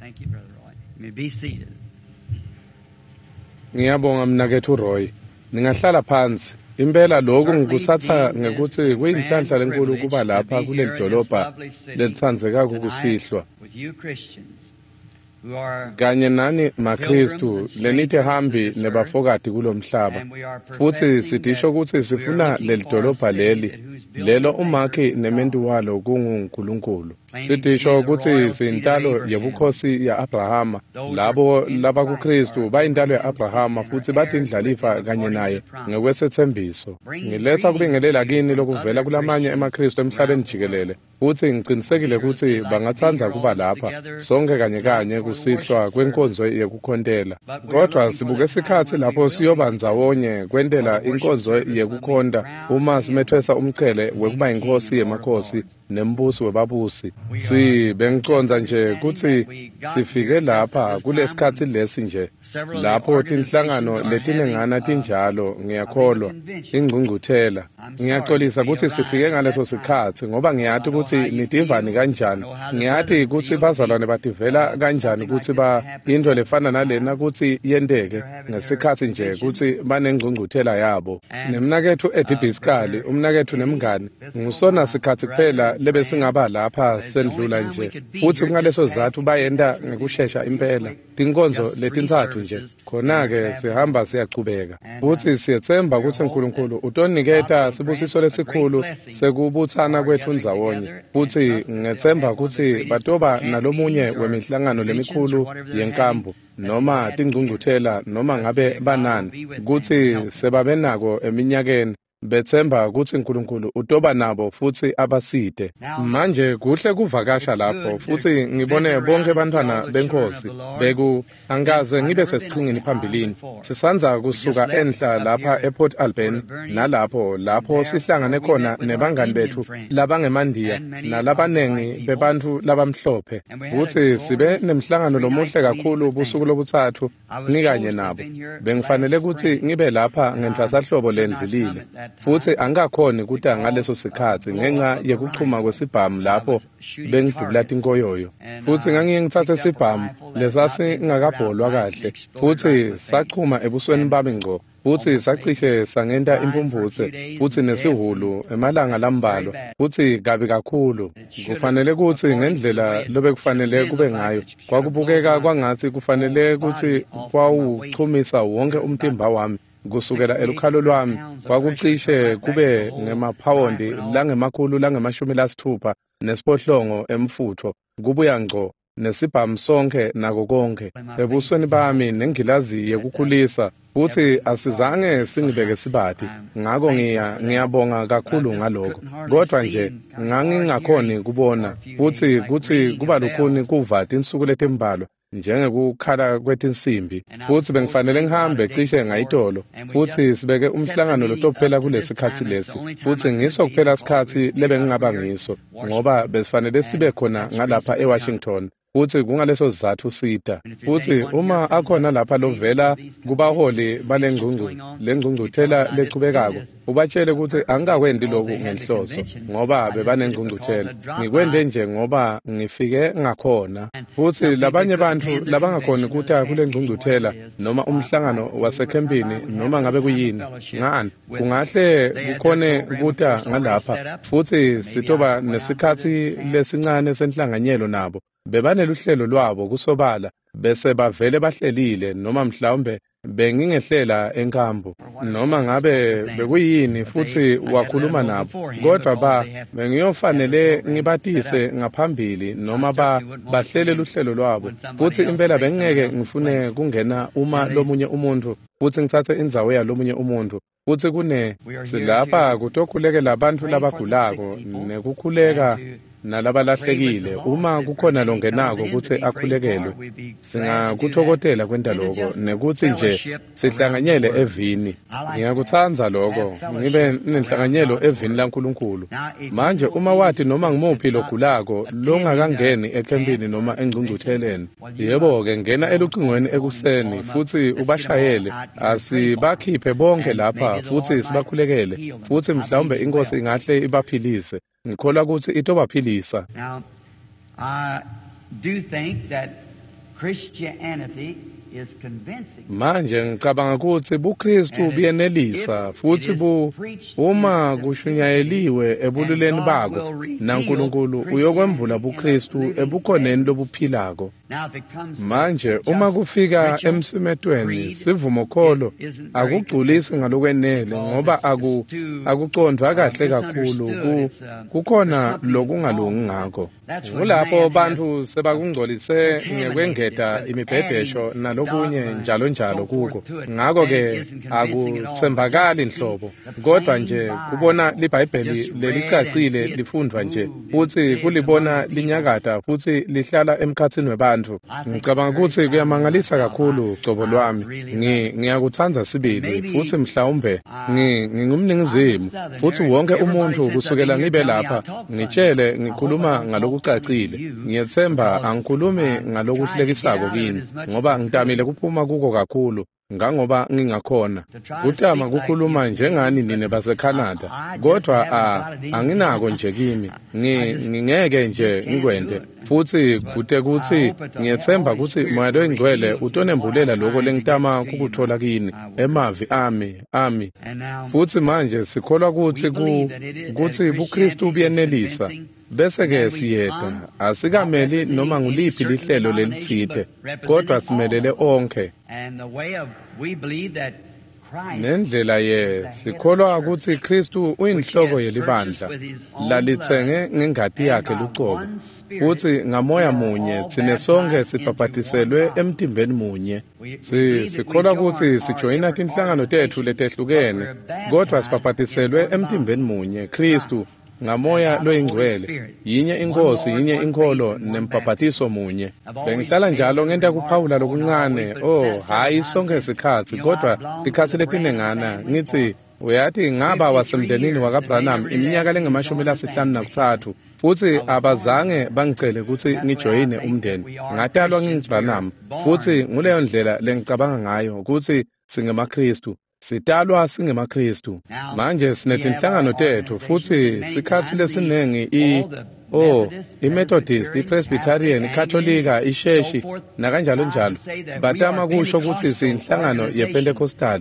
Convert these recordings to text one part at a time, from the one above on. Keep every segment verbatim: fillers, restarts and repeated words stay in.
Thank you, Brother Roy. You may be seated. Ngiyabonga mnaketfu Roy. Ningahlala phansi. Impela lokhu ngikuthatha ngekuthi kuyinhlanhla lenkulu kuba lapha kuleli dolobha lelitsandzekako kusihlwa. With you Christians who are Kanye nani maKristu lenitihambi nebafokati kulomhlaba. Futhi sidisho kutsi sifuna leli dolobha leli lelo umakhi nementu walo kunguNkulunkulu. Sidisho kutsi siyintalo yebukhosi ya-Abrahama. Labo labakuKristu bayintalo ya-Abrahama futhi batindlalifa kanye naye ngekwesetsembiso. Ngiletha kubingelela kini lokuvela kulamanye emaKristu emhlabeni jikelele. Futhi ngicinisekile kutsi bangatsandza kuba lapha sonke kanye kanye kusihlwa kwenkonzo yekukhontela. Kodwa sibuke sikhatsi lapho siyoba ndzawonye kwentela inkonzo yekukhonta uma simethwesa umchele wekuba yinkhosi yemakhosi nembusi webabusi. Si bengicondza nje kutsi sifike lapha kulesikhatsi lesi nje lapho tinhlangano letinengana tinjalo ngiyakholwa ingcungcuthela. Ngiyaxolisa kutsi sifike ngaleso sikhatsi ngoba ngiyati kutsi nitivani kanjani. Ngiyati kutsi bazalwane bativela kanjani kutsi ba into lefana nalena kutsi yenteke ngesikhatsi nje kutsi banengcungcuthela yabo. Nemnaketfu Eddie Biskali, umnaketfu nemngani, ngusona sikhatsi kuphela lebesingaba lapha sendlula nje. Futsi kungaleso sizatfu bayenta ngekushesha impela. Tinkonzo letintsatfu nje. Khona-ke sihamba siyachubeka. Futsi siyetsemba kutsi uNkulunkulu utoniketa sibusiso lesikhulu sekubutsana kwetfu ndzawonye. Futsi ngetsemba kutsi batoba nalomunye wemihlangano lemikhulu yenkambu noma tingcungcuthela noma ngabe banani kutsi sebabenako eminyakeni. Betsemba kutsi uNkulunkulu utoba nabo futsi abasite. Manje kuhle kuvakasha lapho futsi ngibone bonke bantfwana beNkhosi beku angikaze ngibe sesichingini phambilini. Sisandza kusuka enhla lapha ePort Alberni nalapho lapho sihlangane khona nebangani betfu labangemandiya nalabanengi bebantfu labamhlophe. Kutsi sibe nemhlangano lomuhle kakhulu busuku lobutsatfu ngikanye nabo. Bengifanele kutsi ngibe lapha ngenhlasahlobo lendlulile. Futsi angikakhoni kuta ngaleso sikhatsi ngenxa yekuchuma kwesibhamu lapho bengidubula tinkoyoyo. Futsi ngangiye ngitsatse sibhamu lesasingakabholwa kahle futsi sachuma ebusweni bami ngco. Futsi sacishe sangenta imphumphutse futsi nesihulu emalanga lambalwa futsi kabi kakhulu. Kufanele kutsi ngendlela lobekufanele kube ngayo kwakubukeka kwangatsi kufanele kutsi kwawuchumisa wonke umtimba wami. Kusukela elukhalo lwami kwakucishe kube ngemaphawondi langemakhulu langemashumi lasitfupha nesiphohlongo emfutfo kubuya ngco nesibhamu sonkhe nako konkhe ebusweni bami nengilazi yekukhulisa futsi asizange singibeke sibati. Ngako ngiya ngiyabonga kakhulu ngaloko. Kodwa nje ngangingakhoni kubona futsi kutsi kuba lukhuni kuva tinsuku letimbalwa njengekukhala kwetinsimbi. Futsi bengifanele ngihambe cishe ngayitolo futsi sibeke umhlangano lotophela kulesikhatsi lesi futsi ngiso kuphela sikhatsi lebengingaba ngiso ngoba besifanele sibe khona ngalapha eWashington. Futsi kungaleso sizatfu sita. Futsi uma akhona lapha lovela kubaholi balengcungcu lengcungcuthela lechubekako ubatshele kutsi angikakwenti loku ngenhloso ngoba bebanengcungcuthela. Ngikwente nje ngoba ngifike ngakhona. Futsi labanye bantfu labangakhoni kuta kulengcungcuthela noma umhlangano wasekhempini noma ngabe kuyini ngani kungahle kukhone kuta ngalapha futsi sitoba nesikhatsi lesincane senhlanganyelo nabo. Bebaneluhlelo lwabo kusobala bese bavele bahlelile noma mhlawumbe bengingehlela enkambu noma ngabe bekuyini futsi wakhuluma nabo. Kodwa ba bengiyofanele ngibatise ngaphambili noma ba bahlele luhlelo lwabo. Futsi impela bengingeke ngifune kungena uma lomunye umuntu futsi ngitsatse indzawo yalomunye umuntu. Futsi kune silapha kutokhulekela bantfu labagulako nekukhuleka nalabalahlekile. Uma kukhona longenako kutsi akhulekelwe singakutfokotela kwenta loko nekutsi nje sihlanganyele evini. Ngiyakutsandza loko ngibe nenhlanganyelo evini laNkulunkulu. Manje uma wati noma ngimuphi logulako longakangeni ekhempini noma engcungcutheleni, yebo-ke ngena elucingweni ekuseni futsi ubashayele. Asibakhiphe bonke lapha futsi sibakhulekele futsi mhlawumbe iNkhosi ingahle ibaphilise. Ngikholwa kutsi itobaphilisa. Now, I do think that Christianity is convincing. Manje ngicabanga kutsi buKristu buyenelisa futsi bu uma kushunyayeliwe ebululeni bako naNkulunkulu uyokwembula buKristu ebukhoneni lobuphilako. Now if it comes to Manje uma kufika emsimetweni sivumokholo akugculisi ngalokwenele ngoba aku akucondvwa kahle kakhulu ku kukhona lokungalungi ngako. Ngulapho bantfu sebakungcolise ngekwengeta imibhedesho nalokunye njalo njalo kuko. Ngako ke akutsembakali nhlobo kodwa nje kubona liBhayibheli lelicacile lifundvwa nje futsi kulibona linyakata futsi lihlala emkhatsini webantfu. Ngicabanga kutsi kuyamangalisa kakhulu cobo lwami. Ngi ngiyakutsandza sibili futsi mhlawumbe ngi ngingumningizimu futsi wonke umuntfu kusukela ngibe lapha ngitshele ngikhuluma ngalokucacile. Ngiyetsemba angikhulumi ngalokuhlekisako kini ngoba ngitamile kuphuma kuko kakhulu ngangoba ngingakhona kutama kukhuluma njengani nine baseCanada kodwa a anginako nje kimi ngi ngingeke nje ngikwente futsi kute kutsi ngiyetsemba kutsi Moya loyiNgcwele utonembulela lokho lengitama kukuthola kini emavi ami ami And now futsi manje sikholwa kutsi ku kutsi buKristu buyenelisa bese ke siyeta asikameli noma nguliphi lihlelo lelitsite kodwa simelele onkhe and the way of we believe that Christ nendlela ye sikholwa kutsi Kristu uyinhloko yelibandla lalitsenge ngengati yakhe lucobo futsi ngamoya munye tsine sonke sibhabhatiselwe emtimbeni munye. Si sikholwa kutsi sijoyina tinhlangano tetfu letehlukene kodwa sibhabhatiselwe emtimbeni munye Kristu ngamoya loyingcwele yinye inkosi yinye inkholo nembhabhatiso munye. Bengihlala njalo ngenta kuphawula lokuncane oh hayi sonke sikhatsi kodwa tikhatsi letinengana ngitsi uyati ngaba wasemndenini wakaBranham iminyaka lengemashumi lasihlanu nakutsatfu futsi abazange bangicele kutsi ngijoyine umndeni. Ngatalwa nginguBranham futsi nguleyo ndlela lengicabanga ngayo kutsi singemaKristu. Sitalwa singemaKristu. Manje sinetinhlangano tetfu futsi sikhatsi lesinengi i oh iMethodist, iPresbyterian, iKatolika, iSheshi nakanjalo njalo batama kusho kutsi siyinhlangano yePentecostal.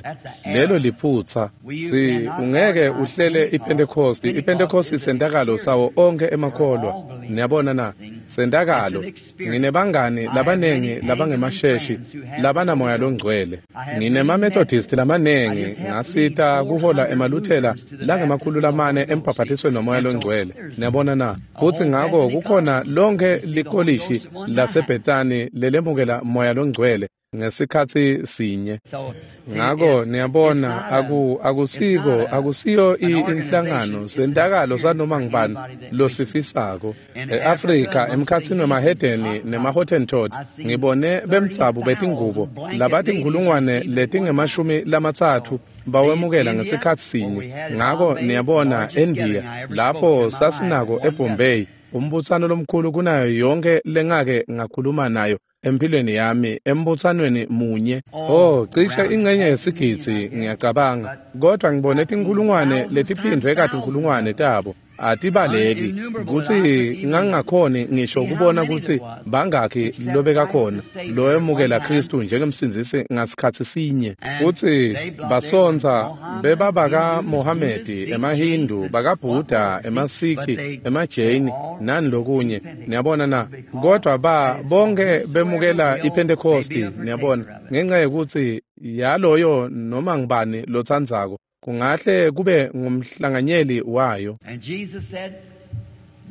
Lelo liphutsa. Si ungeke uhlele iPentecost. iPentecost isentakalo sawo onke emakholwa. Niyabona na? Sentakalo. Nginebangani labanengi labangemasheshi labanamoya longcwele. NginemaMethodist lamanengi ngasita kuhola emaLuthela langemakhulu lamane embhabhatisweni nomoya longcwele. Niyabona na? Futsi ngako kukhona lonke likolishi laseBethani lelemukela moya longcwele ngesikhatsi sinye. So see, Ngako it, niyabona it's not a aku it's akusiko not a akusiyo an i- organization, inhlangano it's an sentakalo experience sanoma for ngubani anybody that wishes. losifisako. In Africa, E-Afrika amongst the emkhatsini heathen wemahedeni Hottentots, nemaHottentot I've seen ngibone bemdzabu betingubo thirty thousand blanket ladies labatinkhulungwane receive at one time. letingemashumi lamatsatfu So the bawemukela India, ngesikhatsi where sinye. we had at Ngako Bombay, the niyabona largest gathering eNdiya I ever spoke lapho in my life at sasinako one gathering. eBombay umbutsano lomkhulu kunayo yonke lengake ngakhuluma nayo empilweni yami embutsanweni munye. Oh, Oh cishe around ingcenye half a million, yesigidzi I guess. ngiyacabanga But kodwa ngibone I've seen tinkhulungwane thousands times letiphindvwe thousands katinkhulungwane of them. tabo atibaleki Uninnumerable that I kutsi couldn't even ngangingakhoni ngisho see how kubona many kutsi there was, bangakhi except Christ lobekakhona the Savior at one lowemukela time. Kristu njengemsindzisi ngasikhatsi sinye. And Futsi they blo- they were basontsa Mohammedans, bebabaka Hindus, Buddhists, Mohamedi, Sikhs, Jains, emaHindu, and bakaBhuda, whatnot. See, but emaSikhi, they they emaJaini all nani lokunye. received Pentecost Niyabona na? because Kodwa ba that is bonke whosoever bemukela will may be iPentecosti, a niyabona, partaker of it. ngenxa yekutsi yaloyo noma ngubani lotsandzako kungahle kube ngumhlanganyeli wayo. And Jesus said,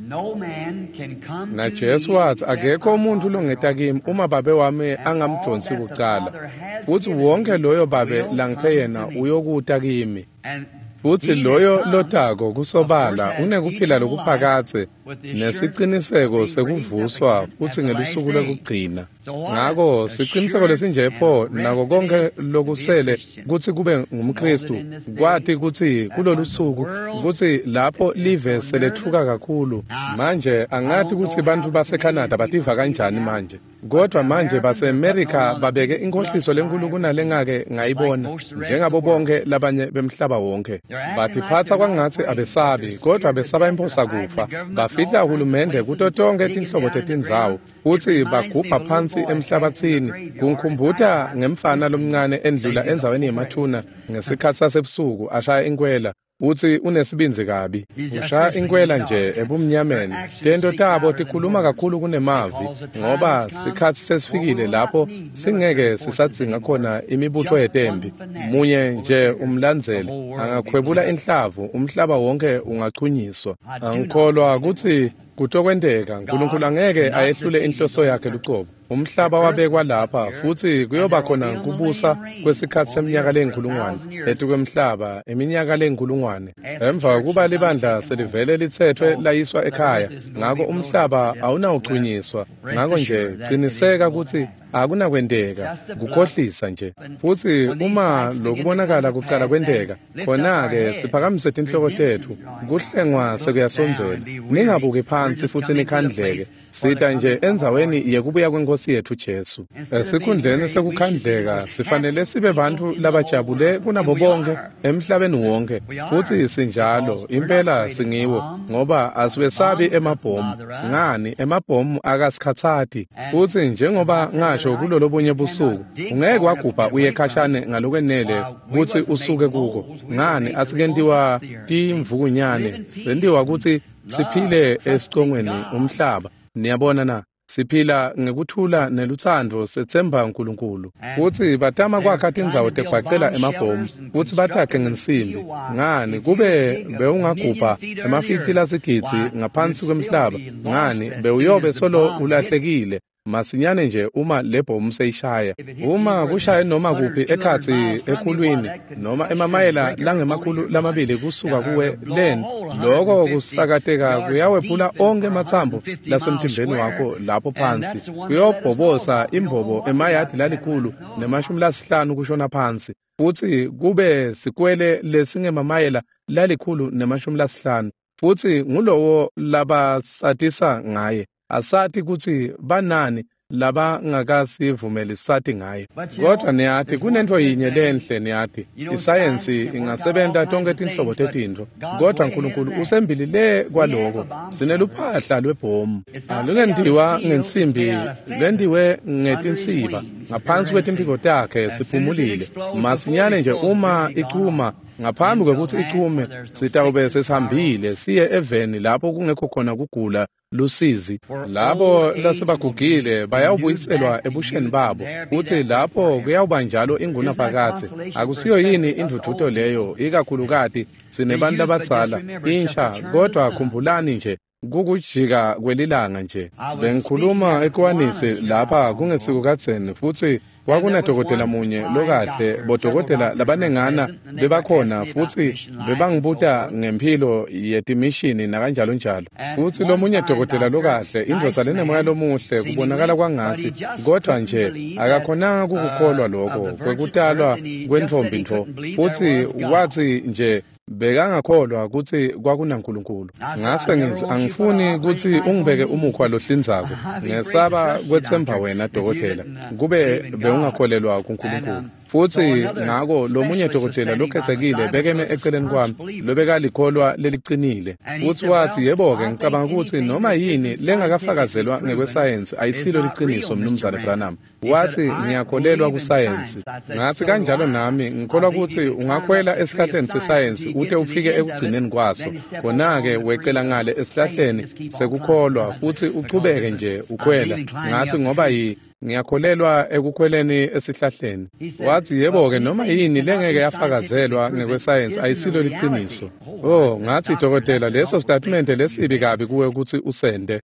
No man can come to NaJesu me watsi except akekho my umuntfu Father longeta draw him kimi first. uma babe wami And all angamdvonsi that the kucala Father has futsi given wonke me loyo babe will langiphe come to yena me. uyokuta kimi. And Futsi he that loyo comes, lotako of course, kusobala has unekuphila eternal life lokuphakadze with the assurance of nesiciniseko being raised up sekuvuswa again at futsi the last ngelusuku day. lwekugcina. So what Ngako siciniseko assurance lesinje and pho rest nako it konke is to be a lokusele Christian. kutsi kube Know that ngumKristu in this day kwati kutsi that when kulolu the suku world kutsi lapho is live so nervous, seletfuka kakhulu. now Manje I angati don't kutsi know how bantfu the baseCanada Canadian bativa people feel kanjani now, manje but kodwa the manje Americans are putting on baseMerika one of the babeke biggest inkohliso bluffs I lenkulu ever seen, kunalengake like ngayibona most of the rest of the njengabo world. bonke labanye bemhlaba wonke. They're acting like Batiphatsa they're not kwangatsi afraid, but abesabi their kodwa spirit of besaba death are imphosa hiding the kufa. government in Bafihla all kinds of hulumende places kuto and tonkhe digging tinhlobo down in the tetindzawo ground Futsi bagubha phansi emhlabathini. Kungikhumbuta ngemfana lomncane endlula endzaweni yemathuna ngesikhatsi sasebusuku ashaya inkwela. Utsi unesibindzi kabi. Ushaya inkwela nje ebumnyameni. Tento tabo tikhuluma kakhulu kunemavi, ngoba sikhatsi sesifikile lapho singeke sisadzinga khona imibutho yetempi. Munye nje umlandzeli angakhwebula inhlavu, umhlaba wonke ungachunyiswa. Angikholwa kutsi kutokwenteka. Nkulunkulu angeke ayehlule inhloso yakhe lucobo. Umhlaba wabekwa lapha futsi kuyoba khona kubusa kwesikhatsi seminyaka leyinkhulungwane etukwemhlaba, iminyaka leyinkhulungwane. Emva kokuba libandla selivele litsetfwe layiswa ekhaya, ngako umhlaba awunawuchunyiswa. Ngako nje ciniseka kutsi akunakwenteka, kukhohlisa nje. Futsi uma lokubonakala kucala kwenteka, khona-ke siphakamise tinhloko tetfu, kuhlengwa sekuyasondzela. Ningabuki phansi futsi nikhandleke. Sita nje endzaweni yekubuya kweNkosi yetfu Jesu. Esikhundleni sekukhandleka, sifanele sibe bantfu labajabule kunabo bonke emhlabeni wonke. Futsi sinjalo, impela singiwo, ngoba asiwesabi emabhomu. Ngani, emabhomu akasikhatsati. Futsi njengoba ngasho kulolobunye busuku, ungeke wagubha uye khashane ngalokwenele kutsi usuke kuko. Ngani, asikentiwa timvukunyane, sentiwa kutsi siphile esicongweni umhlaba. Niyabona na? Siphila ngekuthula nelutsandvo, setsemba uNkulunkulu. Futsi batama kwakha tindzawo tekubhacela emabhomu, futsi batakhe ngensimbi. Ngani, kube bewungagubha emafiti lasigidzi ngaphansi kwemhlaba, ngani, bewuyobe solo ulahlekile masinyane nje uma lebhomu seyishaya. Uma kushaye noma kuphi ekhatsi ekhulwini noma emamayela langemakhulu lamabili kusuka kuwe leni, loko kusakateka kuyawephula onkhe ematsambo lasemtimbeni wakho lapho phansi. Kuyobhobosa imbobo emayadi lalikhulu nemashumi lasihlanu kushona phansi, futsi kube sikwele lesingemamayela lalikhulu nemashumi lasihlanu. Futsi ngulowo labasatisa ngaye. Asati kutsi banani labangakasivumeli sati ngaye. Kodwa niyati kunento yinye lenhle, niyati isayensi ingasebenta tonke tinhlobo tetintfo, kodwa uNkulunkulu usembili le kwaloko. Sineluphahla lwebhomu, alungentiwa ngensimbi, lentiwe ngetinsiba. Ngaphansi kwetimphiko takhe siphumulile. Masinyane nje uma ichuma, ngaphambi kwekutsi ichume, sitawube sesihambile siye eveni lapho kungekho khona kugula lusizi. Labo lasebagugile bayawubuyiselwa ebusheni babo, futsi lapho kuyawuba njalo ingunaphakadze. Akusiyo yini indvudvuto leyo, ikakhulukati sinebantu labadzala insha? Kodwa khumbulani nje, kukujika kwelilanga nje. Bengikhuluma eKwanisi lapha kungesiko kadzeni, futsi kwakunadokotela munye lokahle, bodokotela labanengana bebakhona, futsi bebangibuta ngemphilo yetimishini nakanjalo njalo. Futsi lomunye dokotela lokahle, indvodza lenemoya lomuhle, kubonakala kwangatsi, kodwa nje akakhonanga kukukholwa lokho kwekutalwa kwentfombi ntfo. Futsi watsi nje bekangakholwa kutsi kwakunaNkulunkulu. Ngase ngithi, angifuni kutsi ungibeke umukhwa lohlinzako. Ngesaba kwetsemba wena dokotela, kube bewungakholelwa kuNkulunkulu. Futsi ngako lomunye dokotela lokhetsekile bekeme eceleni kwami, lobekalikholwa leliqinile. Futsi watsi, yebo-ke, ngicabanga kutsi noma yini lengakafakazelwa ngekwesayensi ayisilo liciniso, Mnumzane Branham. Watsi, ngiyakholelwa kusayensi. Ngatsi, kanjalo nami ngikholwa kutsi ungakhwela esihlahleni sesayensi ute ufike ekugcineni kwaso. Khona-ke wecela ngale esihlahleni sekukholwa futsi uchubeke nje ukhwela. Ngatsi, ngoba yi ngiyakholelwa ekukhweleni esihlahleni. Watsi, yebo-ke, noma yini lengeke yafakazelwa ngekwesayensi ayisilo liciniso. Oh, ngatsi, dokotela, leso sitatimende lesibi kabi kuwe kutsi usende.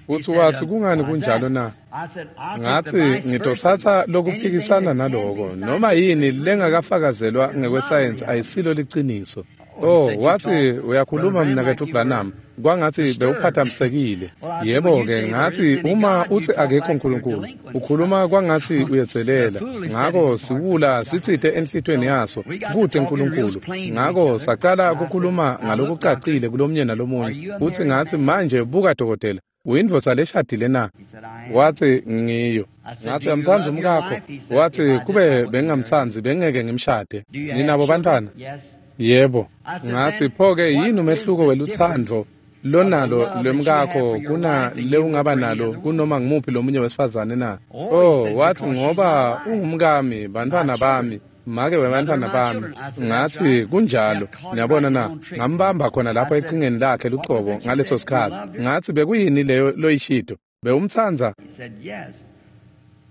Futsi watsi, kungani kunjalo na? Ngatsi, ngitotsatsa lokuphikisana naloko. Noma yini lengakafakazelwa ngekwesayensi ayisilo liciniso. Oh, watsi, uyakhuluma mnaketfu Branham, kwangatsi bewuphathamisekile. Yebo-ke, ngatsi, uma utsi akekho uNkulunkulu, ukhuluma kwangatsi uyedzelela. Ngako siwula sitsite enhlitweni yaso, kute uNkulunkulu. Ngako sacala kukhuluma ngalokucacile kulomnye nalomunye. Futsi ngatsi, manje buka dokotela, uyindvodza leshadile na? Watsi, ngiyo. Ngatsi, uyamtsandza umkakho? Watsi, kube bengingamtsandzi bengeke ngimshade. Ninabo bantfwana? Yebo. Ngatsi, pho-ke yini umehluko welutsandvo lonalo lwemkakho kuna lewungaba nalo kunoma ngumuphi lomunye wesifazane na? Oh, wathi ngoba ungumkami, bantwana bami, make webantwana bami. Ngathi kunjalo. Niyabona na? Ngambamba khona lapho echingeni lakhe lucobo ngaleso sikhathi. Ngathi bekuyini leyo loyishito? Bewumtsandza?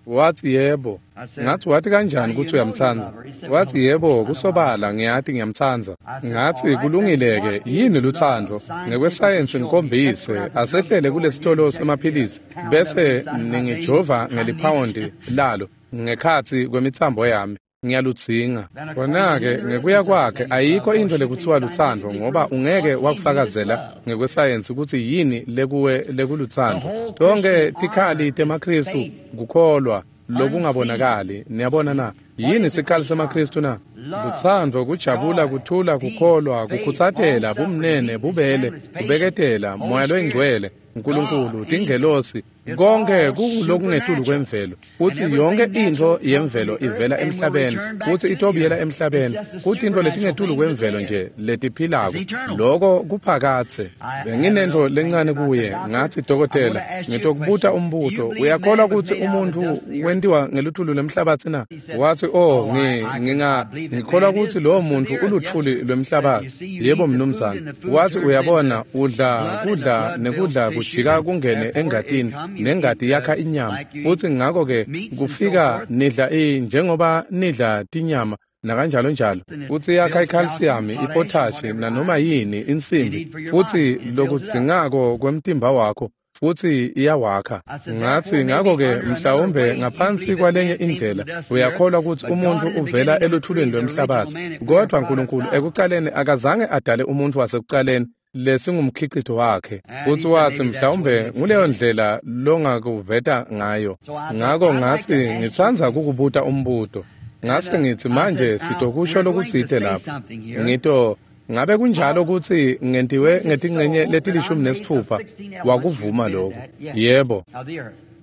Wathi yebo. Ngathi wathi kanjani ukuthi uyamtsandza? Wathi yebo, kusobala ngiyati ngiyamtsandza. Ngathi kulungile-ke, yini luthando? Ngekwesayensi ngikhombise, asehlele kulesitolo semaphilisi bese ningijova ngeliphawundi lalo ngekhatsi kwemitsambo yami. Ngiyaludzinga. Khona-ke ngekuya kwakhe ayikho into lekuthiwa luthando ngoba ungeke wakufakazela ngekwesayensi ukuthi yini lekuwe lekuluthando. Tonke tikhali temaKhristu kukholwa lokungabonakali. Niyabona na? Yini sikhali semaKhristu na? Luthando, kujabula, kuthula, kukholwa, kukhutsatela, bumnene, bubele, kubeketela, moya loyingcwele, uNkulunkulu, tingelosi, konke kulokungetulu kwemvelo. Kuthi yonke into yemvelo ivela emhlabeni, kuthi itobuyela emhlabeni, kuthi into letingetulu kwemvelo nje letiphilako, loko kuphakatse. Benginento lencane kuye, ngathi dokotela, ngitokubuta umbuto, uyakholwa ukuthi umuntu wentiwa ngeluthulu lwemhlabathi na? Wathi oh, ngi nginga ngikholwa ukuthi lowo muntu uluthuli lwemhlabathi. Yebo mnumzane. Wathi uyabona udla kudla nekudla kujika kungene engatini, nengati yakha inyama. Uthi ngakho ke kufika nidla i njengoba nidla tinyama nakanjalo njalo. Uthi yakha icalcium, ipotash nanoma yini insimbi, futhi lokudzingako kwemtimba wakho futhi iyawakha. Ngathi ngakho ke mhlawumbe ngaphansi kwalenye indlela uyakholwa ukuthi umuntu uvela eluthulweni lwemhlabathi, kodwa uNkulunkulu ekuqaleni akazange adale umuntu wasekuqaleni lesingumkhicito wakhe. Uthi wathi mhlawumbe nguleyo ndlela longakuveta ngayo. Ngakho ngathi ngitsandza kukubuta umbuto. Ngase ngithi manje sitokusho lokutsite lapha. Ngito ngabe kunjalo ukuthi ngentiwe ngetingcenye letilishumi nesitfupha? Wakuvuma lokho. Yebo.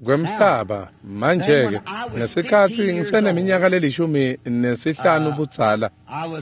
Kwemhlaba manje-ke ngesikhathi ngiseneminyaka lelishumi nesihlanu budzala,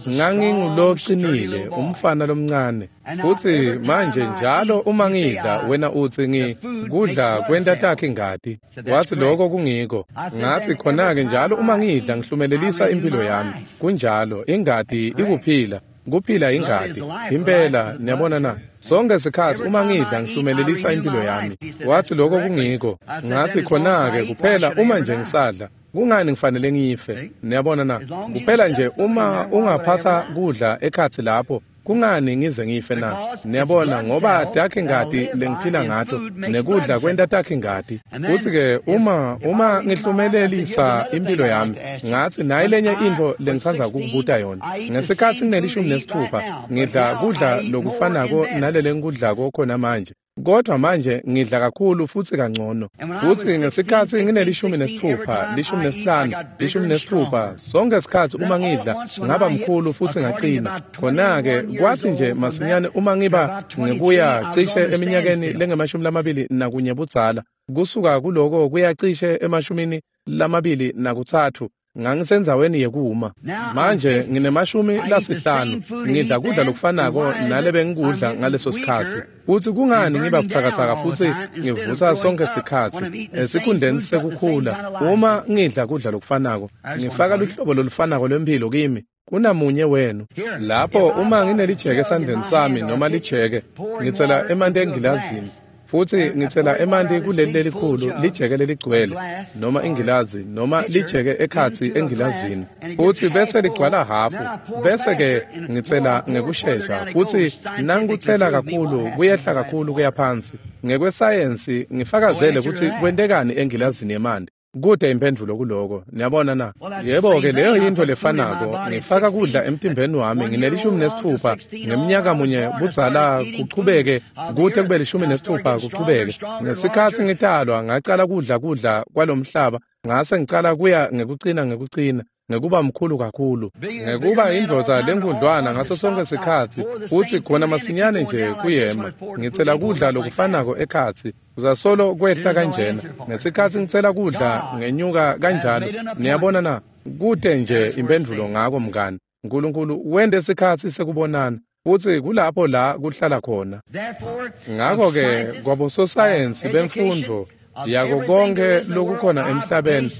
nganginguloqinile umfana lomncane. Futhi manje njalo uma ngidla wena uthi ngi kudla kwenta takhe ingati. Wathi lokho kungiko. Ngathi khona-ke njalo uma ngidla ngihlumelelisa impilo yami. Kunjalo, ingati ikuphila. Kuphila ingati. Impela, niyabona na? Sonke sikhathi uma ngidla ngihlumelelisa impilo yami. Wathi lokho kungiko. Ngathi khona-ke kuphela uma nje ngisadla, kungani ngifanele ngife? Niyabona na? Kuphela nje uma ungaphatha kudla ekhathi lapho, kungani ngize ngife na? Niyabona, ngoba takhe ingati lengiphila ngato, nekudla kwenta takhe ingati. Kuthi-ke uma uma ngihlumelelisa impilo yami, ngathi nayi lenye into lengitsandza kukubuta yona. Ngesikhathi nginelishumi nesitfupha, ngidla kudla lokufanako nalele ngikudlako khona manje. Kodwa manje ngidla kakhulu futhi kangcono. Futhi ngesikhathi nginelishumi nesitfupha, lishumi nesihlanu, lishumi nesitfupha, sonke isikhathi uma ngidla ngaba mkhulu futhi ngaqina. Khona-ke kwathi nje masinyane uma ngiba ngikuya cishe eminyakeni lengemashumi lamabili nakunye budzala, kusuka kuloko kuya cishe emashumini lamabili nakutsatfu, ngangisendzaweni yekuma. Manje nginemashumi lasihlanu, ngidla kudla lokufanako nalebe ngikudla ngaleso sikhathi. Futhi kungani ngiba buthakathaka futhi ngivusa sonke sikhathi esikhundleni sekukhula? Uma ngidla kudla lokufanako, ngifaka luhlobo lolufanako lwempilo kimi kunamunye wenu. Lapho uma nginelijeke esandleni sami noma lijeke, ngitsela emanti engilazini. Futhi ngitsela emanti kuleli lelikhulu lijeke leligcwele noma ingilazi noma lijeke ekhatsi engilazini, futhi bese ligcwala hafu, bese ke ngitsela ngekushesha, futhi nangikutsela kakhulu kuyehla kakhulu kuya phansi. Ngekwesayensi ngifakazele ukuthi kwentekani engilazini yemanti. Kude impendvulo kuloko. Niyabona na? Yebo-ke leyo yinto lefanako. Ngifaka kudla emtimbeni wami nginelishumi nesitfupha ngeminyaka munye budzala kuchubeke kute kube lishumi nesitfupha kuchubeke. Ngesikhathi ngitalwa ngacala kudla kudla kwalomhlaba, ngase ngicala kuya ngekucina ngekucina ngekuba mkhulu kakhulu, ngekuba indvodza lenkudlwana ngaso sonke sikhathi. Futhi khona masinyane nje kuyema ngitsela kudla lokufanako ekhatsi, kuzasolo kwehla kanjena. Ngesikhathi ngitsela kudla ngenyuka kanjalo. Niyabona na? Kude nje impendvulo ngako mngani. uNkulunkulu wente sikhathi sekubonana. Futsi kulapho la kuhlala khona. Ngakho-ke kwabososayensi bemfundvo yako konke lokukhona emhlabeni,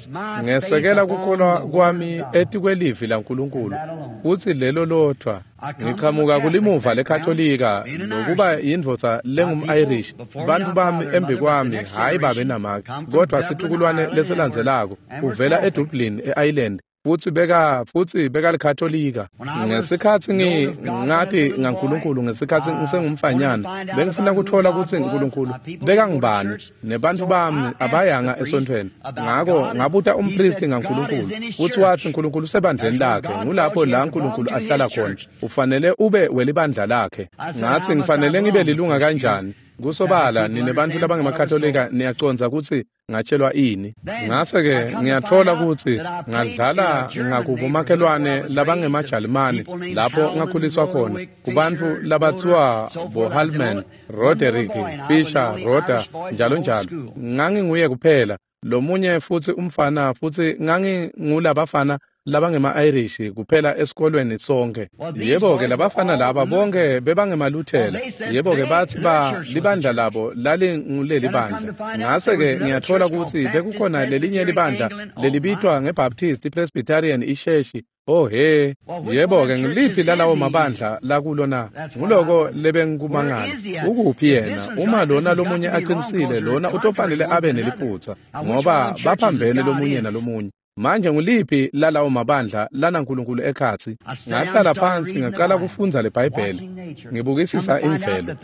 ngesekela kukholwa kwami etikwelivi laNkulunkulu, futsi lelo lodvwa. Ngichamuka kulimuva leKatolika, lokuba yindvodza lengum-Irish. Bantfu bami embi kwami, hhayi babe namake, kodvwa situkulwane lesilandzelako uvela eDublin, e-Ireland. Futsi beka futsi bekalikatolika. Ngesikhatsi ngi ngati ngaNkulunkulu ngesikhatsi ngisengumfanyana, bengifuna kutfola kutsi uNkulunkulu bekangubani, nebantfu bami abayanga esontfweni. Ngako ngabuta umpristi ngaNkulunkulu, futsi watsi uNkulunkulu usebandleni lakhe, ngulapho la uNkulunkulu ahlala khona. Ufanele ube welibandla lakhe. Ngatsi ngifanele ngibe lilunga kanjani? Kusobala nine bantfu labangemakatolika niyacondza kutsi ngatshelwa ini. Ngase-ke ngiyatfola kutsi ngadlala ngakubomakhelwane labangemaJalimane lapho ngakhuliswa khona, kubantfu labatsiwa boHalman, Roderick, Fisher, Roder, njalo njalo. Nganginguye kuphela lomunye futsi umfana, futsi ngangingulabafana labangema-Irish kuphela esikolweni sonke. Yebo-ke labafana laba bonke bebangemaluthela. Yebo-ke batsi ba libandla labo lalinguleli bandla. Ngase-ke ngiyatfola kutsi bekukhona lelinye libandla lelibitwa ngeBaptist, iPresbyterian, isheshi. Oh he, yebo-ke ngiliphi lalawo mabandla lakulo na? Nguloko lebengikumangala. Ukuphi yena? Uma lona lomunye aqinisile, lona utofanele abe neliphutsa, ngoba baphambene lomunye nalomunye. Manje nguliphi lalawo mabandla lanaNkulunkulu ekhatsi? Ngahlala phansi ngaqala kufundza leBhayibheli, ngibukisisa imvelo,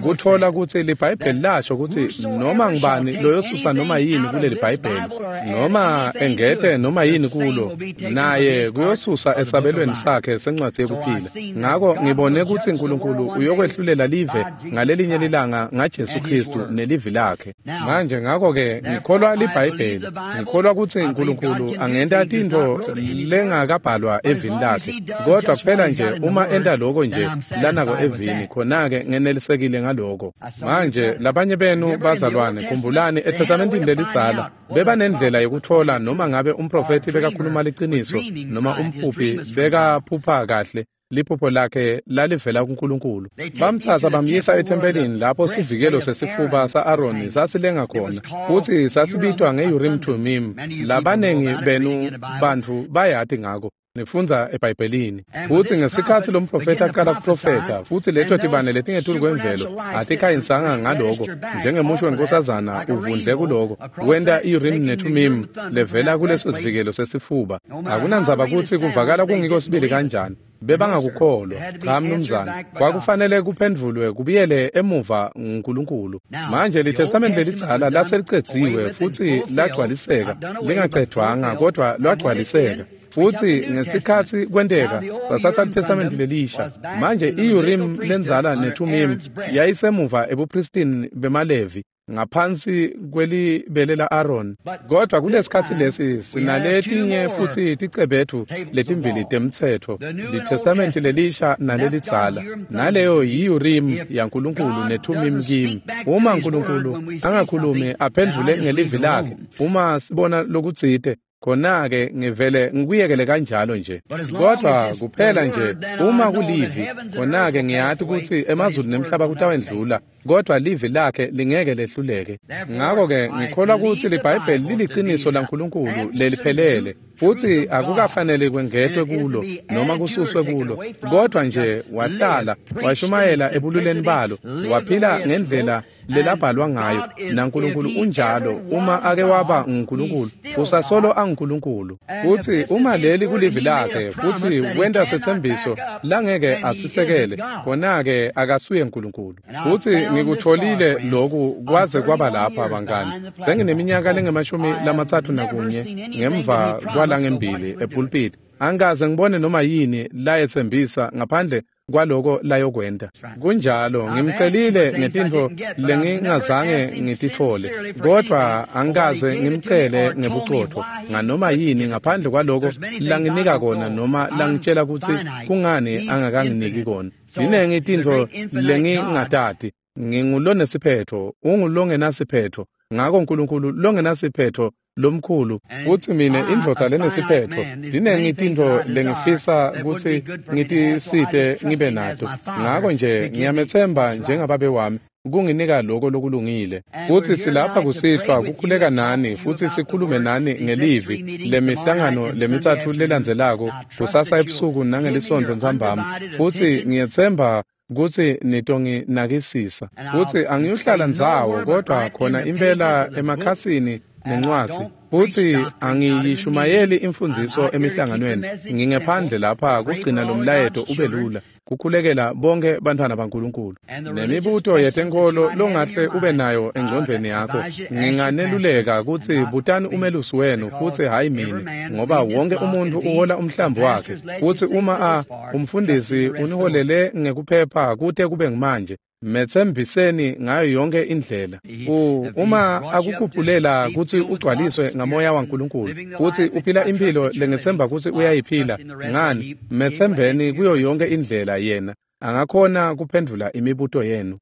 kutfola kutsi liBhayibheli lasho kutsi noma ngubani loyosusa noma yini kuleli Bhayibheli, noma engete noma yini kulo, naye kuyosusa esabelweni sakhe sencwadzi yekuphila. Ngako ngibone kutsi uNkulunkulu uyokwehlulela live ngalelinye lilanga ngaJesu Kristu nelivi lakhe. Manje ngako-ke ngikholwa liBhayibheli, ngikholwa kutsi uNkulunkulu angenta tintfo lengakabhalwa evini lakhe, kodwa kuphela nje uma enta loko nje lanako evini, khona-ke ngenelisekile ngaloko. Manje labanye benu bazalwane, khumbulani eTestamentini lelidzala bebanendlela yekutfola noma ngabe umprofethi bekakhuluma liciniso noma umphuphi bekaphupha kahle. Liphupho lakhe lalivela kuNkulunkulu. Bamtsatsa bamyisa ethempelini lapho sivikelo sesifuba sa-Aroni sasilenga khona, futsi sasibitwa nge-Urim Thummim. Labanengi benu bantfu bayati ngako, nifundza eBhayibhelini. Futsi ngesikhatsi lomprofethi aqala kuprofetha, futsi leto tibane letingetulu kwemvelo atikhanyisanga ngaloko, njengemusho wenkosazana uvundle kuloko, wenta i-Urim neThummim levela kuleso sivikelo sesifuba. Akunandzaba kutsi kuvakala kungiko sibili kanjani, bebangakukholwa. Cha mnumzane, kwakufanele kuphendvulwe kubuyele emuva nguNkulunkulu. Manje liTestamente lelidzala laselicedziwe futsi lagcwaliseka, lingacedvwanga kodvwa lwagcwaliseka. Futsi ngesikhatsi kwenteka satsatsa liTestamente lelisha. Manje i-Urim lendzala neThummim yayisemuva ebupristini bemaLevi, ngaphansi kwelibele la-Aaron. Kodwa kulesikhatsi lesi sinaletinye futsi ticebethu letimbili temtsetfo, liTestamente lelisha nalelidzala. Naleyo yi-Urim yaNkulunkulu neThummim kimi. Uma uNkulunkulu angakhulumi aphendvule ngelivi lakhe, uma sibona lokutsite, khona-ke ngivele ngikuyekele kanjalo nje. Kodwa kuphela nje uma kulivi, khona-ke ngiyati kutsi emazulu nemhlaba kutawendlula, kodwa livi lakhe lingeke lehluleke. Ngako-ke ngikholwa kutsi liBhayibheli liliciniso laNkulunkulu leliphelele, futsi akukafanele kwengetwe kulo noma kususwe kulo, kodwa nje wahlala washumayela ebululeni balo, waphila ngendlela lelabhalwa ngayo, naNkulunkulu unjalo. Uma ake waba nguNkulunkulu, usasolo anguNkulunkulu. Futsi uma leli kulivi lakhe, futsi wenta setsembiso langeke asisekele, khona-ke akasuye uNkulunkulu. Futsi ngikutfolile loku kwaze kwaba lapha bangani. Sengineminyaka lengemashumi lamatsatfu nakunye ngemva kwalangembili epulpiti. Angikaze ngibone noma yini layetsembisa ngaphandle kwaloko layokwenta. Kunjalo, ngimcelile ngetintfo lengingazange ngititfole, kodvwa angikaze ngimcele ngebucotfo nganoma yini ngaphandle kwaloko langinika kona noma langitshela kutsi kungani angakanginiki kona. Tinengi tintfo lengingatati. Ngingulonesiphephetfo, ungulongenasiphetfo. Ngako uNkulunkulu longenasiphetfo lomkhulu kutsi mine indvodza lenesiphetfo tinengi tintfo lengifisa kutsi ngitisite ngibe nato. Ngako nje ngiyamethemba njengababe wami kunginika lokho lokulungile. Futsi silapha kusihlwa kukhuleka nani futsi sikhulume nani ngelivi lemihlangano lemitsatfu lelandzelako kusasa ebusuku nangelisonto ntsambama. Futsi ngiyetsemba kutsi nitonginakisisa. Futsi angiyuhlala ndzawo kodwa khona impela emakhasini nencwadzi. Futsi angiyishumayeli imfundziso emihlanganweni. Ngingephandle lapha kugcina lo mlayeto ube lula, kukhulekela bonke bantfwana baNkulunkulu. Nemibuto yetenkholo longahle ube nayo engcondvweni yakho, nginganeluleka kutsi butani umelusi wenu futsi hhayi mine, ngoba wonke umuntfu uhola umhlambi wakhe. Futsi uma a umfundisi uniholele ngekuphepha kute kube ngumanje, metsembiseni ngayo yonke indlela. U uma akukhuphulela kutsi ugcwaliswe ngamoya waNkulunkulu futsi uphila impilo lengethemba kutsi uyayiphila, ngani metsembeni kuyo yonke indlela yena angakhona kuphendvula imibuto yenu.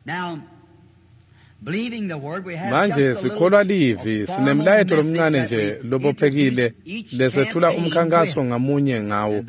Manje sikholwa livi, sinemlayeto lomncane nje lobophekile lesethula umkhankaso ngamunye ngawo.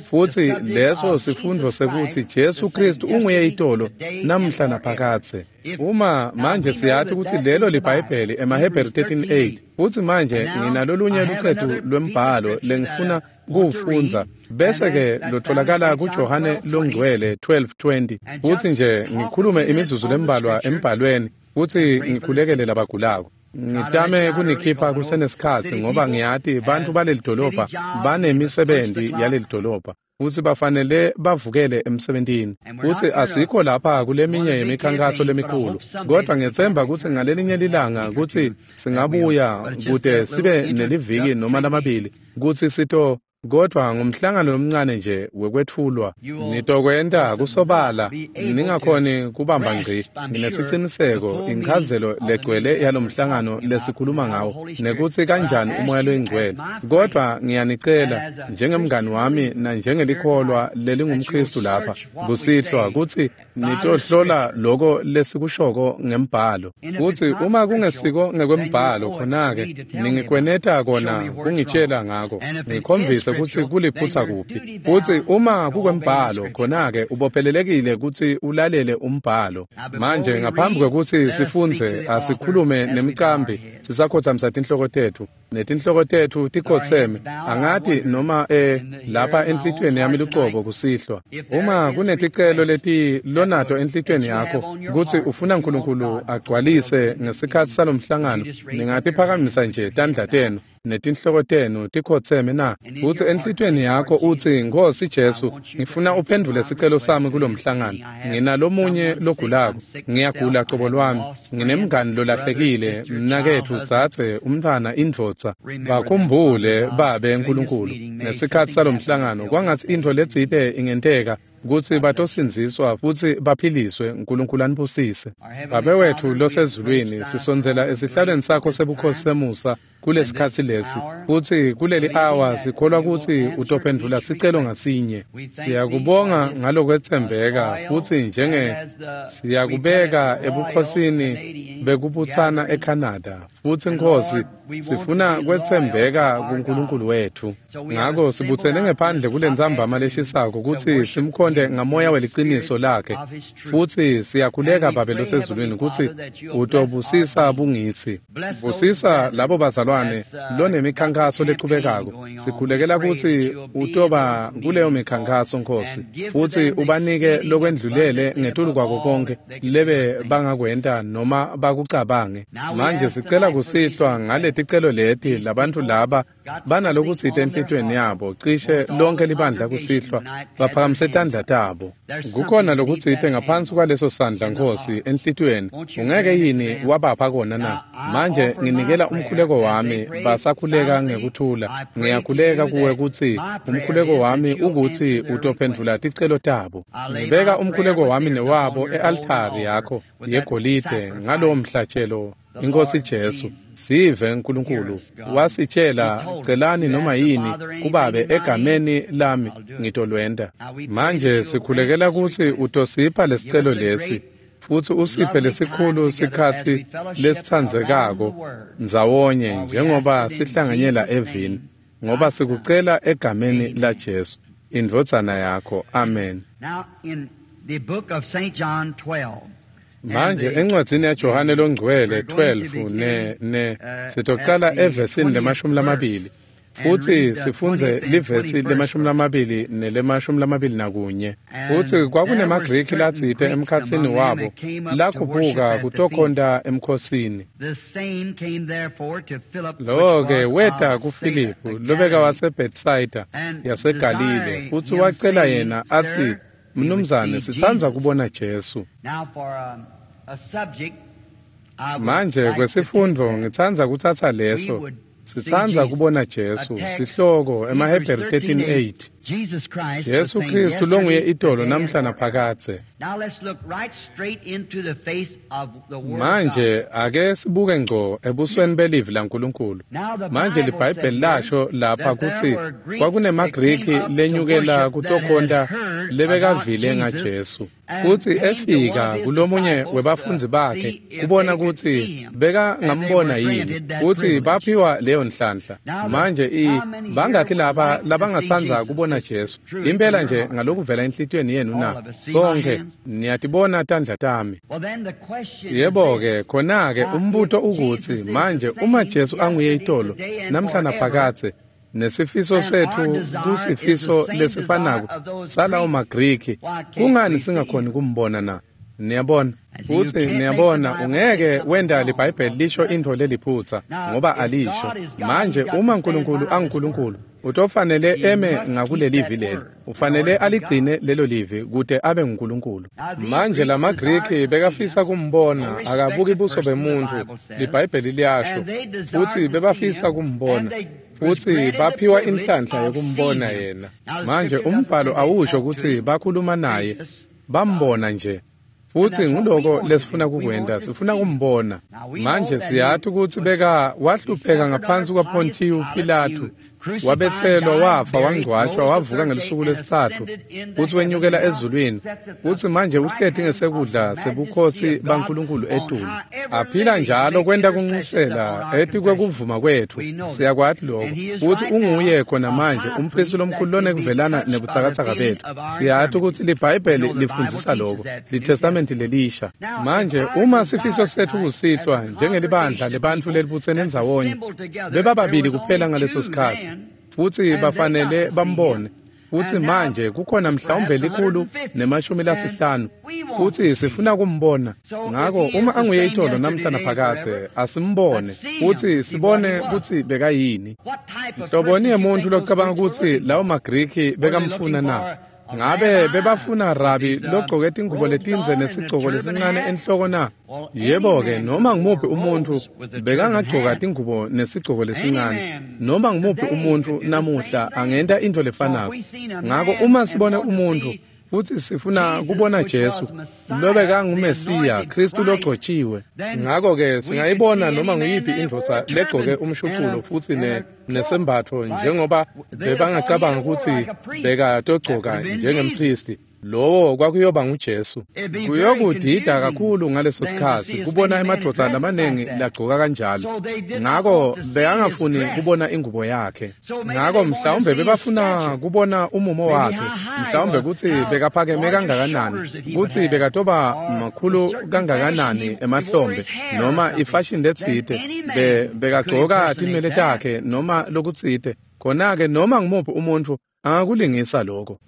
Futsi leso sifundo sekutsi Jesu Kristu unguye itolo namhla naphakadze. Uma manje siyati kutsi lelo liBhayibheli emaHebheru thirteen eight. Futsi manje nginalolunye lucetu lwembhalo lengifuna kuwufundza bese ke lotholakala kuJohane longcwele twelve twenty. Futsi nje ngikhulume imizuzu lembalwa embhalweni futsi ngikhulekele labagulako. Ngitame kunikhipha kusenesikhatsi ngoba ngiyati bantfu baleli dolobha banemisebenti yaleli dolobha futsi bafanele bavukele emsebentini. Futsi asikho lapha kuleminye yemikhankaso lemikhulu, kodwa ngiyetsemba kutsi ngalelinye lilanga kutsi singabuya kute sibe neliviki noma lamabili kutsi sito, kodwa ngumhlangano lomncane nje wekwetfulwa. Nitokwenta kusobala ningakhoni kubamba ngci. Nginesiciniseko inchazelo legcwele yalomhlangano lesikhuluma ngawo nekutsi kanjani umoya loyingcwele. Kodwa ngiyanicela njengemngani wami nanjengelikholwa lelingumKristu lapha kusihlwa kutsi nitohlola loko lesikushoko ngembhalo. Futsi uma kungesiko ngekwembhalo, khona-ke ningikweneta kona kungitshela ngako, ngikhombise kutsi kuliphutsa kuphi. Futsi uma kukwembhalo, khona-ke ubophelelekile kutsi ulalele umbhalo. Manje ngaphambi kwekutsi sifundze, asikhulume nemcambi sisakhotsamisa tinhloko tetfu netinhloko tetfu tikhotseme. Angati noma eh lapha enhlitiyweni yami lucobo kusihlwa, uma kuneticelo leti lonato enhlitiyweni yakho kutsi ufuna uNkulunkulu agcwalise ngesikhatsi salomhlangano, ningatiphakamisa nje tandla tenu netinhloko tenu tikhotseme na? Kutsi enhlitiyweni yakho utsi, Nkhosi Jesu, ngifuna uphendvule sicelo sami kulomhlangano. Nginalomunye logulako, ngiyagula cobo lwami, nginemngani lolahlekile, mnaketfu, dzadze, umntfwana, indvodza. Bakhumbule Babe Nkulunkulu ngesikhatsi salomhlangano, kwangatsi intfo letsite ingenteka kutsi batosindziswa futsi baphiliswe. Nkulunkulu anibusise. Babe wetfu losezulwini, sisondzela esihlalweni sakho sebukhosi semusa kulesikhatsi lesi, futsi kuleli awa sikholwa kutsi utophendvula sicelo ngasinye. Siyakubonga ngalokwetsembeka futsi njenge siyakubeka ebukhosini bekubutsana eCanada. Futsi Nkhosi, sifuna kwetsembeka kuNkulunkulu wetfu. Ngako sibutsene ngephandle kulentsambama leshisako kutsi simkhonte ngamoya weliciniso lakhe. Futsi siyakhuleka Babe losezulwini kutsi utobusisa bungitsi. Busisa labo bazalwane lonemikhankaso lechubekako. Sikhulekela kutsi utoba kuleyo mikhankaso Nkhosi, futsi ubanike lokwendlulele ngetulu kwako konke lebe bangakwenta noma bakucabange. Manje sicela kusihlwa ngaleticelo leti labantfu laba banalokutsite enhlitiyweni yabo, cishe lonke libandla kusihlwa baphakamise tandla tabo. Kukhona lokutsite ngaphansi kwaleso sandla Nkhosi enhlitiyweni, ungeke yini wabapha kona na? Manje nginikela umkhuleko wami basakhuleka ngekuthula. Ngiyakhuleka kuwe kutsi umkhuleko wami ukutsi utophendvula ticelo tabo. Ngibeka umkhuleko wami newabo e-altari yakho yegolide ngalowo mhlatshelo Inkosi Jesu. Sive Nkulunkulu wasitshela, celani noma yini kubabe egameni lami ngitolwenta. Manje sikhulekela kutsi utosipha lesicelo lesi Futsi usiphe lesikhulu sikhatsi lesitsandzekako ndzawonye njengoba sihlanganyela evini, ngoba sikucela egameni laJesu, indvodzana yakho. Amen. Manje encwadzini yaJohane longcwele twelve ne ne sitocala evesini lemashumi lamabili futsi sifundze livesi lemashumi lamabili nelemashumi lamabili nakunye. Futsi kwakunemaGriki latsite emkhatsini wabo lakhuphuka kutokhonta emkhosini. Lowo-ke weta kuFiliphu lobeka waseBethsaida yaseGalile, futsi wacela yena atsi, Mnumzane, sitsandza kubona Jesu. Manje kwesifundvo ngitsandza kutsatsa leso, sitsandza kubona Jesu, sihloko emaHebheru thirteen eight. Jesu Kristu longuye itolo namhla naphakadze. Manje ake sibuke ngco ebusweni belivi laNkulunkulu. Manje liBhayibheli lasho lapha kutsi kwakunemaGriki lenyukela kutokhonta lebekavile ngaJesu. Futsi efika kulomunye webafundzi bakhe kubona kutsi bekangambona yini, futsi baphiwa leyo nhlanhla. Manje i bangakhi laba labangatsandza kubona Jesu? Impela nje ngalokuvela enhlitiyweni yenu na? Sonke niyatibona tandla tami. Yebo-ke, khona-ke umbuto ukutsi manje uma Jesu anguye itolo namhla naphakadze, nesifiso setfu kusifiso lesifanako salawo maGriki, kungani singakhoni kumbona na? Niyabona? Futsi niyabona, ungeke wenta liBhayibheli lisho intfo leliphutsa, ngoba alisho. Manje uma uNkulunkulu anguNkulunkulu, utofanele eme ngakulelivi leli. Ufanele aligcine lelo livi kute abe nguNkulunkulu. Manje lamaGriki bekafisa kumbona, akabuki buso bemuntfu, liBhayibheli liyasho. Futsi bebafisa kumbona, futsi baphiwa inhlanhla yekumbona yena. Manje umbhalo awusho kutsi bakhuluma naye, bambona nje. Futsi nguloko lesifuna kukwenta, sifuna kumbona. Manje siyati kutsi beka wahlupheka ngaphansi kwaPontiyu Pilatu, wabetselwa, wafa, wangcwatjwa, wavuka ngelusuku lwesitsatfu, futsi wenyukela ezulwini, futsi manje uhleti ngesekudla sebukhosi baNkulunkulu etulu. Aphila njalo kwenta kunxusela etikwekuvuma kwetfu, siyakwati lokho. Futsi unguye khona manje umphristi lomkhulu lonekuvelana nebutsakatsaka betfu. Siyati kutsi liBhayibheli lifundzisa lokho, liTestamenti lelisha. Manje uma sifiso setfu kusihlwa njengelibandla lebantfu lelibutsene ndzawonye, bebababili kuphela ngaleso sikhatsi, futsi bafanele bambone. Futsi manje kukhona mhlawumbe likhulu nemashumi lasihlanu, futsi sifuna kumbona. Ngako uma anguye itolo namhla naphakadze, asimbone futsi sibone kutsi bekayini. Nhloboni yemuntfu locabanga kutsi lawo maGriki bekamfuna na? Ngabe bebafuna rabi logcoke tingubo letindze nesigcoko lesincane enhloko na? Yebo-ke, noma ngumuphi umuntfu bekangagcoka tingubo nesigcoko lesincane. Noma ngumuphi umuntfu namuhla angenta intfo lefanako. Ngako uma sibone umuntfu futsi sifuna kubona Jesu, lobekanguMesiya, Kristu logcotshiwe. Ngako-ke singayibona noma nguyiphi indvodza legcoke umshuculo futsi ne nesembatfo njengoba bebangacabanga kutsi bekatogcoka njengemphristi. Lowo kwakuyoba nguJesu. Kuyokudida kakhulu ngaleso sikhatsi kubona emadvodza lamanengi lagcoka kanjalo. Ngako bekangafuni kubona ingubo yakhe. Ngako mhlawumbe bebafuna kubona umumo wakhe, mhlawumbe kutsi bekaphakeme kangakanani, kutsi bekatoba makhulu kangakanani emahlombe, noma ifashion letsite, be bekagcoka tinwele takhe noma lokutsite. Khona-ke noma ngumuphi umuntfu angakulingisa lokho.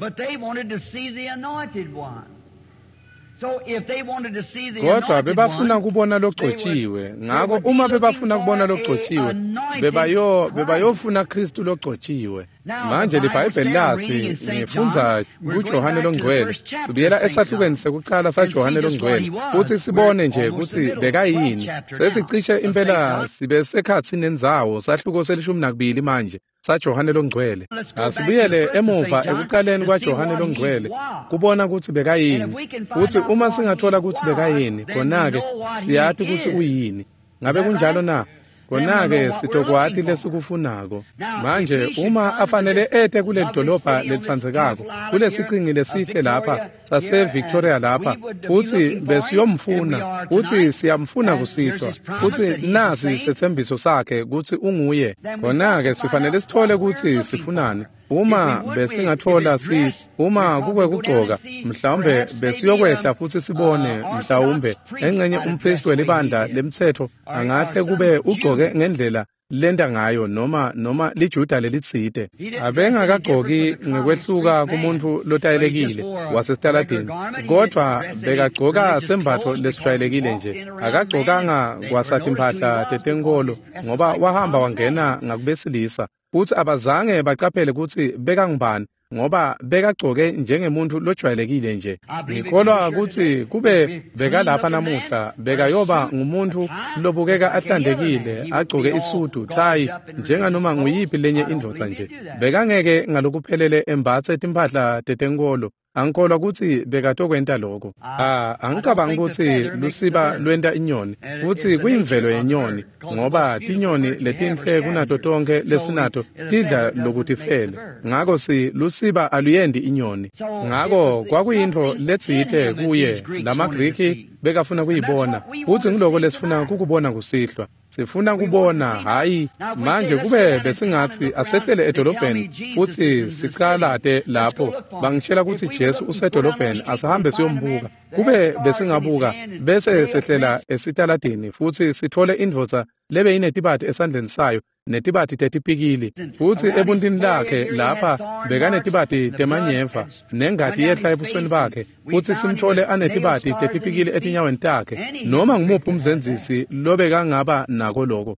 Kodwa bebafuna kubona logcotshiwe. Ngako uma bebafuna kubona logcotshiwe, bebayo bebayofuna Kristu logcotshiwe. Manje liBhayibheli lathi, ngifundza kuJohane longcwele, sibuyela esahlukweni sekucala saJohane longcwele, futsi sibone nje kutsi bekayini. Sesicishe impela sibe sekhatsi nendzawo, sahluko selishumi nakubili manje saJohane longcwele. Asibuyele emuva ekucaleni kwaJohane longcwele kubona kutsi bekayini. Futsi uma singathola kutsi bekayini, khona-ke siyati kutsi uyini. Ngabe kunjalo na? Khona-ke sitokwati lesikufunako. Manje uma afanele ete kuleli dolobha lelitsandzekako, kulesichingi lesihle lapha sase-Victoria lapha, futsi besiyomfuna, futsi siyamfuna kusihlwa, futsi nasi setsembiso sakhe kutsi unguye. Khona-ke sifanele sithole kutsi sifunani. Uma besingathola si uma kukwekugcoka, mhlawumbe besiyokwehla futsi sibone, mhlawumbe engcenye umpristi welibandla lemtsetfo angahle kube ugcoke ngendlela lenta ngayo, noma noma liJuda lelitsite. Abengakagcoki ngekwehluka kumuntu lotayelekile wasesitaladini, kodvwa bekagcoka sembatfo lesijwayelekile nje. Akagcokanga kwasatimpahla tetenkolo, ngoba wahamba wangena ngakubesilisa, futsi abazange bacaphele kutsi bekangubani, ngoba bekagcoke njengemuntu lojwayelekile nje. Ngikholwa kutsi kube bekalapha namuhla, bekayoba ngumuntu lobukeka ahlantekile, agcoke isudu, thayi, njenganoma nguyiphi lenye indvodza nje. Bekangeke ngalokuphelele embatse timphahla tetenkolo. Angikholwa kutsi bekatokwenta lokho. Ah, angicabangi kutsi lusiba lwenta inyoni, futsi kuyimvelo yenyoni, ngoba tinyoni letinhle kunato tonkhe lesinato tidla lokutifele. Ngako si lusiba aluyendi inyoni. Ngako kwakuyintfo letsite kuye lamaGriki bekafuna kuyibona, futsi ngiloko lesifuna kukubona kusihlwa. Sifuna kubona, hayi manje kube besingatsi asehlele edolobheni futsi sicalate lapho, bangitshela kutsi Jesu usedolobheni, asihambe siyombuka. Kube besingabuka bese sehlela esitaladini futsi sithole indvodza lebe inetibati esandleni sayo, netibati tetipikili, futsi ebuntini lakhe lapha bekanetibati temanyeva nengati yehla ebusweni bakhe, futsi simthole anetibati tetipikili etinyaweni takhe, noma ngumuphi umzenzisi lobekangaba nako loko.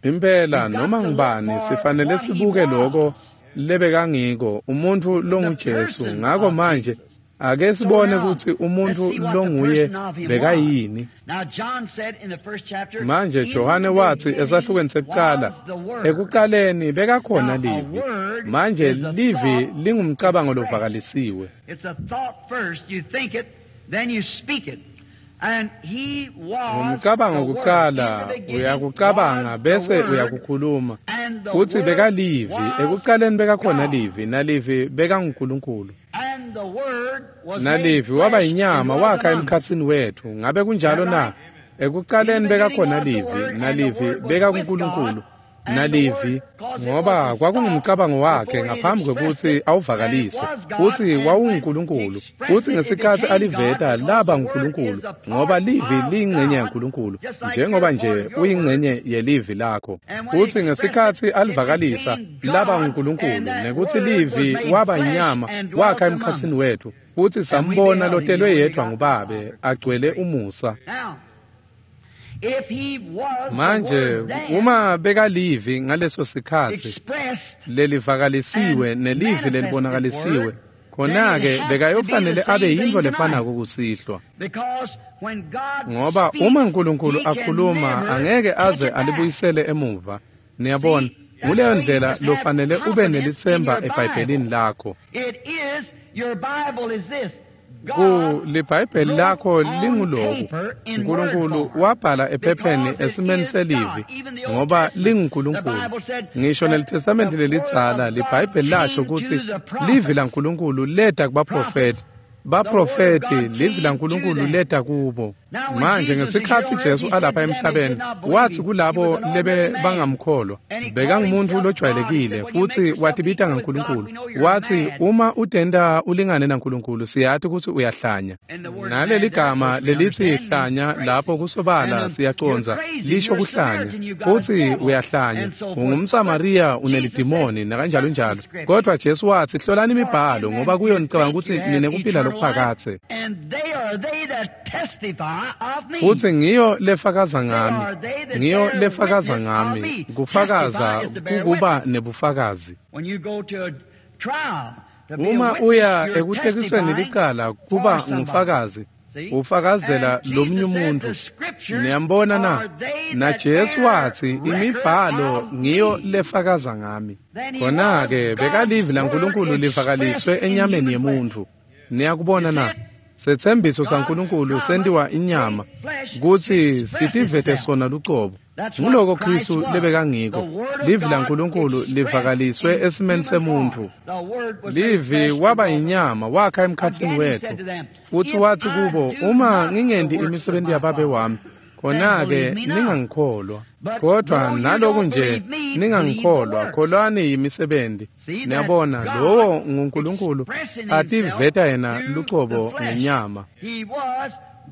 Impela noma ngubani sifanele sibuke loko lebekangiko umuntfu longuJesu. Ngako manje ake sibone kutsi umuntfu longuye bekayini. Manje Johane watsi esahlukweni sekucala, ekucaleni bekakhona livi. Manje livi lingumcabango lovakalisiwe. Ngumcabango kucala, uyakucabanga bese uyakukhuluma. Futsi bekalivi, ekucaleni bekakhona livi, nalivi bekanguNkulunkulu. Nalivi waba yinyama wakha emkhatsini wetfu. Ngabe kunjalo na? Ekucaleni bekakhona livi, nalivi bekakuNkulunkulu, nalivi ngoba kwakungumcabango wakhe ngaphambi kwekutsi awuvakalise, futsi wawunguNkulunkulu, futsi ngesikhatsi aliveta laba nguNkulunkulu, ngoba livi liyingcenye yaNkulunkulu, njengoba nje uyingcenye yelivi lakho. Futsi ngesikhatsi alivakalisa laba nguNkulunkulu, nekuthi livi waba inyama wakha emkhatsini wetfu, futsi sambona lotelwe yedvwa nguBabe agcwele umusa. Manje uma bekalivi ngaleso sikhatsi lelivakalisiwe nelivi lelibonakalisiwe, khona-ke bekayofanele abe yintfo lefanako kusihlwa, ngoba uma uNkulunkulu akhuluma angeke aze alibuyisele emuva. Niyabona, nguleyo ndlela lofanele ube nelitsemba eBhayibhelini lakho. Ku liBhayibheli lakho linguloku uNkulunkulu wabhala ephepheni esimeni selivi, ngoba linguNkulunkulu. Ngisho neliTestamenti lelidzala liBhayibheli lasho kutsi livi laNkulunkulu leta kubaprofeti, baprofeti livi laNkulunkulu leta kubo. Manje ngesikhatsi Jesu alapha emhlabeni, watsi kulabo lebe bangamkholwa, bekangumuntu lojwayelekile, futsi watibita ngaNkulunkulu. Watsi uma utenta ulingane naNkulunkulu, siyati kutsi uyahlanya. Naleli gama lelithi hlanya lapho kusobala siyacondza lisho kuhlanya, futsi uyahlanya, ungumSamariya, unelidimoni nakanjalo njalo. Kodwa Jesu watsi hlolani imibhalo, ngoba kuyo nicabanga kutsi ninekuphila lokuphakadze, futsi ngiyo lefakaza ngami, ngiyo lefakaza ngami. Kufakaza kukuba nebufakazi. Uma uya ekutekisweni licala, kuba ngufakazi, ufakazela lomunye umuntu. Niyambona na? Na Jesu watsi imibhalo ngiyo lefakaza ngami. Khona-ke bekalivi laNkulunkulu livakaliswe enyameni yemuntu. Niyakubona na? Setsembiso saNkulunkulu sentiwa inyama kutsi sitivete sona lucobo. Nguloko Kristu lebekangiko. Livi laNkulunkulu livakaliswe esimeni semuntfu. Livi waba inyama wakha emkhatsini wetfu. Futsi watsi kubo, uma ngingenti imisebenti yaBabe wami, khona-ke ningangikholwa. Kodwa naloku nje ningangikholwa, kholwani yimisebenti. Niyabona, lowo nguNkulunkulu ativeta yena lucobo ngenyama.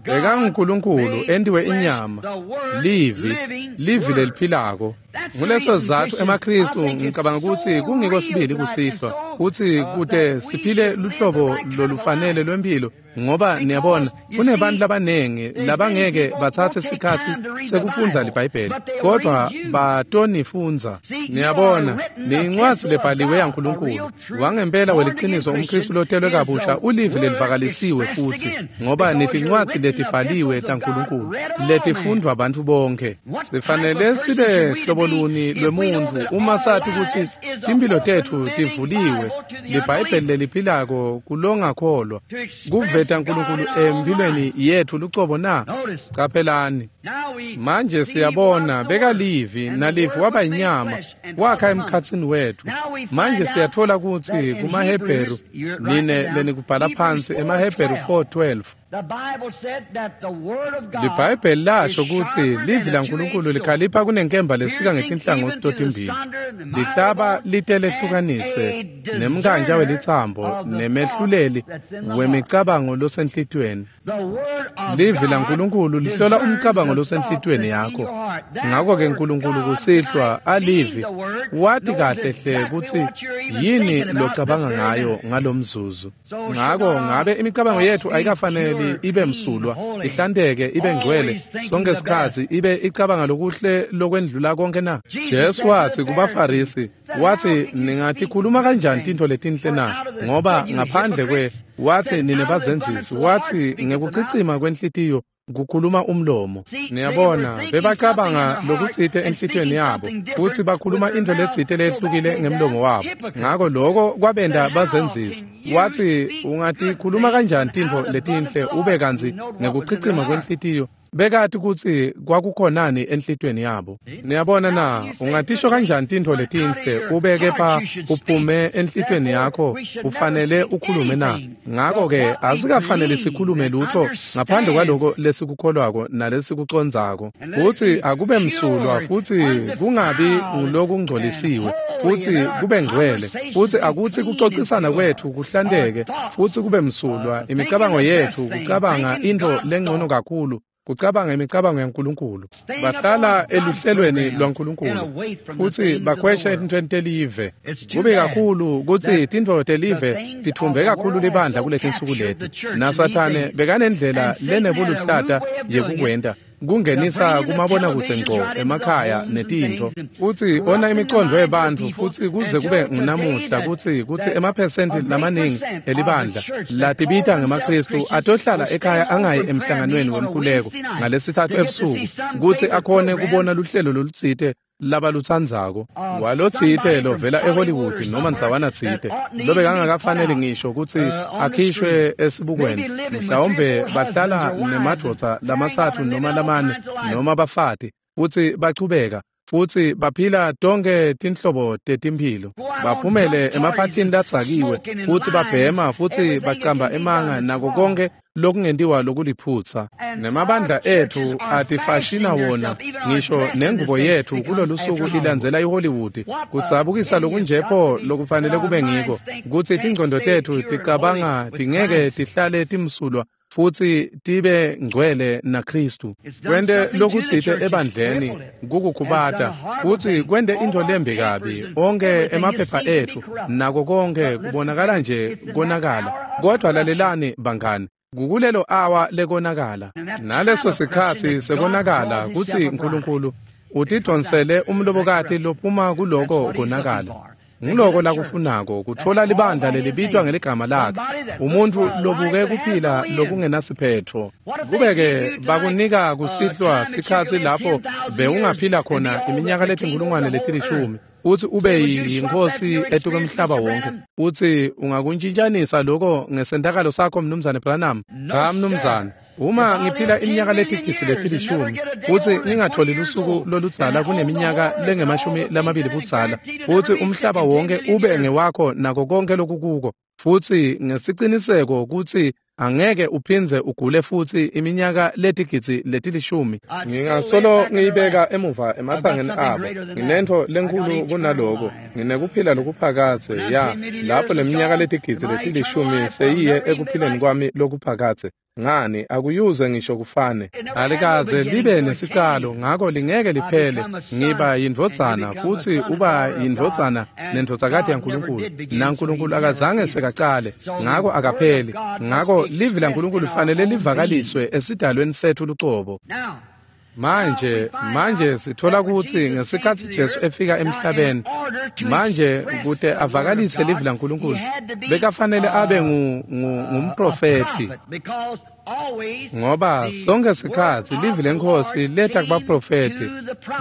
BekanguNkulunkulu entiwe inyama, livi, livi leliphilako. Nguleso sizatfu emaKhristu ngicabanga kutsi kungiko sibili kusihlwa, kutsi kute siphile luhlobo lolufanele lwemphilo, ngoba niyabona kunebantu labanengi labangeke batsatse sikhatsi sekufundza liBhayibheli, kodwa batonifundza. Niyabona, niyincwadzi lebhaliwe yaNkulunkulu. Wangempela weliqiniso umKhristu lotelwe kabusha ulivi lelivakalisiwe futsi, ngoba nitincwadzi letibhaliwe taNkulunkulu letifundvwa bantfu bonke. Sifanele sibe hlobo luni lwemuntfu uma sati kutsi timphilo tetfu tivuliwe, liBhayibheli leliphilako kulongakholwa, kuveta uNkulunkulu emphilweni yetfu lucobo na? Qaphelani. Manje siyabona bekalivi, nalivi waba inyama wakha emkhatsini wetfu. Manje siyatfola kutsi kumaHebheru, nine lenikubhala phansi, emaHebheru four twelve. LiBhayibheli lasho kutsi livi laNkulunkulu likhalipha kunenkemba lesika ngetinhlangothi totimbili, lihlaba lite lehlukanise nemkanja welitsambo nemehluleli wemicabango losenhlitiyweni. Livi laNkulunkulu lihlola umcabango losenhlitiyweni yakho. Ngako-ke Nkulunkulu kusihlwa alivi wati kahle hle kutsi yini locabanga ngayo ngalomzuzu. Ngako ngabe imicabango yetfu ayikafanele ibe msulwa, ihlanteke, ibe ngcwele sonke sikhatsi, ibe icabanga lokuhle lokwendlula konke na? Jesu watsi kubaFarisi, watsi ningatikhuluma kanjani tintfo letinhle na? Ngoba ngaphandle kwe, watsi nine bazenzisi, watsi ngekucicima kwenhlitiyo kukhuluma umlomo. Niyabona, bebacabanga lokutsite enhlitiyweni yabo, kutsi bakhuluma intfo letsite lehlukile ngemlomo wabo. Ngako loko kwabenta bazenzisa. Watsi ungatikhuluma kanjani tintfo letinhle ube kantsi ngekucicima kwenhlitiyo bekati kutsi kwakukhonani enhlitiyweni yabo. Niyabona na, ungatisho kanjani tintfo letinhle ube kepha uphume enhlitiyweni yakho ufanele ukhulume na? Ngako-ke asikafanele sikhulume lutho ngaphandle kwaloko lesikukholwako nalesikucondzako, kutsi akube msulwa futsi kungabi ngulokungcolisiwe, futsi kube ngcwele, futsi akutsi kucocisana kwetfu kuhlanteke futsi kube msulwa, imicabango yetfu kucabanga intfo lengcono kakhulu, kucabanga imicabango yaNkulunkulu. Bahlala eluhlelweni lwaNkulunkulu futsi bakhwesha etintfweni telive. Kube kakhulu kutsi tintfo telive titfumbe kakhulu libandla kuletinsuku leti, naSathane bekanendlela lenebuluhlata yekukwenta, kungenisa kumabonakudze ngco emakhaya netintfo, futsi ona imicondvo yebantfu, futsi kuze kube ngunamuhla kutsi kutsi emaphesenti lamaningi elibandla latibita ngemaKhristu atohlala ekhaya angayi emhlanganweni wemkhuleko ngalesithathu ebusuku kutsi akhone kubona luhlelo lolutsite labalutsandzako, walotsite lovela eHollywood noma ndzawana tsite lobekangakafaneli ngisho kutsi akhishwe esibukweni. Mhlawumbe bahlala nemadvodza lamatsatfu noma lamane noma bafati, futsi bachubeka futsi baphila tonke tinhlobo tetimphilo, baphumele emaphathini latsakiwe futsi babhema futsi bacamba emanga nako konke lokungentiwa lokuliphutsa. Nemabandla etfu atifashina wona, ngisho nengubo yetfu kulolusuku ilandzela iHollywood. Kudzabukisa lokunjepho lokufanele kube ngiko kutsi tingcondo tetfu ticabanga tingeke tihlale timsulwa futsi tibe ngcwele naKhristu. Kwente lokutsite ebandleni kukukhubata, futsi kwente intfo lembi kabi. Onke emaphepha etfu nako konke kubonakala nje konakala. Kodwa lalelani bangani, kukulelo awa lekonakala, naleso sikhatsi sekonakala kutsi Nkulunkulu utidonsele umlobokati lophuma kuloko konakala. Nguloko lakufunako, kutfola libandla lelibitwa ngeligama lakhe, umuntfu lobuke kuphila lokungenasiphetfo. Kube-ke bakunika kusihlwa sikhatsi lapho bewungaphila khona iminyaka letinkulungwane letilishumi, futsi ube yinkosi etukwemhlaba wonke. Utsi ungakuntshintshanisa lokho ngesentakalo sakho, Mnumzane Branham? Cha, mnumzane. Uma ngiphila iminyaka letigidzi letilishumi futsi ngingatholi lusuku loludzala kuneminyaka lengemashumi lamabili budzala, futsi umhlaba wonke ube ngewakho nako konke lokukuko, futsi ngesiciniseko kutsi angeke uphindze ugule futsi iminyaka letigidzi letilishumi, ngingasolo ngiyibeka emuva ematsangeni abo. Nginentfo lenkhulu kunaloko, nginekuphila lokuphakadze. Ya, lapho leminyaka letigidzi letilishumi seyiye ekuphileni kwami lokuphakadze. Ngani, akuyuze ngisho kufane. Alikaze libe nesicalo, ngako lingeke liphele. Ngiba yindvodzana futsi uba yindvodzana nendvodzakati yaNkulunkulu, naNkulunkulu akazange sekacale, ngako akapheli. Ngako livi laNkulunkulu lifanele livakaliswe esidalweni setfu lucobo. Manje, manje sithola kutsi ngesikhatsi Jesu efika emhlabeni, manje kute avakalise livi laNkulunkulu, bekafanele abe ngumprofethi, ngoba sonke sikhatsi livi leNkhosi leta kubaprofethi.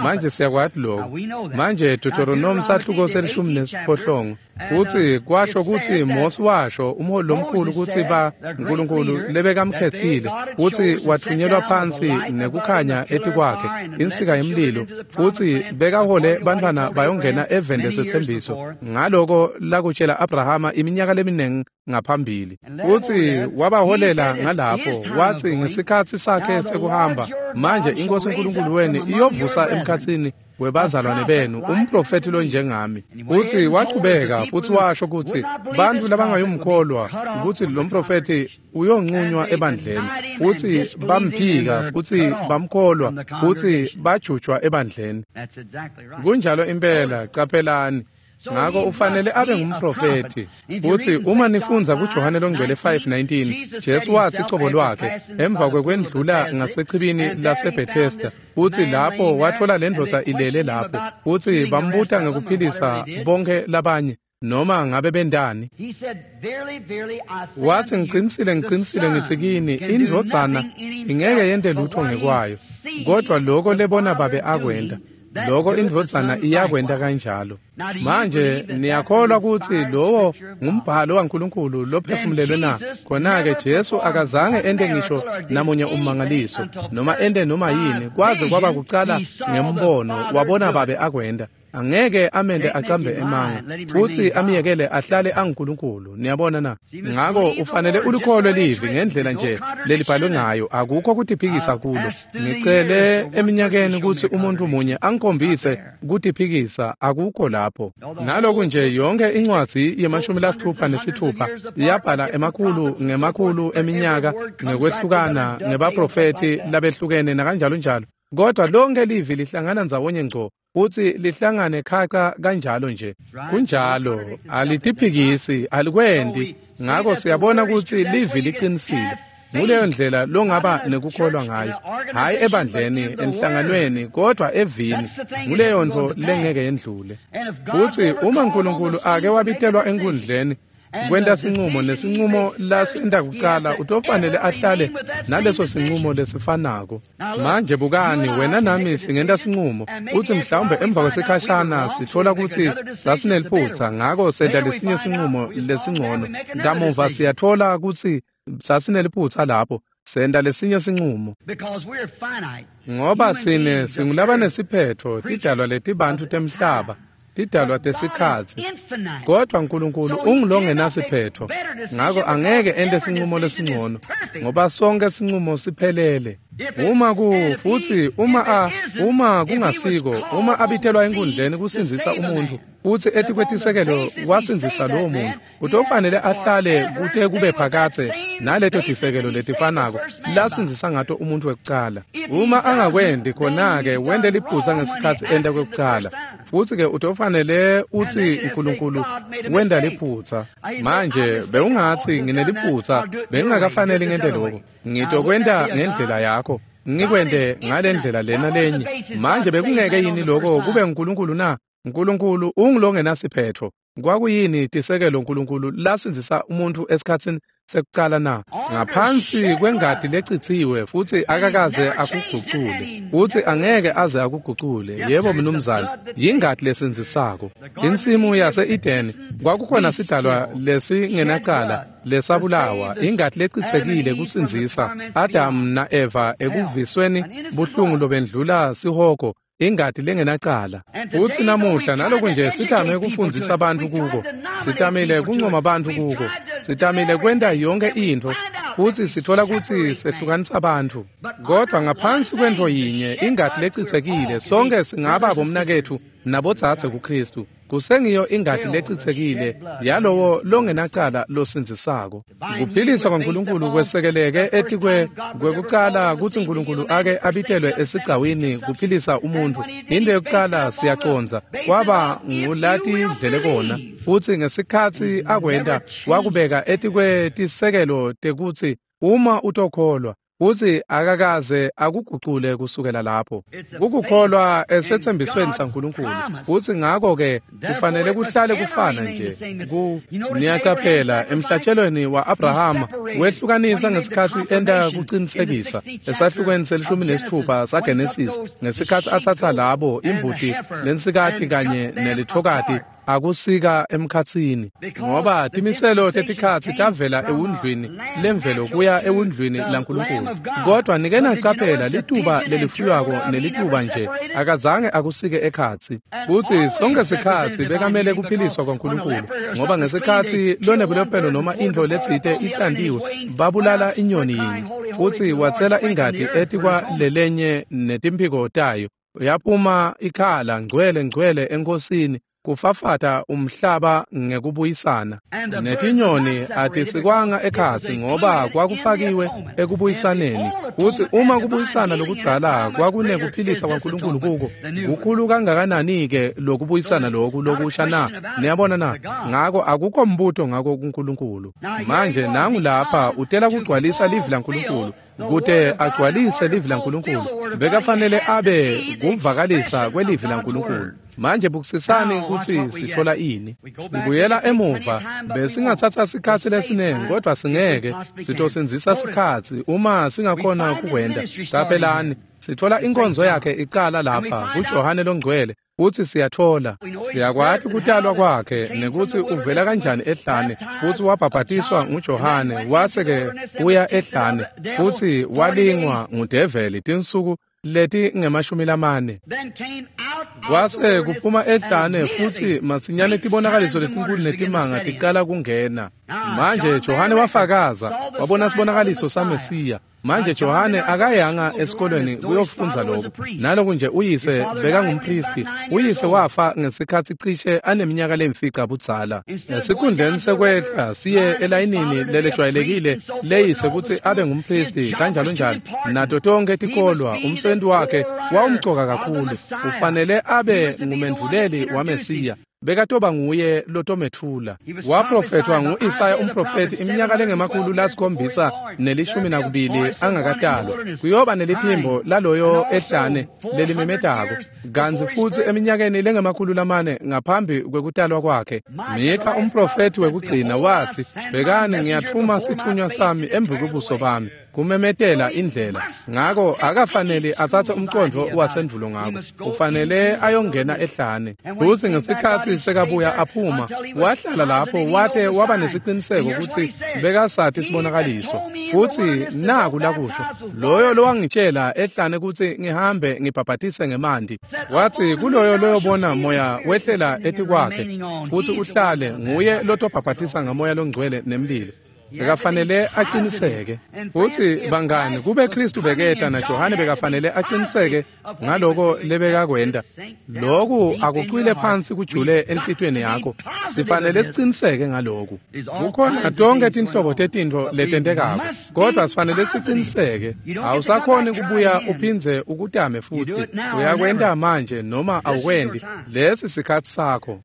Manje siyakwati lokho. Manje Deuteronomy sahluko selishumi nesiphohlongo kutsi kwasho kutsi Mose washo umholi lomkhulu kutsi ba Nkulunkulu lebekamkhetsile, kutsi wathunyelwa phansi nekukhanya etikwakhe insika yemlilo, futsi bekahole bantfwana bayongena eveni lesetsembiso ngaloko lakutshela Abrahama iminyaka leminingi ngaphambili. Futsi wabaholela ngalapho, wathi ngesikhatsi sakhe sekuhamba, manje iNkosi uNkulunkulu wenu iyovusa emkhatsini webazalwane benu umprofethi lonjengami. Futsi wachubeka futsi washo kutsi bantfu labangayumkholwa kutsi lo mprofethi uyonqunywa ebandleni, futsi bamphika futsi bamkholwa futsi bajutjwa ebandleni. Kunjalo impela, caphelani. Ngako ufanele abe ngumprofethi. Futsi uma nifundza kuJohane longcwele five nineteen, Jesu watsi cobo lwakhe emva kwekwendlula ngasechibini laseBethesda, futsi lapho watfola lendvodza ilele lapho, futsi bambuta ngekuphilisa bonke labanye noma ngabe bendani. Wathi, ngicinisile ngicinisile ngitsi kini, indvodzana ingeke yente lutho ngekwayo, kodwa lokho lebona babe akwenta, lokho indvodzana iyakwenta kanjalo. Manje niyakholwa kutsi lowo ngumbhalo waNkulunkulu lophefumulelwe na? Khona-ke Jesu akazange ente ngisho namunye ummangaliso noma ente noma yini kwaze kwaba kucala ngembono wabona babe akwenta. Angeke amende acambe emanga futsi amyekele ahlale anguNkulunkulu. Niyabona na? Ngako ufanele ulikholwe livi ngendlela nje lelibhalwe ngayo, akukho kutiphikisa kulo. Ngicele eminyakeni kutsi umuntu munye angikhombise kutiphikisa, akukho lapho. Naloku nje yonke incwadzi yemashumi lasithupha nesithupha yabhala emakhulu ngemakhulu eminyaka ngekwehlukana ngebaprofethi labehlukene nakanjalo njalo, kodwa lonke livi lihlangana ndzawonye ngco futsi lihlangane khaca kanjalo nje. Kunjalo, alitiphikisi, alikwendi. Ngako siyabona kutsi livi liqinisile. Nguleyo ndlela longaba nekukholwa ngayo, hhayi ebandleni, enhlanganweni, kodwa evini. Nguleyo ntfo lengeke yendlule. Futsi uma uNkulunkulu ake wabitelwa enkundleni kwenta sinqumo, nesinqumo lasenta kucala, utofanele ahlale naleso sinqumo lesifanako. Manje bukani, wena nami singenta sinqumo, utsi mhlawumbe emva kwesikhashana sithola kutsi sasineliphutsa, ngako senta lesinye sinqumo lesingcono. Kamuva siyatfola kutsi sasineliphutsa lapho, senta lesinye sinqumo. Ngoba tsine singulabanesiphetfo, tidalwa letibantfu temhlaba, tidalwa tesikhatsi, kodwa uNkulunkulu ungulongenasiphetfo. Ngako angeke ente sinqumo lesingcono, ngoba sonke sinqumo siphelele. Uma ku futsi uma a uma kungasiko, uma abitelwa enkundleni kusindzisa umuntfu, futsi etikwetisekelo wasindzisa lowo muntfu, utofanele ahlale kute kube phakadze naleto tisekelo letifanako lasindzisa ngato umuntfu wekucala. Uma angakwendi, khona-ke wente liphutsa ngesikhatsi enta kwekucala, futsi-ke utofanele utsi uNkulunkulu wenta liphutsa. Manje bewungatsi ngineliphutsa, bengingakafaneli ngente loko, ngitokwenta ngendlela yakho, ngikwente ngalendlela lena lenye. Manje bekungeke yini lokho kube uNkulunkulu na? uNkulunkulu ungulongenasiphetfo. Kwakuyini tisekelo uNkulunkulu lasindzisa umuntfu esikhatsini sekucala na? Ngaphansi kwengati lecitsiwe, futhi akakaze akugucule, futhi angeke aze akugucule. Yebo mnumzane, yingati lesindzisako. Insimu yase-Edeni kwakukhona sidalwa lesingenacala lesabulawa, ingati lecitsekile kusindzisa Adam na-Eva ekuvisweni buhlungu lobendlula sihogo, ingati lengenacala. Futhi namuhla naloku nje sitame kufundzisa abantu kuko, sitamile kuncoma abantu kuko, sitamile kwenta yonke intfo, futhi sithola kutsi sehlukanisa abantu. Kodwa ngaphansi kwentfo yinye, ingati lecitsekile, sonke singaba bomnaketfu nabodzadze kuKhristu. Kusengiyo ingati lecitsekile yalowo longenacala losindzisako. Kuphilisa kwaNkulunkulu kwesekeleke etikwe kwekucala kutsi Nkulunkulu ake abitelwe esigcawini kuphilisa umuntfu. Into yokucala siyacondza kwaba ngulatidlele kona, futsi ngesikhatsi akwenta wakubeka etikwetisekelo tekutsi uma utokholwa, futsi akakaze akugucule kusukela lapho. Kukukholwa esetsembisweni saNkulunkulu, futsi ngako-ke kufanele kuhlale kufana nje. Ku niyaqaphela emhlatshelweni wa-Abrahama wehlukanisa ngesikhatsi enta kucinisekisa esahlukweni selishumi nesitfupha saGenesis, ngesikhatsi atsatsa labo imbuti lensikati kanye nelithokati akusika emkhatsini, ngoba timiselo tetikhatsi tavela ewundlwini lemvelo kuya ewundlwini laNkulunkulu. Kodwa nike nacaphela lituba lelifuywako nelituba nje akazange akusike ekhatsi. Futsi sonke sikhatsi bekamele kuphiliswa kwaNkulunkulu, ngoba ngesikhatsi lonebulephelo noma intfo letsite ihlantiwe, babulala inyoni yinye, futsi watsela ingati etikwa lelenye netimphiko tayo, yaphuma ikhala ngcwele ngcwele enkosini, kufafata umhlaba ngekubuyisana. Netinyoni atisikwanga ekhatsi ngoba kwakufakiwe ekubuyisaneni. Futsi uma kubuyisana lokudzala kwakunekuphilisa kwaNkulunkulu kuko, kukhulu kangakanani-ke lokubuyisana loku lokusha na? Niyabona na? Ngako akukho mbuto ngako kuNkulunkulu. Manje nangu lapha utela kugcwalisa livi laNkulunkulu. Kute agcwalise livi laNkulunkulu, bekafanele abe kuvakalisa kwelivi laNkulunkulu. Manje bukisisani kutsi sithola ini. Sibuyela emuva, besingatsatsa sikhatsi lesiningi, kodwa singeke sitosindzisa sikhatsi uma singakhona kukwenta. Caphelani, sithola inkonzo yakhe icala lapha kuJohane loNgcwele, futsi siyathola siyakwati kutalwa kwakhe nekutsi uvela kanjani ehlane, futsi wabhabhatiswa nguJohane, wase-ke uya ehlane, futsi walingwa ngudeveli tinsuku leti ngemashumi lamane. Kwase kuphuma ehlane, futsi masinyane tibonakaliso letinkulu netimanga ticala kungena. Manje Johane wafakaza, wabona sibonakaliso saMesiya. Manje Johane akayanga esikolweni kuyofundza lokho. Naloku nje uyise bekangumpristi, uyise wafa ngesikhatsi cishe aneminyaka lemfica budzala. Esikhundleni sekwehla siye elayinini lelejwayelekile leyise kutsi abe ngumpristi kanjalo njalo, nato tonke tikolwa, umsebenzi wakhe wawumcoka kakhulu. Ufanele abe ngumendvuleli waMesiya. Bekatoba nguye lotometfula. Waprofethwa ngu-Isaya umprofethi iminyaka lengemakhulu lasikhombisa nelishumi nakubili angakatalwa. Kuyoba neliphimbo laloyo ehlane lelimemetako. Kantsi futsi eminyakeni lengemakhulu lamane ngaphambi kwekutalwa kwakhe, Mikha umprofethi wekugcina watsi, "Bhekani, ngiyatfuma sitfunywa sami embi kwebuso bami kumemetela indlela." Ngako akafanele atsatse umcondvo wasendvulo ngako, ufanele ayongena ehlane. Futsi ngesikhatsi sekabuya aphuma, wahlala lapho wate waba nesiciniseko kutsi bekasati sibonakaliso. Futsi naku lakusho, loyo lowangitshela ehlane kutsi ngihambe ngibhabhatise ngemanti, watsi kuloyo loyobona moya wehlela etikwakhe futsi uhlale, nguye lotobhabhatisa ngamoya longcwele nemlilo. Bekafanele aqiniseke. Futsi bangani, kube Khristu beketa naJohane bekafanele aqiniseke ngaloko lebekakwenta. Loku akucwile phansi kujule enhlitiyweni yakho. Sifanele siqiniseke ngaloku. Kukhona tonke tinhlobo tetintfo letentekako, kodwa sifanele siqiniseke. Awusakhoni kubuya uphindze ukutame futsi. Uyakwenta manje noma awukwendi. Lesi sikhatsi sakho.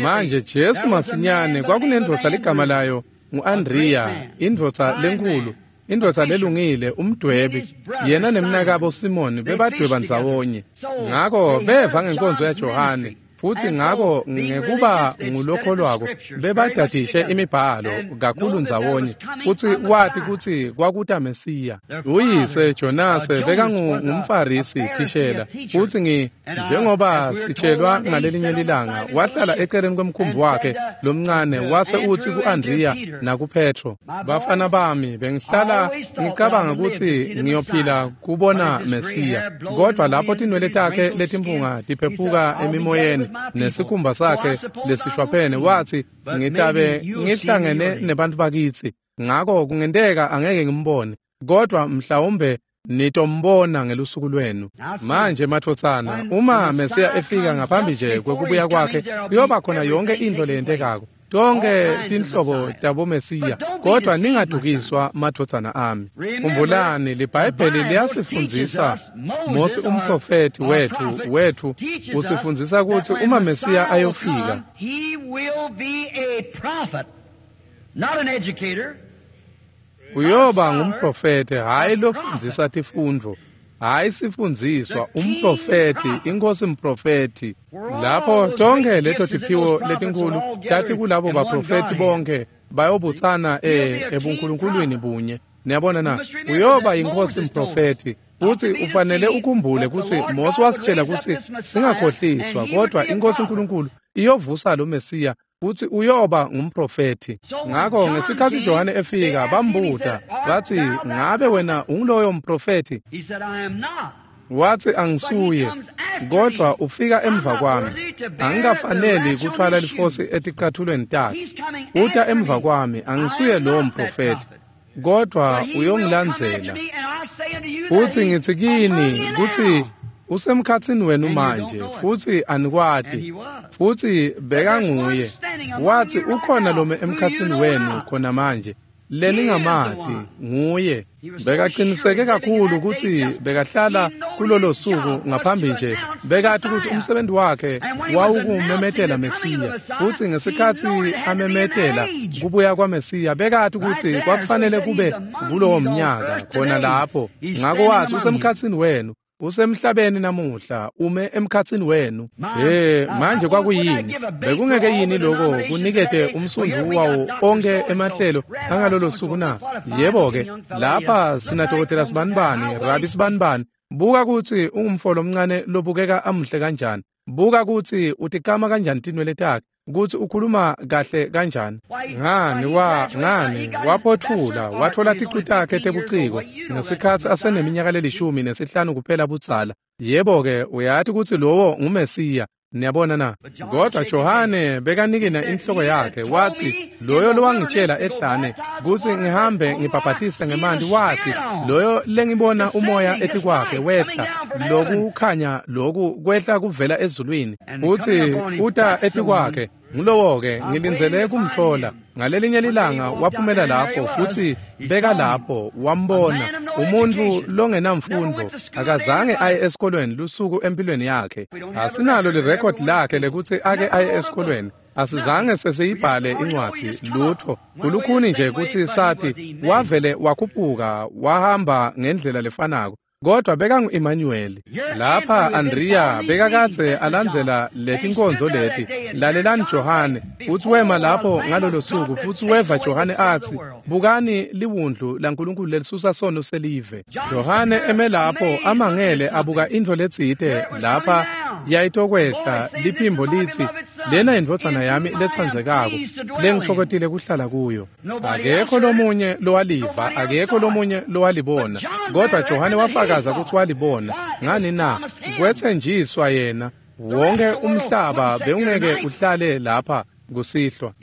Manje Jesu masinyane kwakunendvodza ligama layo ngu-Andriya, indvodza lenkhulu, indvodza lelungile, umdwebi. Yena nemnakabo Simoni bebadweba ndzawonye. Ngako beva ngenkonzo yaJohane, Futhi ngako ngekuba ngulokholwako bebadadishe imibhalo kakhulu ndzawonye, futsi wati kutsi kwakuta Mesiya. Uyise Jonase bekangumFarisi thishela, futsi ngi njengoba sitshelwa ngalelinye lilanga wahlala eceleni kwemkhumbi wakhe lomncane wase utsi ku-Andrea nakuPetro, bafana bami, bengihlala ngicabanga kutsi ngiyophila kubona Mesiya, kodwa lapho tinwele takhe letimpunga tiphephuka emimoyeni nesikhumba sakhe lesishwaphene, wathi ngitabe ngihlangene nebantu bakitsi, ngako kungenteka angeke ngimbone, kodwa mhlawumbe nitombona ngelusuku lwenu. Manje matfotsana, uma Mesiya efika ngaphambi nje kwekubuya kwakhe, kuyoba khona yonke intfo leyentekako, tonke tinhlobo taboMesiya, kodwa ningadukiswa madvodzana ami. Khumbulani, liBhayibheli liyasifundzisa, Mosi umprofethi wethu wethu usifundzisa kutsi uma Mesiya ayofika, uyoba ngumprofethi, hhayi lofundzisa tifundvo, hhayi sifundziswa, umprofethi, inkosi mprofethi. Lapho tonke leto tiphiwo letinkulu tati kulabo baprofethi bonke bayobutsana e ebunkulunkulwini bunye. Niyabona na? Uyoba inkosi mprofethi. Futhi ufanele ukhumbule kutsi Mosi wasitshela kutsi singakhohliswa, kodwa inkosi uNkulunkulu iyovusa lo Mesiya futhi uyoba ngumprofethi. Ngakho ngesikhathi Johane efika bambuta bathi, ngabe wena unguloyo mprofethi? Wathi, angisuye, kodwa ufika emva kwami, angikafaneli kuthwala lifosi eticathulweni takhe. Uta emva kwami, angisuye lowo mprofethi, kodwa uyongilandzela. Futhi ngithi kini kutsi usemkhatsini wenu manje, futhi anikwati. Futhi bekanguye. Wathi ukhona lome emkhatsini wenu khona manje leningamati, nguye. Bekaqiniseke kakhulu kutsi bekahlala kulolo suku ngaphambi nje, bekati kutsi umsebenzi wakhe wawukumemetela Mesiya. Futhi ngesikhathi amemetela kubuya kwaMesiya, bekati kutsi kwakufanele kube kulowo mnyaka khona lapho. Ngako wathi usemkhatsini wenu, usemhlabeni namuhla, ume emkhatsini wenu. Hey, manje kwakuyini? Bekungeke yini lokho kunikete umsundvu wawo onke emahlelo angalolo suku na? Yebo-ke, lapha sinadokotela sibanibani, rabi sibanibani. Buka kutsi ungumfo lomncane lobukeka amuhle kanjani. Buka kutsi utikama kanjani tinwele takhe, kutsi ukhuluma kahle kanjani. Ngani wa ngani waphothula wathola ticu takhe tebuciko ngesikhathi aseneminyaka lelishumi nesihlanu kuphela budzala. Yebo-ke, uyati kutsi lowo nguMesiya. Niyabona na? Kodwa Johane bekanikina inhloko yakhe, wathi loyo lowangitshela ehlane kutsi ngihambe ngibhabhatise ngemanti, wathi loyo lengibona umoya etikwakhe wehla, lokukhanya loku kwehla kuvela ezulwini, futhi uta etikwakhe, ngulowo-ke ngilindzele kumthola. Ngalelinye lilanga waphumela lapho, futhi beka lapho wambona umuntu longenamfundo, akazange aye esikolweni lusuku empilweni yakhe. Asinalo lirekhodi lakhe lekutsi ake aye esikolweni, asizange sesiyibhale incwadzi, lutho. Kulukhuni nje kutsi sati, wavele wakhuphuka wahamba ngendlela lefanako, kodwa bekangu-Emmanuel. Lapha Andrea bekakadze alandzela letinkonzo leti. Lalelani Johane, futsi wema lapho ngalolo suku, futsi weva Johane atsi, bukani liwundlu laNkulunkulu lelisusa sono selive. Johane eme lapho amangele abuka intfo letsite lapha yayitokwehla, liphimbo litsi, lena indvodzana yami letsandzekako lengitfokotile kuhlala kuyo. Akekho lomunye lowaliva, akekho lomunye lowalibona, kodwa Johane wafakaza kutsi walibona. Ngani na? Kwetsenjiswa yena. Wonke umhlaba bewungeke uhlale lapha kusihlwa.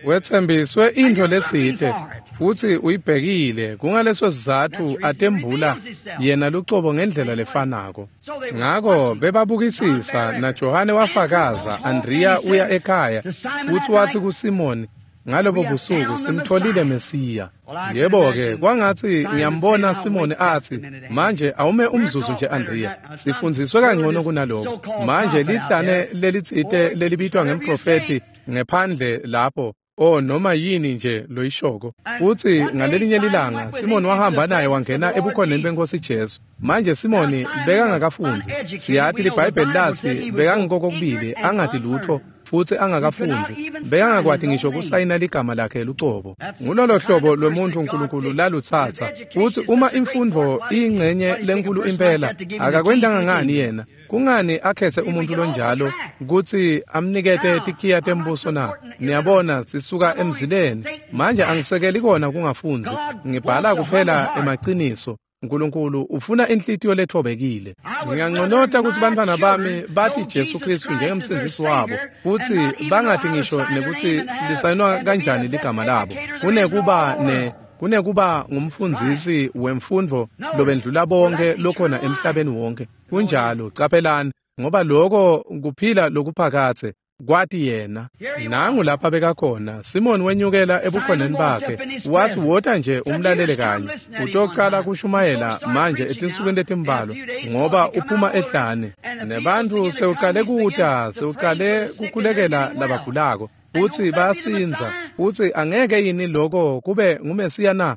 Wetsembiswe intfo letsite futsi uyibhekile, kungaleso sizatfu atembula yena lucobo ngendlela lefanako. Ngako bebabukisisa, naJohane wafakaza. Andrea uya ekhaya futsi watsi kuSimoni, ngalobo busuku simtholile Mesiya. Yebo-ke, kwangatsi ngiyambona Simoni atsi, manje awume umzuzu nje Andrea, sifundziswe kangcono kunaloko. Manje lihlane lelitsite lelibitwa ngemprofethi ngephandle lapho, O noma yini nje loyishoko. Futhi ngalelinye lilanga Simoni wahamba naye wangena ebukhoneni benkosi Jesu. Manje Simoni bekangakafundi. Siyathi liBhayibheli lathi bekangokokubili angati lutho futhi angakafundi. Bekangakwati ngisho kusayina ligama lakhe lucobo. Ngulolo hlobo lwemuntu uNkulunkulu lalutsatsa. Futhi uma imfundo iyingcenye lenkulu impela akakwendanga ngani yena? Kungani akhethe umuntu lonjalo kutsi amnikete tikhiya tembuso na? Niyabona sisuka emzileni. Manje angisekeli kona kungafundzi. Ngibhala kuphela emaciniso. uNkulunkulu ufuna inhlitiyo lethobekile. Nginganconota kutsi bantfwana bami bathi Jesu Kristu njengemsindzisi wabo, futsi bangathi ngisho nekutsi lisayinwa kanjani ligama labo. Kunekuba ne kunekuba ngumfundzisi wemfundvo lobendlula bonke lokhona emhlabeni wonke. Kunjalo, caphelani, ngoba lokho kuphila lokuphakathe kwati yena. Nangu lapha bekakhona Simon wenyukela ebukhoneni bakhe, wathi wota nje umlalele kanye, utocala kushumayela manje etinsukwini letimbalwa, ngoba uphuma ehlane nebantu sewuqale kuta, sewuqale kukhulekela labagulako futsi bayasinza. Futsi angeke yini lokho kube nguMesiya na?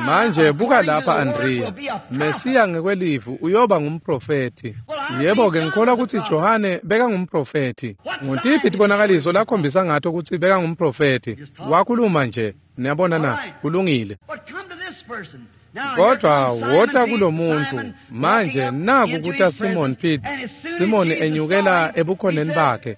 Manje buka lapha Andrea, Mesiya ngekwelivu uyoba ngumprofethi. Yebo ke ngikholwa kutsi Johane bekangumprofethi. Ngutiphi tibonakaliso lakhombisa ngato kutsi bekangumprofethi? Wakhuluma nje, niyabona na? Kulungile. Kodwa wota kulomuntu manje naku kuta Simon Peter. Simon enyukela ebukhoneni bakhe.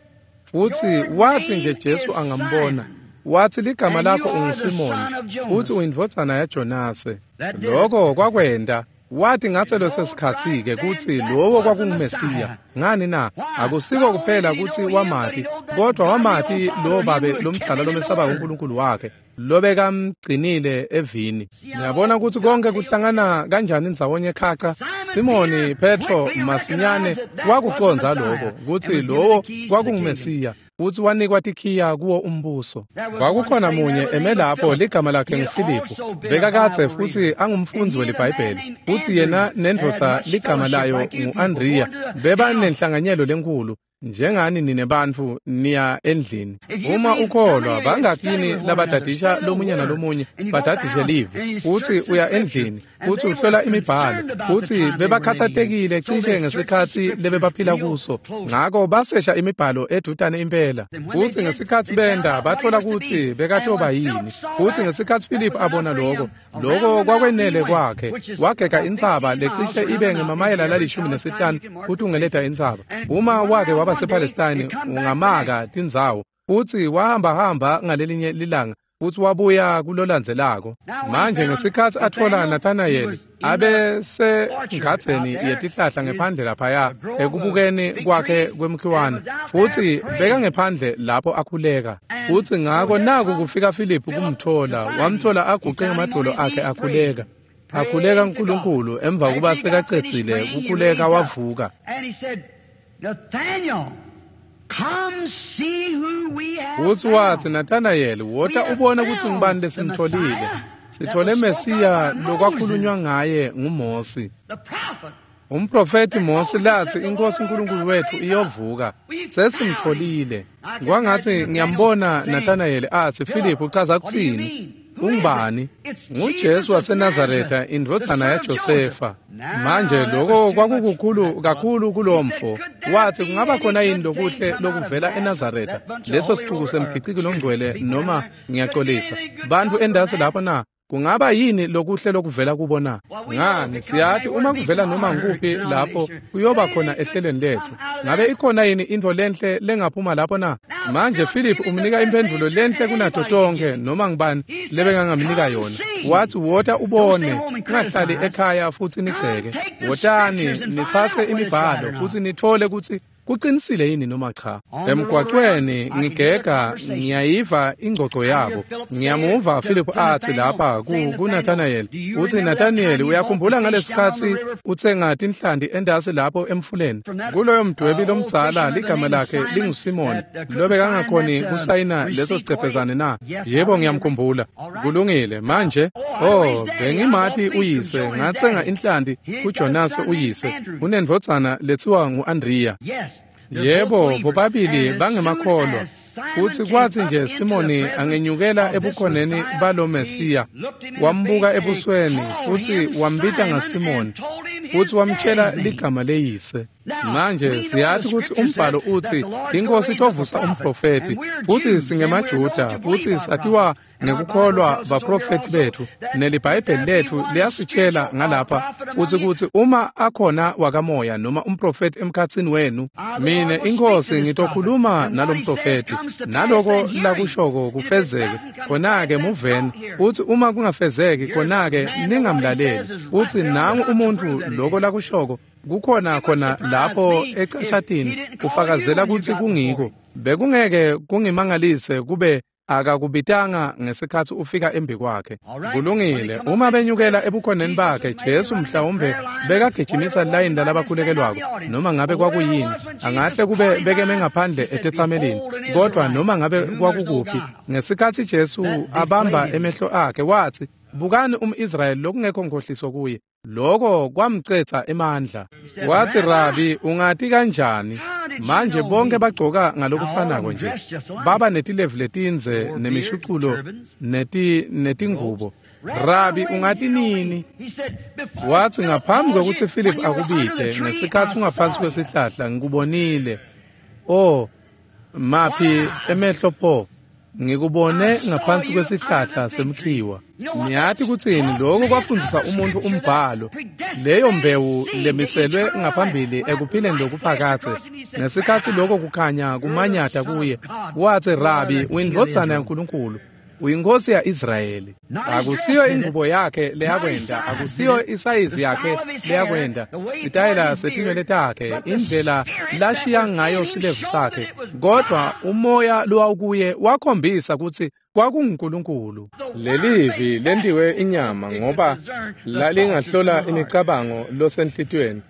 Futhi wathi nje Jesu angambona, wathi ligama lakho unguSimoni, futhi uyindvodzana yaJonase. Lokho kwakwenda. Wathi ngatse leso sikhatsi-ke kutsi lowo kwakunguMesiya. Ngani na? Akusiko kuphela kutsi wamati, kodwa wamati lowo babe lomdzala lomesaba uNkulunkulu wakhe, lobekamgcinile evini. Niyabona kutsi konke kuhlangana kanjani ndzawonye khaca. Simoni Petro masinyane wakucondza lokho kutsi lowo kwakunguMesiya, futsi wanikwa tikhiya kuwo umbuso. Kwakukhona munye eme lapho ligama lakhe nguFiliphu, bekakadze futsi angumfundzi weliBhayibheli, futsi yena nendvodza ligama layo ngu-Andrea bebanenhlanganyelo lenkulu. Njengani nine bantfu niya endlini. Uma ukholwa bangakini labadadisha lomunye nalomunye badadishe live, futsi uya endlini futsi uhlola imibhalo, futsi bebakhatsatekile cishe ngesikhatsi lebebaphila kuso, ngako basesha imibhalo edutane impela. Futsi ngesikhatsi benda bathola kutsi bekatoba yini. Futsi ngesikhatsi Philip abona lokho, lokho kwakwenele kwakhe, wagega intsaba lecishe ibe ngemamayela lalishumi nesihlanu kutungeleta intsaba. Uma wake waba sePalestine ungamaka tindzawo. Futsi wahamba hamba ngalelinye lilanga futsi wabuya kulolandzelako. Manje ngesikhatsi atfola Nathanayeli abe sengadzeni yetihlahla ngephandle laphaya ekubukeni kwakhe kwemkhiwane, futsi bekangephandle lapho akhuleka. Futsi ngako naku kufika Philip kumthola, wamthola aguqe ngemadolo akhe akhuleka. Akhuleka uNkulunkulu. Emva kuba sekacedzile kukhuleka wavuka. Nathaniel, come see who we have. Futsi watsi Nathanayeli, wota ubone kutsi ngubani lesimtholile. Sithole Mesiya lokwakhulunywa ngaye nguMosi. Umprofethi Mosi lathi inkosi uNkulunkulu wethu iyovuka. Sesimtholile. Kwangathi ngiyambona Nathanayeli athi Philip uchaza kutsini? Ungubani? NguJesu waseNazaretha, indvodzana yaJosefa. Manje lokho kwakukukhulu kakhulu kulomfo. Wathi kungaba khona yini lokuhle lokuvela eNazaretha, leso sixuku semgiciki longcwele, noma ngiyaxolisa bantfu endasi lapho na? Kungaba yini lokuhle lokuvela kubo na? Ngani siyathi uma kuvela noma ngukuphi lapho kuyoba khona ehlelweni lethu. Ngabe ikhona yini intfo lenhle lengaphuma lapho na? Manje Philip umnika imphendvulo lenhle kunato tonke noma ngibani lebengangamnika yona. Wathi wota ubone, ungahlali ekhaya futsi nigceke. Wotani nitsatse imibhalo futsi nitfole kutsi kuqinisile yini noma cha. Emgwaqweni ngigega ngiyayiva ingcoco yabo. Ngiyamuva Philip athi lapha kuNathanael, uthi Nathanael uyakhumbula ngalesikhatsi utsenga tinhlanti endasi lapho emfuleni? Kuloyo mdwebi lomdzala ligama lakhe linguSimon, lobekangakhoni kusayina leso sicephezane na? Yebo ngiyamkhumbula. Kulungile manje. Oh, bengimati uyise, ngatsenga inhlanti kuJonas uyise, unendvodzana letsiwa ngu-Andrea. Yebo, bobabili bangemakholwa. Futsi kwatsi nje Simoni angenyukela ebukhoneni balo Mesiya, wambuka ebusweni futsi wambita ngaSimoni, futsi wamtshela ligama leyise. Manje siyati kutsi umbhalo utsi iNkhosi itovusa umprofethi, futsi singemaJuda futsi satiwa ngekukholwa baprofethi betfu, neliBhayibheli letfu liyasitshela ngalapha futsi kutsi uma akhona wakamoya noma umprofethi emkhatsini wenu, mine iNkhosi ngitokhuluma nalomprofethi, naloko lakushoko kufezeke, khona-ke muveni, futsi uma kungafezeki khona-ke ningamlaleli. Futsi nangu umuntfu loko lakushoko kukhona khona lapho ecashatini kufakazela kutsi kungiko. Bekungeke kungimangalise kube akakubitanga ngesikhatsi ufika embi kwakhe. Kulungile, uma benyukela ebukhoneni bakhe, Jesu mhlawumbe bekagijimisa layini lalabakhulekelwako, noma ngabe kwakuyini, angahle kube bekeme ngaphandle etetsamelini, kodwa noma ngabe kwakukuphi, ngesikhatsi Jesu abamba emehlo akhe watsi, "Bukani umIsrayeli lokungekho nkhohliso kuye." Loko kwamcetsa emandla. Watsi, "Rabi, ungati kanjani?" Manje bonke bagcoka ngalokufanako nje, baba netilevu letindze nemishuculo neti netingubo. "Rabi, ungati nini?" Watsi, "Ngaphambi kwekutsi Philip akubite, ngesikhatsi ungaphansi kwesihlahla ngikubonile." Oh, maphi emehlo pho! Ngikubone ngaphansi kwesihlahla semkhiwa. Niyati kutsini lokho kwafundzisa umuntu umbhalo, leyo mbewu lemiselwe ngaphambili ekuphileni lokuphakadze. Ngesikhatsi lokho kukhanya kumanyata kuye, watsi, "Rabi, uyindvodzana yaNkulunkulu, uyinkosi ya-Israyeli." Akusiyo ingubo yakhe leyakwenda, akusiyo isayizi yakhe leyakwenda, sitayela setinwele takhe, indlela lashiya ngayo silevu sakhe, kodwa umoya lowawukuye wakhombisa kutsi kwakunguNkulunkulu. Lelivi lentiwe inyama ngoba lalingahlola imicabango losenhlitiyweni.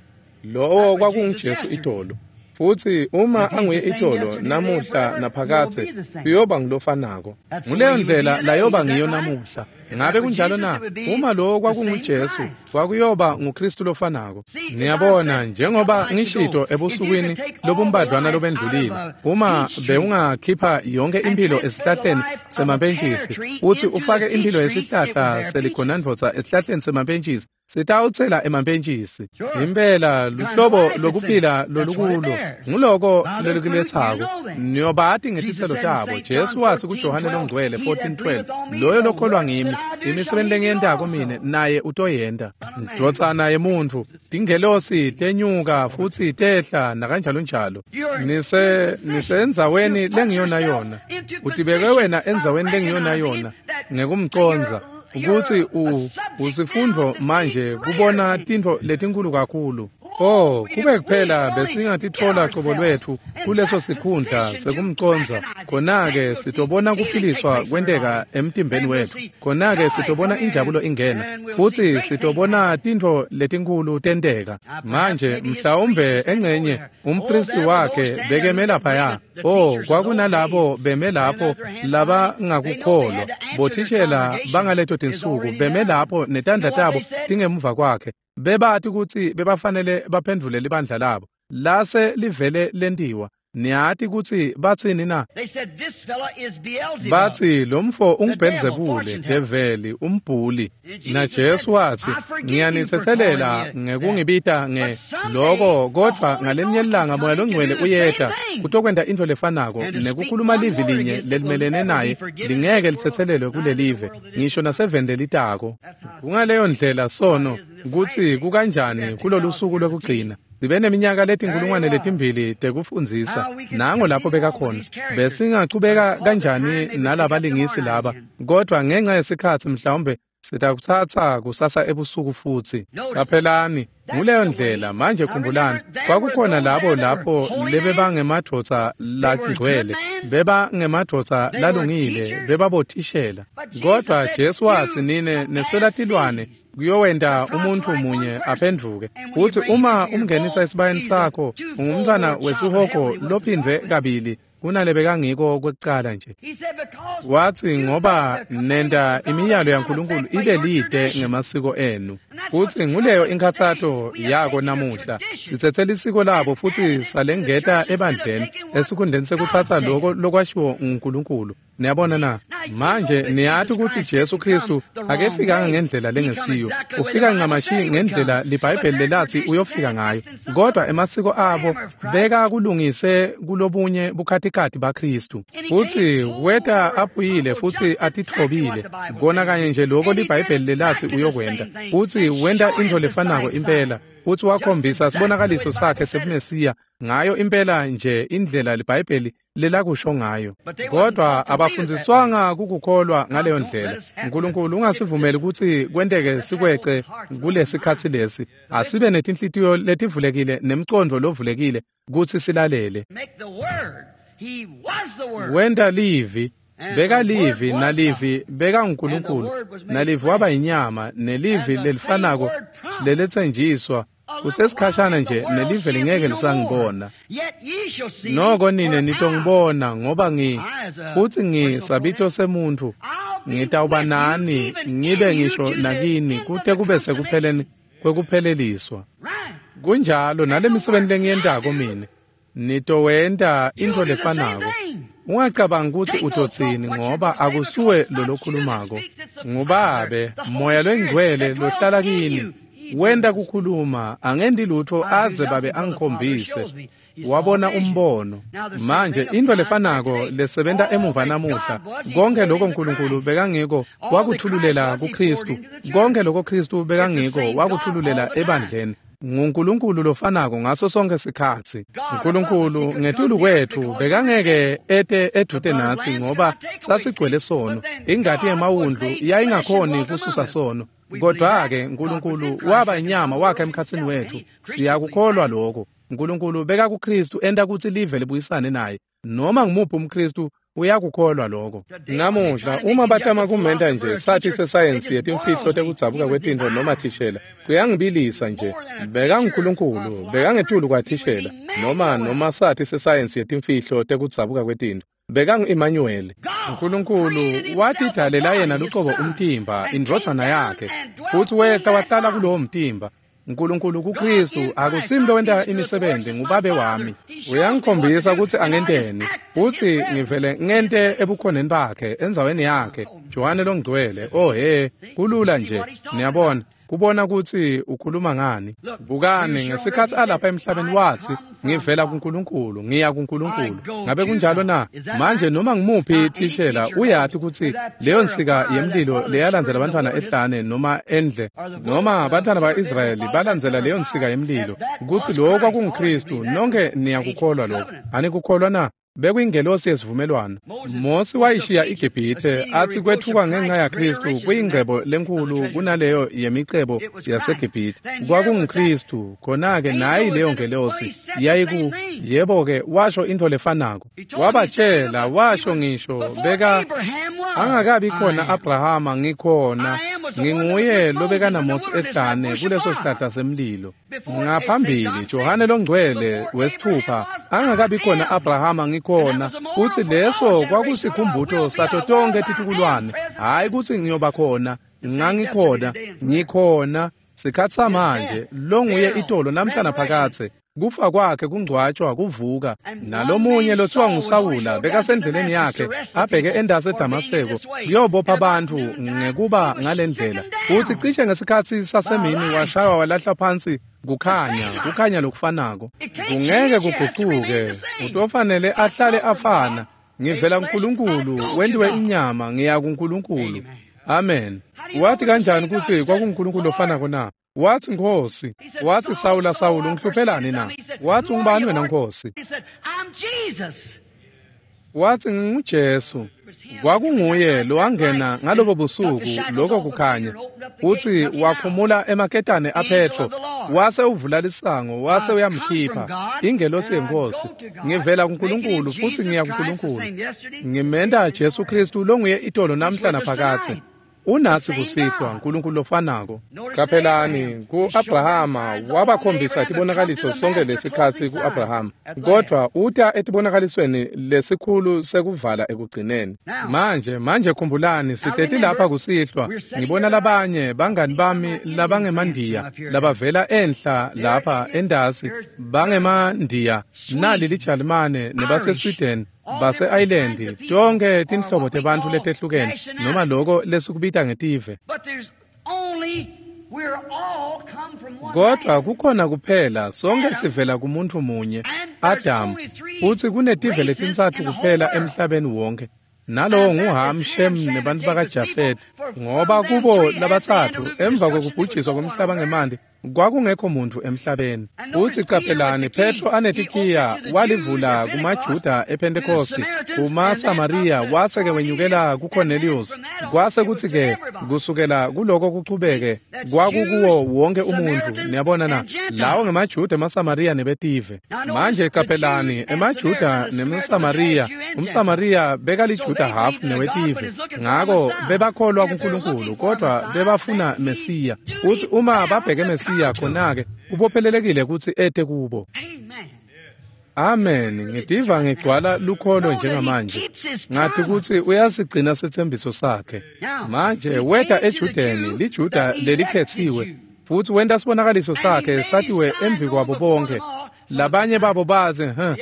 Lowo kwakunguJesu itolo. Futsi uma anguye itolo, namuhla naphakadze, uyoba ngulofanako. Nguleyo ndlela layoba ngiyo namuhla. Ngabe kunjalo na? Uma lowo kwakunguJesu, kwakuyoba nguKristu lofanako. Niyabona, njengoba ngishito ebusukwini lobumbadlwana lobendlulile, uma bewungakhipha yonke imphilo esihlahleni semapentjisi, uthi ufake imphilo yesihlahla seligonandvodza esihlahleni semapentjisi, sitawutsela emapentjisi. Impela luhlobo lokuphila lolukulo nguloko lolukuletsako. Niyobati ngetitselo tabo. Jesu watsi kuJohane loNgcwele fourteen twelve, "Loyo lokholwa ngimi, imisebenti lengiyentako mine naye utoyenta." Ndvodzana yemuntfu, tingelosi tenyuka futsi tehla nakanjalo njalo. Nise nisendzaweni lengiyona yona. Utibeke wena endzaweni lengiyona yona ngekumcondza ukuthi u usifundvo manje kubona tintfo letinkulu kakhulu. Oh, kube kuphela besingatitfola qobo lwetfu kuleso sikhundla sekumcondza, khona-ke sitobona kuphiliswa kwenteka emtimbeni wetfu, khona-ke sitobona injabulo ingena, futsi sitobona tintfo letinkulu tenteka. Manje mhlawumbe engcenye umpristi wakhe bekeme laphaya. Oh, kwakunalabo beme lapho labangakukholwa, bothishela bangaleto tinsuku beme lapho netandla tabo tingemuva kwakhe, bebati kutsi bebafanele baphendvule libandla labo lase livele lentiwa. Niyati kutsi batsini na? Batsi lomfo unguBhelzebule, develi, umbhuli. Na Jesu watsi, "Ngiyanitsetselela ngekungibita nge loko, kodvwa ngalinye ilanga Moya loNgcwele uyeta kutokwenta intfo lefanako, nekukhuluma livi linye lelimelene naye lingeke litsetselelwe kulelive, ngisho naseveni lelitako." Kungaleyo ndlela sono kutsi kukanjani kulolusuku lwekugcina. Sibe neminyaka letinkulungwane letimbili tekufundzisa, nango lapho bekakhona. Besingachubeka kanjani nalabalingisi laba, kodwa ngenxa yesikhatsi mhlawumbe sitakutsatsa kusasa ebusuku futsi. Qaphelani, nguleyo ndlela. Manje khumbulani, kwakukhona labo lapho lebebangemadvodza langcwele, bebangemadvodza lalungile, bebabothishela. Kodwa Jesu watsi, "Nine neswela tilwane kuyowenta umuntfu munye aphendvuke." Futsi uma umngenisa esibayeni sakho, ungumntfwana wesihogo lophindvwe kabili kunalebekangiko kwekucala nje. Watsi ngoba nenta imiyalo yaNkulunkulu ibe lide ngemasiko enu. Kutsi nguleyo inkhatsato yako namuhla. Sitsetse lisiko labo futsi salengeta ebandleni esikhundleni sekutsatsa loko lokwashiwo nguNkulunkulu. Niyabona na? Manje niyati kutsi Jesu Kristu akefikanga ngendlela lengesiyo. Ufika ncamashi ngendlela liBhayibheli lelatsi uyofika ngayo. Kodwa emasiko abo beka kulungise kulobunye bukhatikati baKristu. Futsi weta aphuyile futsi atitfobile. Kona kanye nje loko liBhayibheli lelatsi uyokwenta. Futsi wenta intfo lefanako impela. Futsi wakhombisa sibonakaliso sakhe sebuMesiya ngayo impela nje indlela liBhayibheli lelakusho ngayo. Kodwa abafundziswanga kukukholwa ngaleyo ndlela. Nkulunkulu ungasivumeli kutsi kwenteke sikwece kulesikhatsi lesi. Asibe netinhlitiyo letivulekile nemcondvo lovulekile kutsi silalele. Wenta livi, beka livi nalivi beka nguNkulunkulu, nalivi waba inyama, nelivi lelifanako leletsenjiswa. Kusesikhashana nje nelive lingeke lisangibona. Noko nine nitongibona ngoba ngi futsi ngisabito semuntfu ngitawuba nani ngibe ngisho nakini kute kube sekupheleni kwekupheleliswa. Kunjalo nalemisebenzi lengiyentako mine nitowenta intfo lefanako. Ungacabangi kutsi utotsini ngoba akusuwe lolokhulumako. Ngubabe Moya loNgcwele lohlala kini. Wenta kukhuluma angendi lutho aze babe angikhombise. Wabona umbono. Manje into lefanako lesebenta emuva namuhla, konke lokho uNkulunkulu bekangiko wakuthululela kuKristu, konke lokho Kristu bekangiko wakuthululela ebandleni. NguNkulunkulu lofanako ngaso sonke sikhatsi. uNkulunkulu ngetulu kwethu bekangeke ete edvute natsi ngoba sasigcwele sono. Ingati yemawundlu yayingakhoni kususa sono. Kodwa-ke uNkulunkulu waba inyama wakhe emkhatsini wethu. Siyakukholwa lokho. uNkulunkulu beka kuKristu enta kutsi live libuyisane naye. Noma ngumuphi umKristu uyakukholwa lokho. Namuhla uma batama kumenta nje sathi sesayensi yetimfihlo tekudzabuka kwetintfo noma thishela, kuyangibilisa nje. Beka nguNkulunkulu, beka ngetulu kwathishela noma noma sathi sesayensi yetimfihlo tekudzabuka kwetintfo. Beka ngu-Emmanuel. uNkulunkulu watidalela yena luqobo umtimba, indvodzana yakhe, futsi wehla wahlala kulowo mtimba. uNkulunkulu kuKristu akusimlo lowenta imisebenzi, ngubabe wami. Uyangikhombisa kutsi angenteni, futsi ngivele ngente ebukhoneni bakhe, endzaweni yakhe. Johane loNgcwele, oh he, kulula nje, niyabona. Kubona kutsi ukhuluma ngani. Bukani ngesikhatsi alapha emhlabeni watsi ngivela kuNkulunkulu ngiya kuNkulunkulu. Ngabe kunjalo na? Manje noma ngimuphi thishela uyati kutsi leyo nsika yemlilo leyalandzela abantwana ehlane noma endle noma abantwana ba-Israyeli balandzela leyo nsika yemlilo kutsi lokho kwakunguKristu. Nonke niyakukholwa lokho. Anikukholwa na? Bekuyingelosi yesivumelwano. Mosi wayishiya iGibhithe athi kwethuka ngenxa yaKristu kuyingcebo lenkulu kunaleyo yemicebo yaseGibhithe. KwakunguKristu khona-ke nayi leyo ngelosi yayiku yebo-ke washo intfo lefanako. Wabatshela washo ngisho beka angakabi khona Abrahama ngikhona nginguye lobeka naMosi ehlane kuleso sihlahla semlilo. Ngaphambili Johane loNgcwele wesithupha angakabi khona Abrahama ngikhona, utsi leso kwakusikhumbuto sato tonke titukulwane. Hayi kutsi ngiyoba khona, ngangikhona, ngikhona sikhatsi samanje longuye itolo namhla naphakadze. Kufa kwakhe kungcwatshwa kuvuka. Nalomunye lothiwa nguSawula bekasendleleni yakhe abheke endase eDamaseko kuyobopha abantu ngekuba ngalendlela. Uthi cishe ngesikhatsi sasemini washaywa walahla phansi kukhanya, kukhanya lokufanako. Kungeke kugucuke, utofanele ahlale afana. Ngivela kuNkulunkulu, wentiwe inyama, ngiya kuNkulunkulu. Amen. Wathi kanjani kutsi kwakunguNkulunkulu lofanako na? Wathi Nkosi, wathi Sawula, Sawula ungihluphelani na? Wathi ungubani wena Nkosi? Wathi nginguJesu. Kwakunguye lowangena ngalobo busuku lokho kukhanya. Uthi wakhumula emaketane aPetro, wase uvula lisango, wase uyamkhipha. Ingelosi yeNkosi, ngivela kuNkulunkulu futhi ngiya kuNkulunkulu. Ngimenta Jesu Kristu longuye itolo namhla naphakadze. Unatsi kusihlwa Nkulunkulu lofanako. Qaphelani ku-Abrahama wabakhombisa tibonakaliso sonke lesikhatsi ku-Abrahama, kodvwa uta etibonakalisweni lesikhulu sekuvala ekugcineni. Manje manje khumbulani sihleti lapha kusihlwa, ngibona labanye bangani bami labangemandiya labavela enhla lapha endasi bangemandiya, nali liJalimane nebaseSweden, base-Ireland, tonke tinhlobo tebantfu letehlukene noma loko lesikubita ngetive. Kodwa kukhona kuphela sonke sivela kumuntu munye, Adam, futsi kunetive letintsatfu kuphela emhlabeni wonke. Nalowo nguHam, Shem nebantu bakaJafet, ngoba kubo labatsatfu emva kwekubhujiswa kwemhlaba ngemanti kwakungekho muntu emhlabeni. Futsi qaphelani Petro anetikhiya walivula kumaJuda ePentecosti, kumaSamariya, wase-ke wenyukela kuCornelius. Kwase kutsi-ke kusukela kuloko kuchubeke kwakukuwo wonke umuntfu. Niyabona na? Lawo ngemaJuda, emaSamariya nebetive. Manje qaphelani emaJuda nemaSamariya, umSamariya bekaliJuda hafu newetive, ngako bebakholwa kuNkulunkulu kodwa bebafuna Mesiya. Futsi uma babheke Mesiya khona-ke ubophelelekile kutsi ete kubo. Amen. Ngitiva ngigcwala lukholo njengamanje. Ngathi kutsi uyasigcina setsembiso sakhe. Manje weta eJudeni, liJuda lelikhetsiwe, futsi wenta sibonakaliso sakhe satiwe embi kwabo bonke. Labanye babo bathi, "Huh,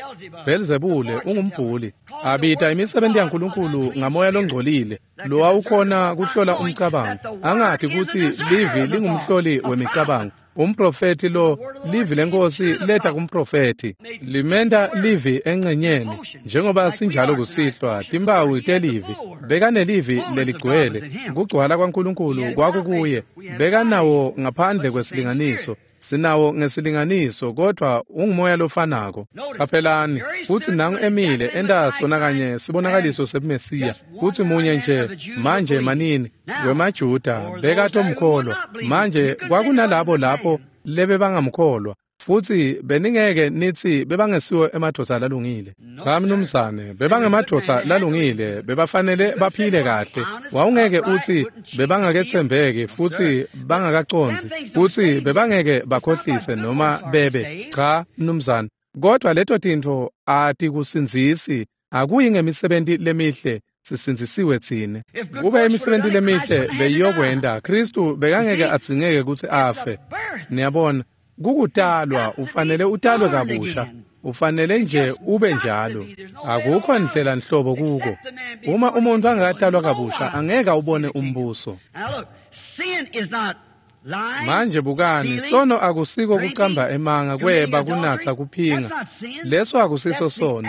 Belzebule ungumbhuli." Abita imisebenti yaNkulunkulu ngamoya longcolile, lowawukhona kuhlola umcabango. Angathi kutsi livi lingumhloli wemicabango. Umprofeti lo, livi lenkosi leta kumprofeti, limenta livi encenyeni, njengoba sinjalo kusihlwa, timpawu telivi. Bekanelivi leligcwele, kugcwala kwaNkulunkulu kwakukuye, bekanawo ngaphandle kwesilinganiso. Sinawo ngesilinganiso, kodwa ungumoya lofanako. Qaphelani kutsi nangu emile enta sona kanye sibonakaliso sebuMesiya, kutsi munye nje manje manini wemaJuda bekatomkholwa. Manje kwakunalabo lapho lebebangamkholwa, futsi beningeke nitsi bebangesiwo emadvodza lalungile. Cha mnumzane, bebangemadvodza lalungile, bebafanele baphile kahle. Wawungeke utsi bebangaketsembeki futsi bangakacondzi, futsi bebangeke bakhohlise noma bebe. Cha mnumzane, kodwa leto tintfo atikusindzisi, akuyi ngemisebenti lemihle sisindzisiwe tsine. Kube imisebenti lemihle beyiyokwenta, Khristu bekangeke adzingeke kutsi afe. Niyabona, kukutalwa, ufanele utalwe kabusha, ufanele nje ube njalo. Akukho ndlela nhlobo kuko. Uma umuntu angakatalwa kabusha, angeke ubone umbuso. Manje bukani, sono akusiko kucamba emanga, kweba, kunatsa, kuphinga. Leso akusiso sono.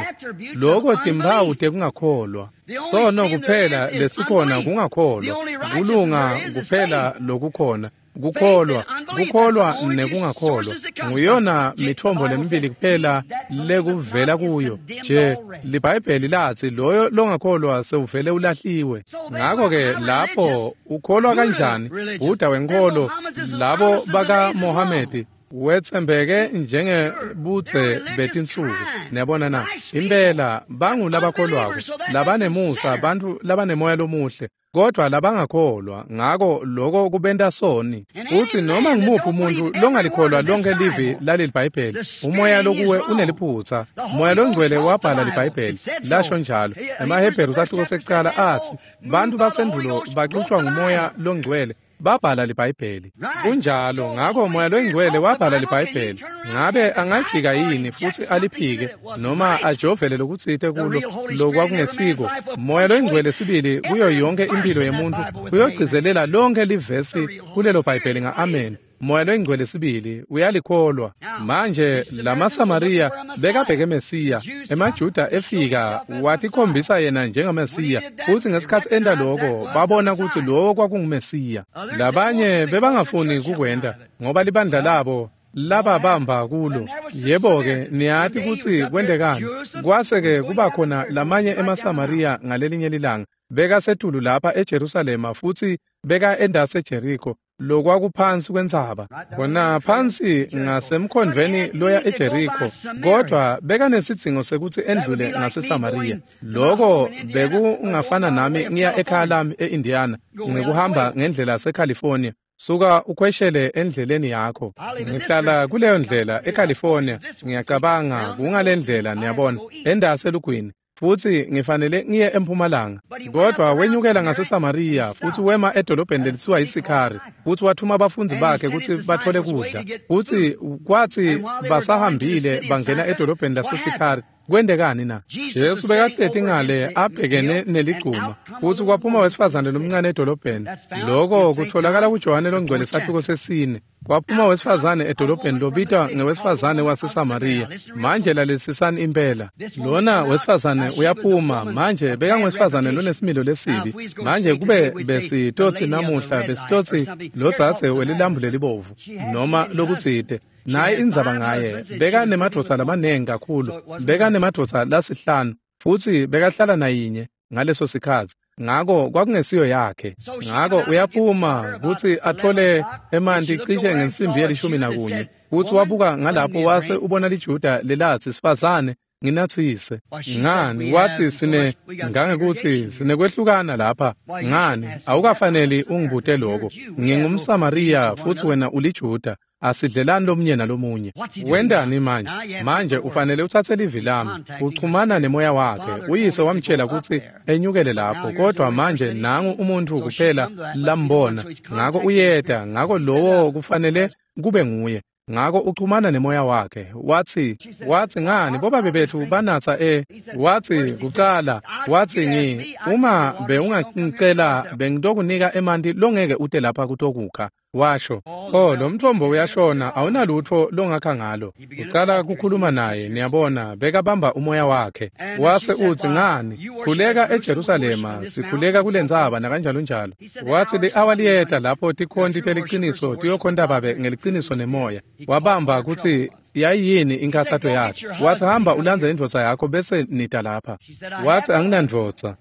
Loko timphawu tekungakholwa. Sono kuphela lesikhona kungakholwa. Kulunga kuphela lokukhona. Kukholwa, kukholwa nekungakholwa nguyona mithombo lemibili kuphela lekuvela kuyo. Nje liBhayibheli latsi loyo longakholwa sewuvele ulahliwe. Ngakho-ke lapho ukholwa kanjani? Buddha wenkholo, labo baka Mohamedi wetsembeke njengebutse betinsuku. Niyabona na? Impela bangulabakholwako, labanemusa, bantfu labanemoya lomuhle, kodwa labangakholwa. Ngako loko kubenta soni. Futsi noma ngumuphi umuntu longalikholwa lonke livi laleli Bhayibheli, umoya lokuwe uneliphutsa. Moya longcwele wabhala liBhayibheli, lasho njalo. EmaHebheru sahluko sekucala atsi bantfu basendulo baxutshwa ngumoya longcwele, babhala liBhayibheli. Kunjalo. Ngako moya longcwele wabhala liBhayibheli. Ngabe angajika yini futsi aliphike noma ajovele lokutsite kulo lokwakungesiko? Moya longcwele sibili kuyo yonke impilo yemuntu uyogcizelela lonke livesi kulelo Bhayibheli nga-amen. Moya longcwele sibili uyalikholwa. Manje lamaSamariya bekabheke Mesiya. EmaJuda efika watikhombisa yena njengaMesiya, futsi ngesikhatsi enta loko babona kutsi lowo kwakunguMesiya. Labanye bebangafuni kukwenta ngoba libandla labo lababamba kulo. Yebo-ke, niyati kutsi kwentekani. Kwase-ke kuba khona lamanye emaSamariya ngalelinye lilanga bekasetulu lapha eJerusalema futsi beka endase eJeriko. lokwakuphansi kwentsaba khona phansi ngasemkhondvweni loya eJeriko, kodwa bekanesidzingo sekuthi endlule ngaseSamariya. Loko bekungafana nami ngiya ekhaya lami e-Indiana ngikuhamba ngendlela yaseCalifornia. Suka ukhweshele endleleni yakho. Ngihlala kuleyo ndlela eCalifornia, ngiyacabanga kungalendlela, niyabona, endaselugwini, futhi ngifanele ngiye empumalanga. Kodwa wenyukela ngaseSamariya futhi wema edolobheni lelithiwa yiSikhari, futhi wathuma abafundi bakhe ukuthi bathole kudla. Futhi kwathi basahambile bangena edolobheni laseSikhari, kwendekani na? Jesu bekahleti ngale abhekene neligcuma, futhi kwaphuma wesifazane lomncane edolobheni. Lokho kutholakala kuJohane longcwele sahluko sesine. Kwaphuma wesifazane edolobheni lobitwa ngewesifazane waseSamariya. Manje lalelisisani impela. Lona wesifazane uyaphuma manje bekangwesifazane lonesimilo lesibi. Manje kube besitothi namuhla besitothi lodzadze welilambu lelibovu noma lokutsite. Naye indzaba ngaye bekanemadvodza lamanengi kakhulu, bekanemadvodza lasihlanu, futhi bekahlala nayinye ngaleso sikhatsi. Ngako kwakungesiyo yakhe. Ngako uyaphuma kutsi athole emanti cishe ngensimbi yelishumi nakunye. Futhi wabuka ngalapho wase ubona liJuda lelatsi, sifazane nginatsise. Ngani? Wathi sine ngangekuthi sinekwehlukana lapha. Ngani? Awukafaneli ungibute lokho. NgingumSamariya futhi wena uliJuda. Asidlelani lomunye nalomunye. Wendani manje? Manje ufanele uthathe livi lami. Uchumana nemoya wakhe. Uyise wamtshela ukuthi enyukele lapho, kodwa manje nangu umuntu kuphela lambona. Ngako uyeda, ngako lowo kufanele kube nguye. Ngako uchumana nemoya wakhe. Wathi, wathi ngani bobabe bethu banatsa e. Wathi kucala, wathi ngi uma bewungangicela bengitokunika emanti longeke ute lapha kutokukha. Washo, oh lo mthombo uyashona, awunalutho longakha ngalo. Uqala kukhuluma naye, niyabona, bekabamba umoya wakhe. Wase uthi ngani, khuleka eJerusalema, sikhuleka kulentsaba nakanjalo njalo. Wathi li-awa liyeta lapho tikhonti teliciniso tiyokhonta babe ngeliciniso nemoya. Wabamba kutsi yayini inkathato yakhe. Wathi hamba ulandze indvodza yakho bese nita lapha. Wathi anginandvodza.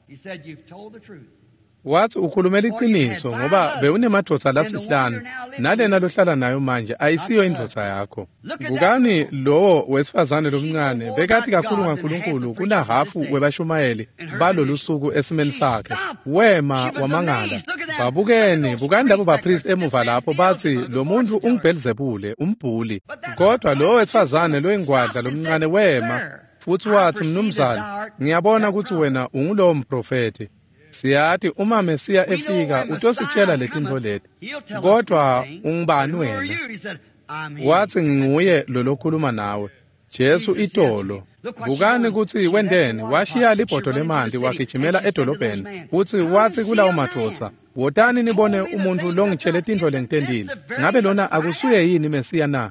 Wathi ukhulumela iqiniso ngoba bewunemadvodza lasihlanu nalena lohlala nayo manje ayisiyo indvodza yakho. Bukani lowo wesifazane lomncane bekati kakhulu ngaNkulunkulu kunahafu webashumayeli balolu suku esimeni sakhe. Wema wamangala. Babukeni, bukani labo bapristi emuva lapho bathi lo muntu unguBhelzebule, umbhuli. Kodwa lowo wesifazane loyingwadla lomncane wema futhi wathi, mnumzane, ngiyabona ukuthi wena ungulowo mprofeti. Siyati uma Mesiya efika utositshela letintfo leti, kodwa ungubani wena? Wathi nginguye lo lokhuluma nawe, Jesu itolo. Bukani kutsi wenteni, washiya libhodo lemanti wagijimela edolobheni, futsi watsi kulawo madvodza, wotani nibone umuntu longitshele tintfo lengitentile. Ngabe lona akusuye yini Mesiya na?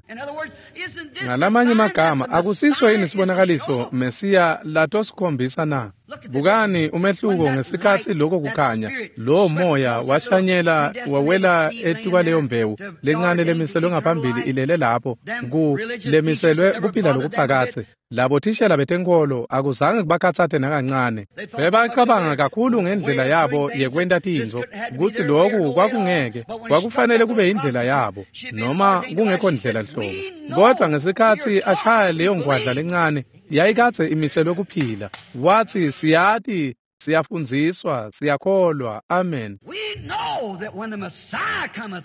Ngalamanye magama, akusiso yini sibonakaliso Mesiya latosikhombisa na? Bukani umehluko ngesikhatsi lokho kukhanya, lowo moya washanyela wawela etukwaleyo mbewu lencane lemiselwe ngaphambili ilele lapho ku lemiselwe kuphila lokuphakathe. Labo thishela betenkolo akuzange kubakhatsate nakancane. Bebacabanga kakhulu ngendlela yabo yekwenta tintfo kutsi loku kwakungeke kwakufanele kube indlela yabo noma kungekho ndlela nhlobo. Kodwa ngesikhatsi ashaya leyo ngwadla lencane yayikadze imiselwe kuphila, wathi siyati, siyafundziswa, siyakholwa. Amen.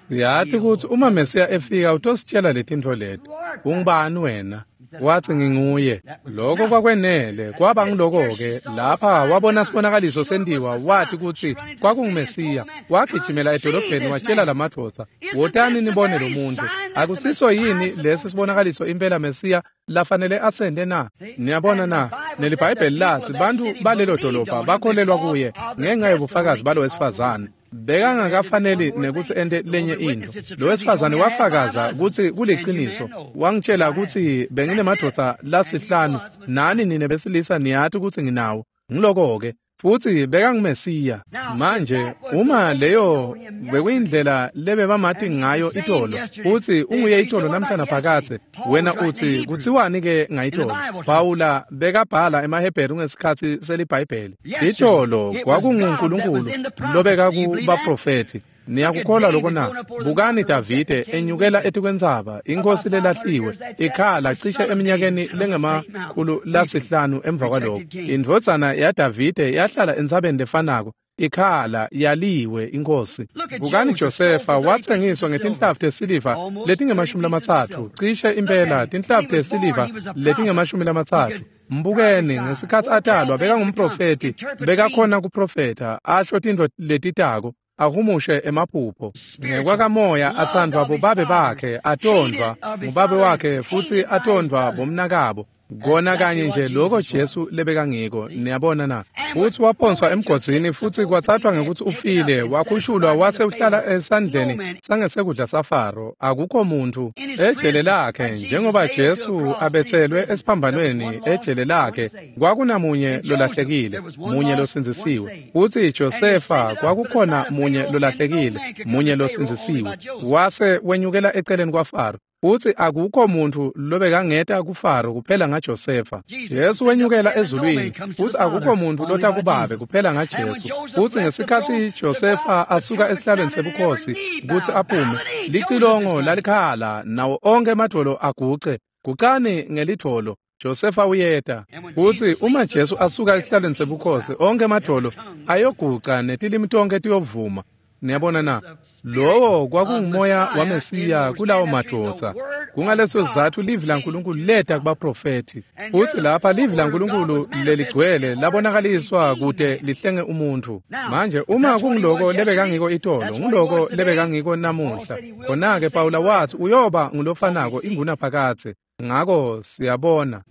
Siyati kutsi uma Mesiya efika utositshela letintfo leti. Ungubani wena? Wathi nginguye. Lokho kwakwenele, kwaba ngiloko-ke. Lapha wabona sibonakaliso sentiwa, wathi kutsi kwakunguMesiya. Wagijimela edolobheni watshela lamadvodza, wotani nibone lo muntu. Akusiso yini lesi sibonakaliso impela Mesiya lafanele asende na? Niyabona na? NeliBhayibheli lathi bantu balelo dolobha bakholelwa kuye ngenxa yobufakazi balo wesifazane. Bekangakafaneli nekuthi ente lenye into. Lo wesifazane wafakaza kutsi kuliciniso. Wangitshela kutsi benginemadvodza lasihlanu, nani nine besilisa niyati kutsi nginawo. Ngiloko-ke. Futsi bekanguMesiya. Manje uma leyo bekuyindlela lebebamati ngayo itolo, futsi unguye itolo namhlanje phakathe, wena uthi kutsiwani ke ngayitolo? Pawula bekabhala emaHebheru ngesikhatsi seliBhayibheli. Itolo kwakunguNkulunkulu lobeka kubaprofethi. Niyakukholwa lokho na? Bukani Davide enyukela etikwentsaba, inkosi lelahliwe, ikhala cishe eminyakeni lengemakhulu lasihlanu emva kwaloko. Indvodzana yaDavide yahlala entsabeni lefanako, ikhala yaliwe inkosi. Bukani Josefa watsengiswa ngetinhlavu tesiliva letingemashumi lamatsatfu, cishe impela tinhlavu tesiliva letingemashumi lamatsatfu. Mbukeni ngesikhatsi atalwa bekangumprofeti, bekakhona kuprofetha, asho tintfo letitako, ahumushe emaphupho. Ngekwakamoya atsandvwa bobabe bakhe, atondvwa ngubabe wakhe futsi atondvwa bomnakabo. Kona kanye nje loko Jesu lebekangiko, niyabona na? Futsi waphonswa emgodzini futsi kwathathwa ngekutsi ufile, wakhushulwa wase uhlala esandleni sangesekudla saFaro. Akukho muntfu ejele lakhe, njengoba Jesu abetselwe esiphambanweni ejele lakhe, kwakunamunye lolahlekile, munye losindzisiwe. Futsi Josefa kwakukhona munye lolahlekile, munye losindzisiwe. Wase wenyukela eceleni kwaFaro. Futsi akukho muntfu lobekangeta kuFaro kuphela ngaJosefa. Jesu wenyukela ezulwini, futsi akukho muntfu lota kubabe kuphela ngaJesu. Futsi ngesikhatsi Josefa asuka esihlalweni sebukhosi kutsi aphume, licilongo lalikhala nawo onkhe emadvolo aguce. Gucani ngelidvolo, Josefa uyeta. Futsi uma Jesu asuka esihlalweni sebukhosi, onkhe emadvolo ayoguca netilimi tonkhe tiyovuma. Niyabona na? Lowo kwakungumoya waMesiya kulawo madvodza. Kungaleso sizatfu livi laNkulunkulu leta kubaprofethi. Futsi lapha livi laNkulunkulu leligcwele labonakaliswa kute lihlenge umuntfu. Manje uma kunguloko lebekangiko itolo, nguloko lebekangiko namuhla. Khona-ke Pawula watsi uyoba ngulofanako ingunaphakadze. Ngako siyabona.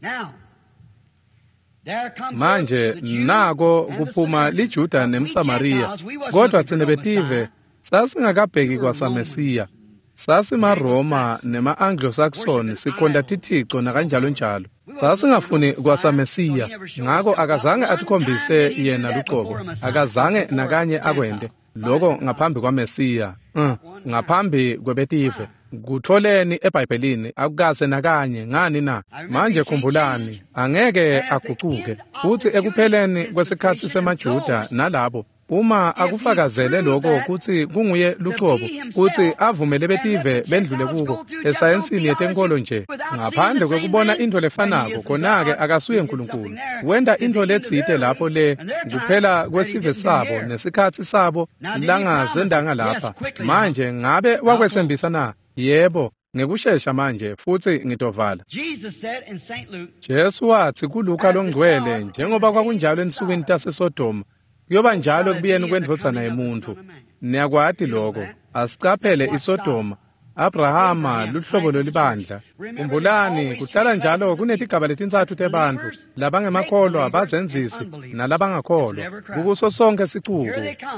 Manje nako kuphuma liJuda nemSamariya, kodvwa tsine betive sasingakabheki kwasaMesiya. SasimaRoma nema-Anglo-Saxon sikhonta tithico nakanjalonjalo. Sasingafuni kwasaMesiya, ngako akazange atikhombise yena luqobo, akazange nakanye akwente loko ngaphambi kwaMesiya, mm, ngaphambi kwebetive. Kutfoleni eBhayibhelini akukase nakanye. Ngani na? Manje khumbulani, angeke agucuke. Futsi ekupheleni kwesikhatsi semaJuda nalabo, uma akufakazele lokho kutsi kunguye luqobo, kutsi avumele betive bendlule kuko esayensini yetenkolo nje, ngaphandle kwekubona intfo lefanako, khona-ke akasuye Nkulunkulu. Wenta intfo letsite lapho le kuphela kwesive sabo nesikhatsi sabo langazendanga lapha. Manje ngabe wakwetsembisa na? Yebo, ngekushesha manje, futsi ngitovala. Jesu watsi kuLuka longcwele, njengoba kwakunjalo ensukwini taseSodoma, kuyoba njalo ekubuyeni kwendvodzana yemuntfu. Niyakwati lokho. Asicaphele iSodoma. Abrahama luhlobo lwelibandla. Khumbulani, kuhlala njalo kunetigaba letintsatfu tebantfu, labangemakholwa, bazenzisi nalabangakholwa. Kukuso sonkhe sicuku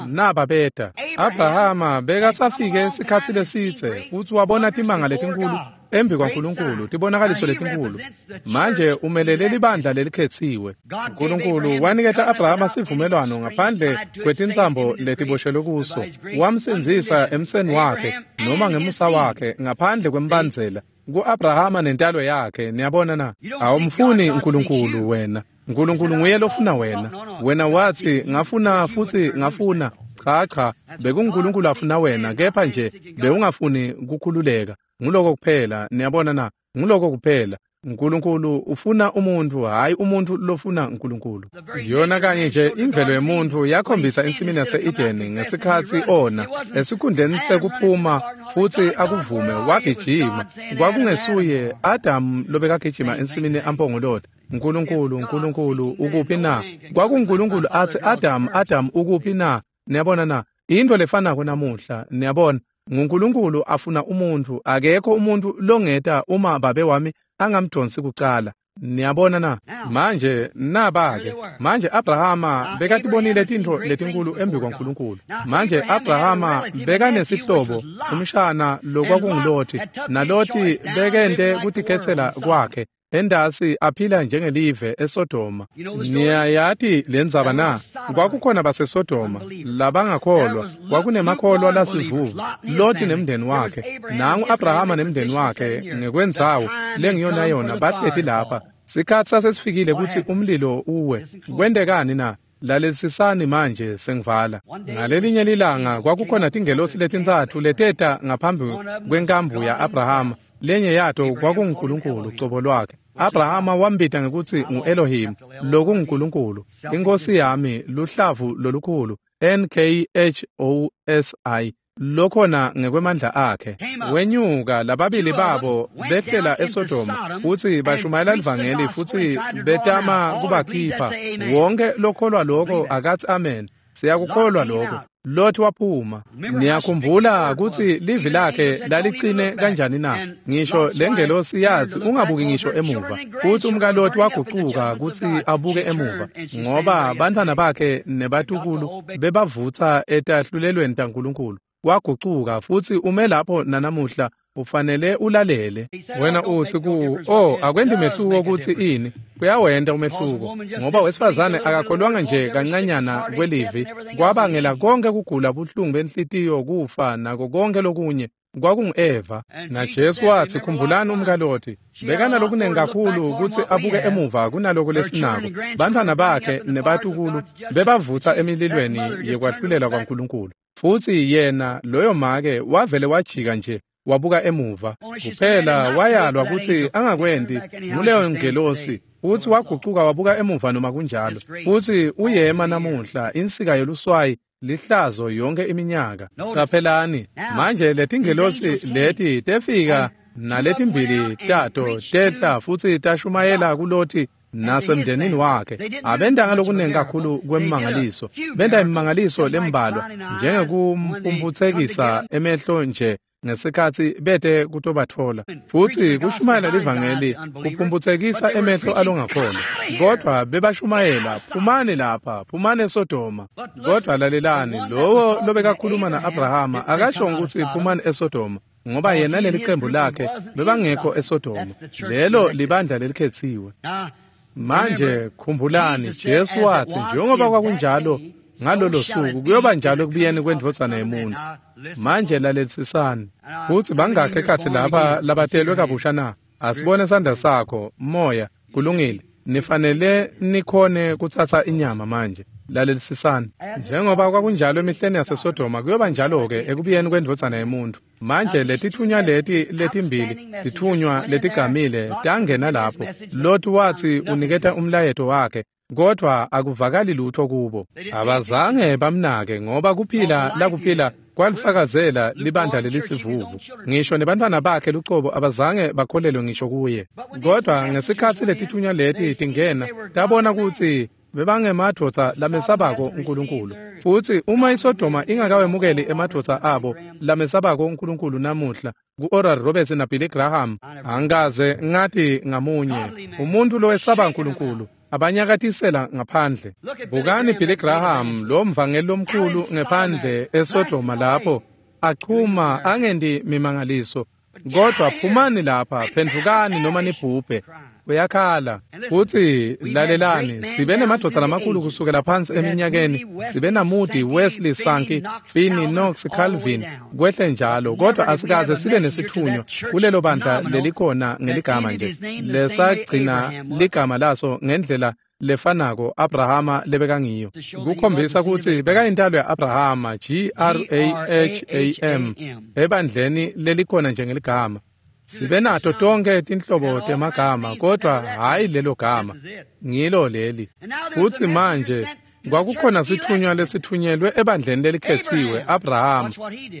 naba beta. Abrahama bekasafike sikhatsi lesidze futsi wabona timanga letinkhulu embi kwaNkulunkulu, tibonakaliso letinkulu. Manje umelele libandla lelikhetsiwe. Nkulunkulu waniketa Abrahama sivumelwano ngaphandle kwetintsambo letiboshelwe kuso. Wamsindzisa emseni wakhe noma ngemusa wakhe ngaphandle kwembandzela ku-Abrahama nentalo yakhe. Niyabona na? Awumfuni Nkulunkulu wena. Nkulunkulu nguye lofuna wena. Wena watsi ngafuna futsi ngafuna. Cha cha, bekunguNkulunkulu afuna wena, kepha nje bewungafuni kukhululeka. Nguloko kuphela. Niyabona na? Nguloko kuphela. Nkulunkulu ufuna umuntfu, hhayi umuntfu lofuna Nkulunkulu. Yona kanye nje imvelo yemuntfu yakhombisa ensimini yase-Edeni ngesikhatsi ona, esikhundleni sekuphuma futsi akuvume, wagijima. Kwakungesuye Adamu lobekagijima ensimini ampongolota, Nkulunkulu, Nkulunkulu, ukuphi na? KwakunguNkulunkulu atsi, Adamu, Adamu, ukuphi na? Niyabona na? Intfo lefanako namuhla, niyabona. NguNkulunkulu afuna umuntfu, akekho umuntfu longeta uma babe wami angamdonsi kucala. Niyabona na? Manje naba-ke. Manje Abrahama bekatibonile tintfo letinkulu embi kwaNkulunkulu. Manje Abrahama bekanesihlobo, umshana lokwakunguLothi, naLothi bekente kutikhetsela kwakhe endasi aphila njengelive eSodoma. Niyayati lendzaba na? Kwakukhona baseSodoma labangakholwa, kwakunemakholwa lasivuvu, Loti nemndeni wakhe. Nangu Abrahama nemndeni wakhe ngekwendzawo lengiyona yona bahleti lapha. Sikhatsi sasesifikile kutsi umlilo uwe. Kwentekani na? Lalelisisani manje sengivala. Ngalelinye lilanga kwakukhona tingelosi letintsatfu leteta ngaphambi kwenkambu ya-Abrahama. Lenye yato kwakunguNkulunkulu cobo lwakhe. Abrahama wambita ngekutsi ngu-Elohim, lokunguNkulunkulu. Inkosi yami luhlavu lolukhulu N K H O S I lokhona ngekwemandla akhe. Wenyuka lababili babo behlela eSodoma futsi bashumayela livangeli futsi betama kubakhipha. Wonke lokholwa lokho akathi amen. Siyakukholwa lokho. Lot waphuma. Niyakhumbula kutsi livi lakhe lalicine kanjani na? Ngisho lengelosi yathi ungabuki ngisho emuva. Futsi umkaLot wagucuka kutsi abuke emuva, ngoba bantfwana bakhe nebatukulu bebavutsa etahlulelweni taNkulunkulu. Wagucuka futsi ume lapho nanamuhla. Ufanele ulalele. Wena uthi ku oh akwendi mehluko kutsi ini. Kuyawenta umehluko, ngoba wesifazane akakholwanga nje kancanyana kwelivi kwabangela konke kugula, buhlungu benhlitiyo, kufa nako konke lokunye. Kwakungu-Eva. NaJesu wathi khumbulani umkaLoti bekanalokunengi kakhulu kutsi abuke emuva kunaloko lesinako. Bantfwana bakhe nebatukulu bebavutsa emililweni yekwahlulela kwaNkulunkulu, futsi yena loyo make wavele wajika nje wabuka emuva. Kuphela wayalwa kutsi angakwenti nguleyo ngelosi, futsi wagucuka wabuka emuva noma kunjalo. Futsi uyema namuhla insika yeluswayi lihlazo yonke iminyaka. Qaphelani manje letingelosi leti tefika naletimbili tato tehla futsi tashumayela kuLoti nasemndenini wakhe. Abentanga lokunengi kakhulu kwemimangaliso, benta imimangaliso lembalwa njengekumphumputsekisa emehlo nje ngesikhatsi bete kutobatfola. Futsi kushumayela livangeli kuphumputsekisa emehlo alongakholwa, kodvwa bebashumayela phumani lapha, phumani eSodoma. Kodvwa lalelani, lowo lobekakhuluma na-Abrahama akashongo kutsi phumani eSodoma, ngoba yena lelicembu lakhe bebangekho eSodoma. Lelo libandla lelikhetsiwe. Manje khumbulani, Jesu watsi njengoba kwakunjalo ngalolo suku kuyoba njalo ekubuyeni kwendvodzana yemuntu. Manje lalelisisani. Futsi bangakhe ekhatsi lapha labatelwe kabusha na? Asibone sandla sakho, moya. Kulungile. Nifanele nikhone kutsatsa inyama manje. Lalelisisani. Njengoba kwakunjalo emihleni yaseSodoma kuyoba njalo-ke ekubuyeni kwendvodzana yemuntu. Manje letithunywa leti letimbili, tithunywa letigamile tangena lapho. Lot wathi uniketa umlayeto wakhe, kodvwa akuvakali lutho kubo. Abazange bamnake, ngoba kuphila lakuphila kwalifakazela libandla lelisivuvu. Ngisho nebantfwana bakhe lucobo abazange bakholelwe ngisho kuye. Kodvwa ngesikhatsi letithunywa leti tingena, tabona kutsi bebangemadvodza lamesabako uNkulunkulu. Futsi uma iSodoma ingakawemukeli emadvodza abo lamesabako uNkulunkulu namuhla, ku-Oral Roberts na Billy Graham, angikaze ngathi ngamunye umuntu lowesaba uNkulunkulu abanyakatisela ngaphandle. Bukani Billy Graham, lo mvangeli lomkhulu ngephandle eSodoma lapho achuma angendi mimangaliso, kodwa phumani lapha, phendvukani noma nibhubhe. Uyakhala. Futsi lalelani, sibe nemadvodza lamakhulu kusukela phansi eminyakeni. Sibe naMoody, Wesley, Sankey, Finney, Knox, Calvin, kwehle njalo, kodwa asikaze sibe nesithunywa kulelo bandla lelikhona ngeligama nje lesagcina ligama laso ngendlela lefanako Abrahama lebekangiyo, kukhombisa kutsi bekayintalo ya-Abrahama, G R A H A M, ebandleni lelikhona njengeligama. Sibe nato tonke tinhlobo temagama, kodwa hhayi lelo gama, ngilo leli. Futsi manje kwakukhona sithunywa lesithunyelwe ebandleni lelikhetsiwe, Abrahama.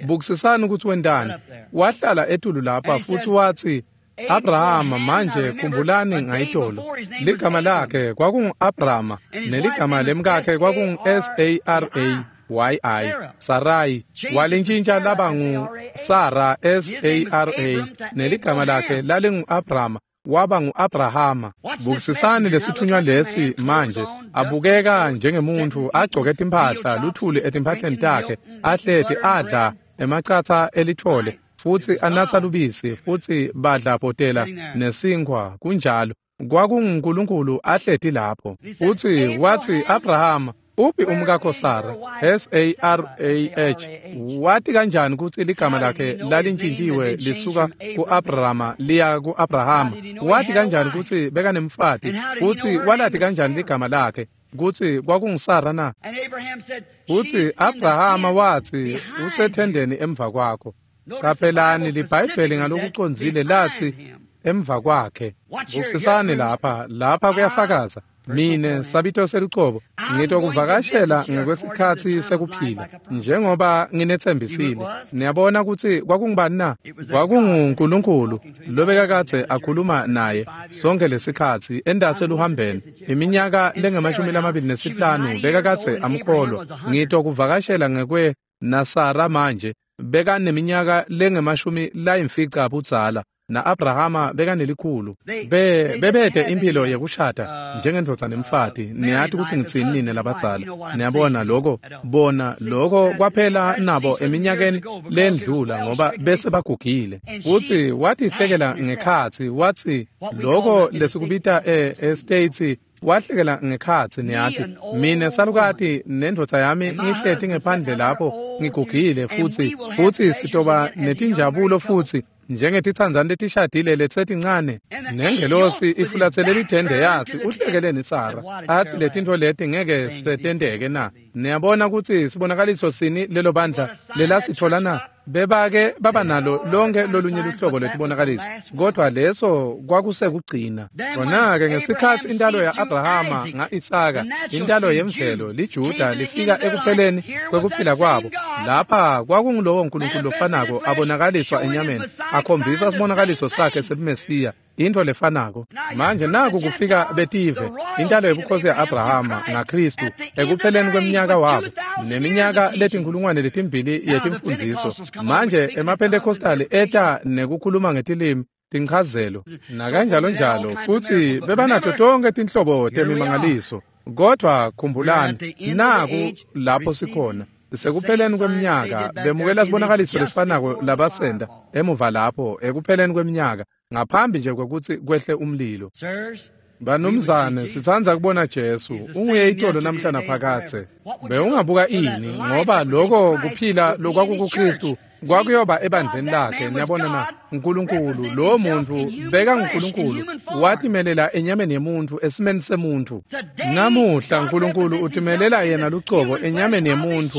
Bukisisani ukuthi wentani. Wahlala etulu lapha futsi watsi, Abrahama, manje khumbulani ngayitolo, ligama lakhe kwakungu-Abrama neligama lemkakhe kwakungu-S A R A Y I, Sarai. Walintshintsha laba ngu-Sara, S A R A, neligama lakhe lalingu-Abrama, waba ngu-Abrahama. Bukisisani lesithunywa lesi manje, abukeka njengemuntu agcoke timphahla, luthuli etimphahleni takhe, ahleti adla emacatsa elithole, futsi anatsa lubisi, futsi badla bhotela nesinkhwa. Kunjalo, kwakunguNkulunkulu ahleti lapho. Futsi watsi, Abrahama, uphi umkakho Sara? S A R A H. Wati kanjani kutsi ligama lakhe lalintjintjiwe lisuka ku-Abrahama liya ku-Abrahama? Wati kanjani kutsi bekanemfati? Futsi walati kanjani ligama lakhe? kutsi kwakunguSara na? Futsi Abrahama watsi, usethendeni emva kwakho. Qaphelani liBhayibheli ngalokucondzile latsi emva kwakhe. Bukisisani lapha, lapha kuyafakaza. Mine sabito selucobo ngitokuvakashela ngekwesikhatsi sekuphila njengoba nginetsembisile. Niyabona kutsi kwakungubani na? KwakunguNkulunkulu lobekakadze akhuluma naye sonke lesikhatsi endase luhambeni iminyaka lengemashumi lamabili nesihlanu bekakadze amkholwa. Ngitokuvakashela ngekwe naSara manje bekaneminyaka lengemashumi layimfica budzala na-Abrahama bekanelikhulu. Be bebete impilo yekushada njengendvodza nemfati. Niyati kutsi ngitsini nine labadzala. Niyabona lokho, bona lokho kwaphela nabo eminyakeni lendlula ngoba bese bagugile. Futsi watihlekela ngekhatsi watsi lokho lesikubita e-States wahlekela ngekhatsi niyati. Mine salukati nendvodza yami ngihleti ngephandle lapho ngigugile futsi futsi sitoba netinjabulo futsi njengetitsandzane letishadile letsetincane. Nengelosi ifulatsele lithende yatsi uhlekeleni Sara atsi letintfo leti ngeke setenteke na? Niyabona kutsi sibonakaliso sini lelo bandla lelasitfola na? Bebake baba nalo lonke lolunye luhlobo lwetibonakaliso, kodwa leso kwakusekugcina. Kona-ke ngesikhatsi intalo ya-Abrahama nga-Isaka, intalo yemvelo liJuda lifika ekupheleni kwekuphila kwabo, lapha kwakungulowo Nkulunkulu lofanako abonakaliswa enyameni, akhombisa sibonakaliso sakhe sebuMesiya, intfo lefanako. Manje naku kufika betive, intalo yebukhosi ya-Abrahama ngaKhristu ekupheleni kweminyaka wabo neminyaka letinkhulungwane letimbili yetimfundziso. Manje emaPentecostali eta nekukhuluma ngetilimi, tinchazelo nakanjalo njalo, futsi bebanato tonke tinhlobo temimangaliso. Kodwa khumbulani, naku lapho sikhona sekupheleni kweminyaka, bemukela sibonakaliso lesifanako labasenda emuva lapho ekupheleni kweminyaka ngaphambi nje kwekutsi kwehle umlilo. Banumzane, sitsandza kubona Jesu unguye itolo namhla naphakadze. Bewungabuka ini ngoba lokho kuphila lokwakukuKristu kwakuyoba ebandleni lakhe. Niyabona na? Nkulunkulu lo muntu beka nguNkulunkulu watimelela enyameni yemuntu esimeni semuntu. Namuhla Nkulunkulu utimelela yena lucobo enyameni yemuntu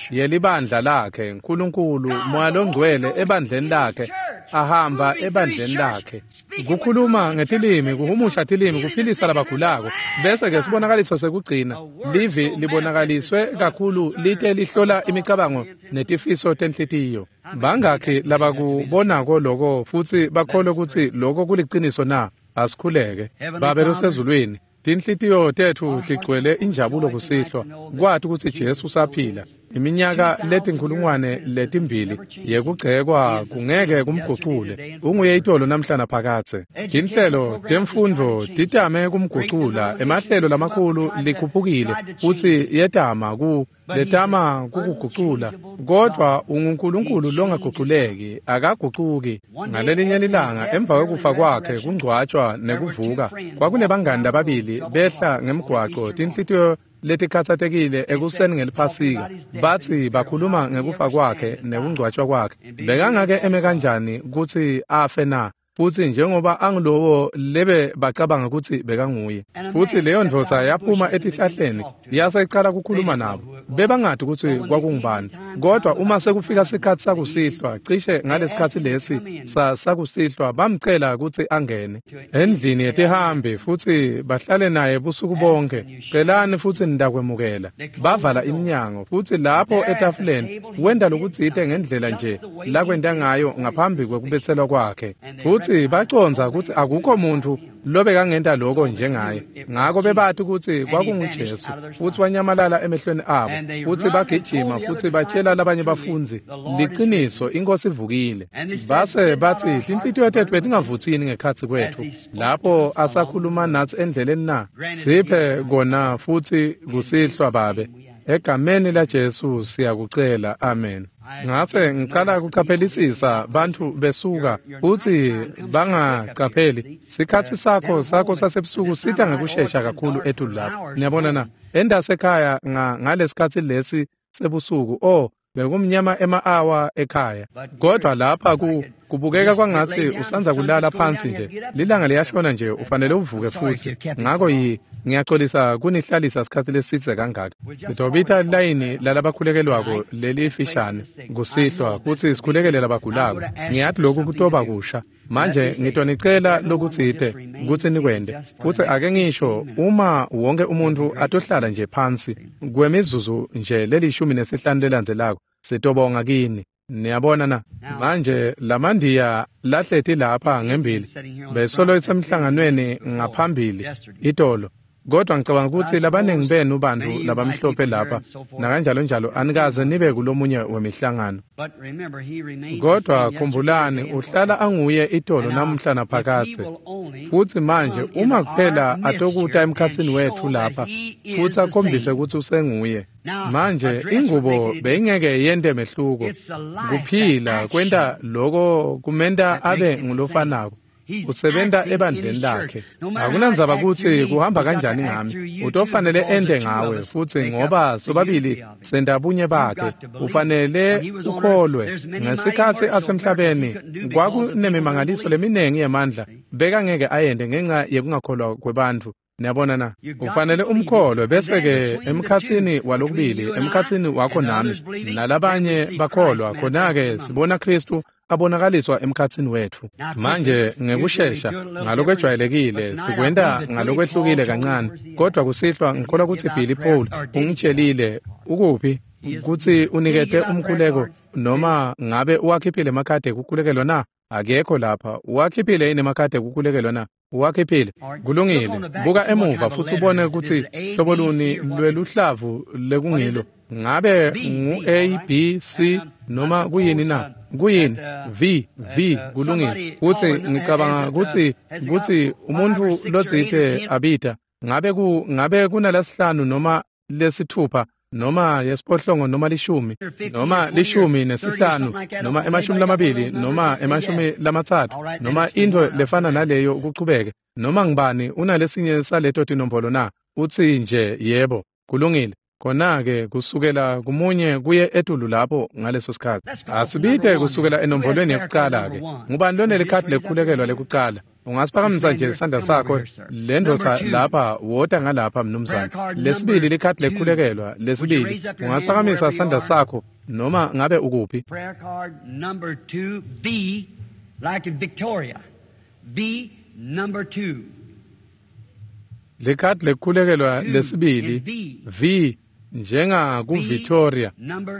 yelibandla lakhe. Nkulunkulu Moya loNgcwele ebandleni lakhe, ahamba ebandleni lakhe, kukhuluma ngetilimi, kuhumusha tilimi, kuphilisa labagulako. Bese ke sibonakaliso sekugcina, livi libonakaliswe kakhulu lite lihlola imicabango netifiso tenhlitiyo. Bangakhi labakubonako lokho futsi bakholwe kutsi lokho kuliciniso na? Asikhuleke. Babe losezulwini, tinhlitiyo tetfu tigcwele injabulo kusihlwa kwati kutsi Jesu usaphila. Iminyaka letinkhulungwane letimbili yekugcekwa kungeke kumgucule. Unguye itolo namhla naphakadze. Tinhlelo temfundvo titame kumgucula, emahlelo lamakhulu likhuphukile futsi yetama ku letama kukugucula, kodwa unguNkulunkulu longaguculeki, akagucuki. Ngalelinye lilanga emva kwekufa kwakhe, kungcwatshwa nekuvuka, kwakunebangani lababili behla ngemgwaco, tinhlitiyo letikhatsatekile ekuseni ngeliphasika. Batsi bakhuluma ngekufa kwakhe nekungcwatshwa kwakhe. Bekangake eme kanjani kutsi afe na? Futsi njengoba angilowo lebe bacabanga kutsi bekanguye. Futsi leyo ndvodza yaphuma etihlahleni yase icala kukhuluma nabo. Bebangati kutsi kwakungubani. Kodwa uma sekufika sikhatsi sakusihlwa, cishe ngalesikhatsi lesi sa sakusihlwa, bamcela kutsi angene endlini yetihambi futsi bahlale naye busuku bonke. Celani futsi nitakwemukela. Bavala iminyango futsi lapho etafuleni wenta lokutsite ngendlela nje lakwenta ngayo ngaphambi kwekubetselwa kwakhe. Futsi bacondza kutsi akukho muntfu lobekangenta lokho njengaye. Ngako bebati kutsi kwakunguJesu, futsi wanyamalala emehlweni abo. Futsi bagijima futsi batshela labanye bafundzi, liciniso, iNkosi ivukile. Base batsi, tinhlitiyo tetfu betingavutsini ngekhatsi kwetfu lapho asakhuluma natsi endleleni na? Siphe kona futsi kusihlwa Babe. Egameni laJesu siyakucela, amen. Ngase ngicala kucaphelisisa bantfu besuka futsi bangacapheli. Sikhatsi sakho sakho sasebusuku sita ngekushesha kakhulu etulu lapho. Niyabona na? Endasekhaya ngalesikhatsi lesi sebusuku, oh, Bekumnyama ema-awa ekhaya. Kodwa lapha ku kubukeka kwangathi usanza kulala phansi nje. Lilanga liyashona nje ufanele uvuke futhi. Ngako yi ngiyaxolisa kunihlalisa isikhathi lesitse kangaka. Sitobita layini lalabakhulekelwako lelifishane kusihlwa kutsi sikhulekele labagulako. Ngiyathi lokhu kutoba kusha. Manje ngitonicela lokutsite kutsi nikwente. Futsi ake ngisho uma wonke umuntu atohlala nje phansi kwemizuzu nje lelishumi nesihlanu lelandzelako sitobonga kini. Niyabona na? Manje lamandiya lahleti lapha ngembili besolo isemhlanganweni ngaphambili itolo. Kodwa ngicabanga ukuthi labaningi benu bantu labamhlophe lapha nakanjalo njalo anikaze nibe kulomunye wemihlangano. Kodwa khumbulani uhlala anguye itolo namuhla naphakadze. Futhi manje uma kuphela atokuta emkhatsini wethu lapha futhi akhombise ukuthi usenguye. Manje ingubo beyingeke yente mehluko. Kuphila kwenta loko kumenta abe ngulofanako. Usebenta ebandleni lakhe. Akunandzaba kutsi kuhamba kanjani ngami. Utofanele ente ngawe futhi ngoba sobabili sendabunye bakhe. Ufanele ukholwe. Ngesikhatsi asemhlabeni kwakunemimangaliso leminengi yemandla bekangeke ayende ngenxa yekungakholwa kwebantfu. Niyabona na? Ufanele umkholwe bese ke emkhatsini walokubili emkhatsini wakho nami nalabanye bakholwa khona-ke sibona Kristu abonakaliswa emkhatsini wethu. Manje ngekushesha ngalokwejwayelekile sikwenta ngalokwehlukile kancane, kodwa kusihlwa ngikholwa kutsi Billy Paul ungitshelile ukuphi kutsi unikete umkhuleko noma ngabe uwakhiphile emakhadi ekukhulekelwa na? Akekho lapha. Uwakhiphile yini emakhadi ekukhulekelwa na? Uwakhiphile. Kulungile. Buka emuva futhi ubone kutsi hlobo luni lweluhlavu lekungilo. Ngabe ngu A B C noma kuyini na? Kuyini? V V kulungile. Kutsi ngicabanga kutsi kutsi umuntu lotsite abita ngabe ku ngabe kunalesihlanu noma lesithupha noma yesiphohlongo noma lishumi noma lishumi nesihlanu noma emashumi lamabili noma emashumi lamatsatfu noma intfo lefana naleyo kuchubeke noma ngibani unalesinye saleto tinombolo na? Utsi nje yebo kulungile. Khona-ke kusukela kumunye kuye etulu lapho ngaleso sikhatsi. Asibite kusukela enombolweni yekucala-ke. Ngubani lonelikhadi lekukhulekelwa lekucala? Ungasiphakamisa nje isandla sakho le ndvodza lapha wota ngalapha mnumzane. Lesibili likhadi lekukhulekelwa lesibili. Ungasiphakamisa isandla sakho noma ngabe ukuphi. Prayer card number two, B, like in Victoria. B number two. Likhadi lekukhulekelwa lesibili V njenga ku Victoria.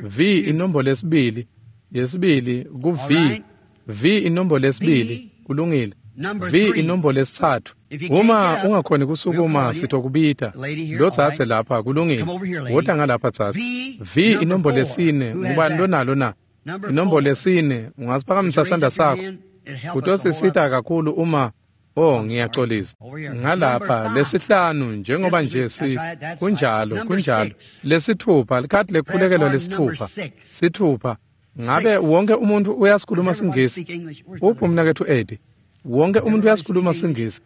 V inombolo yesibili yesibili ku V. V inombolo yesibili kulungile. V inombolo yesithathu. Uma ungakhoni kusukuma sitokubita lo tsatse lapha kulungile. Wota ngalapha tsatse. V inombolo yesine ngubani lonalo na? Inombolo yesine ungasiphakamisa sandla sakho. Kutosisita kakhulu uma Oh ngiyaxolisa. Ngalapha lesihlanu njengoba nje si kunjalo kunjalo lesithupha likhadi lekukhulekelwa lesithupha sithupha. Ngabe wonke umuntu uyasikhuluma siNgisi? Uphi umnakethu Eddie? Wonke umuntu uyasikhuluma siNgisi.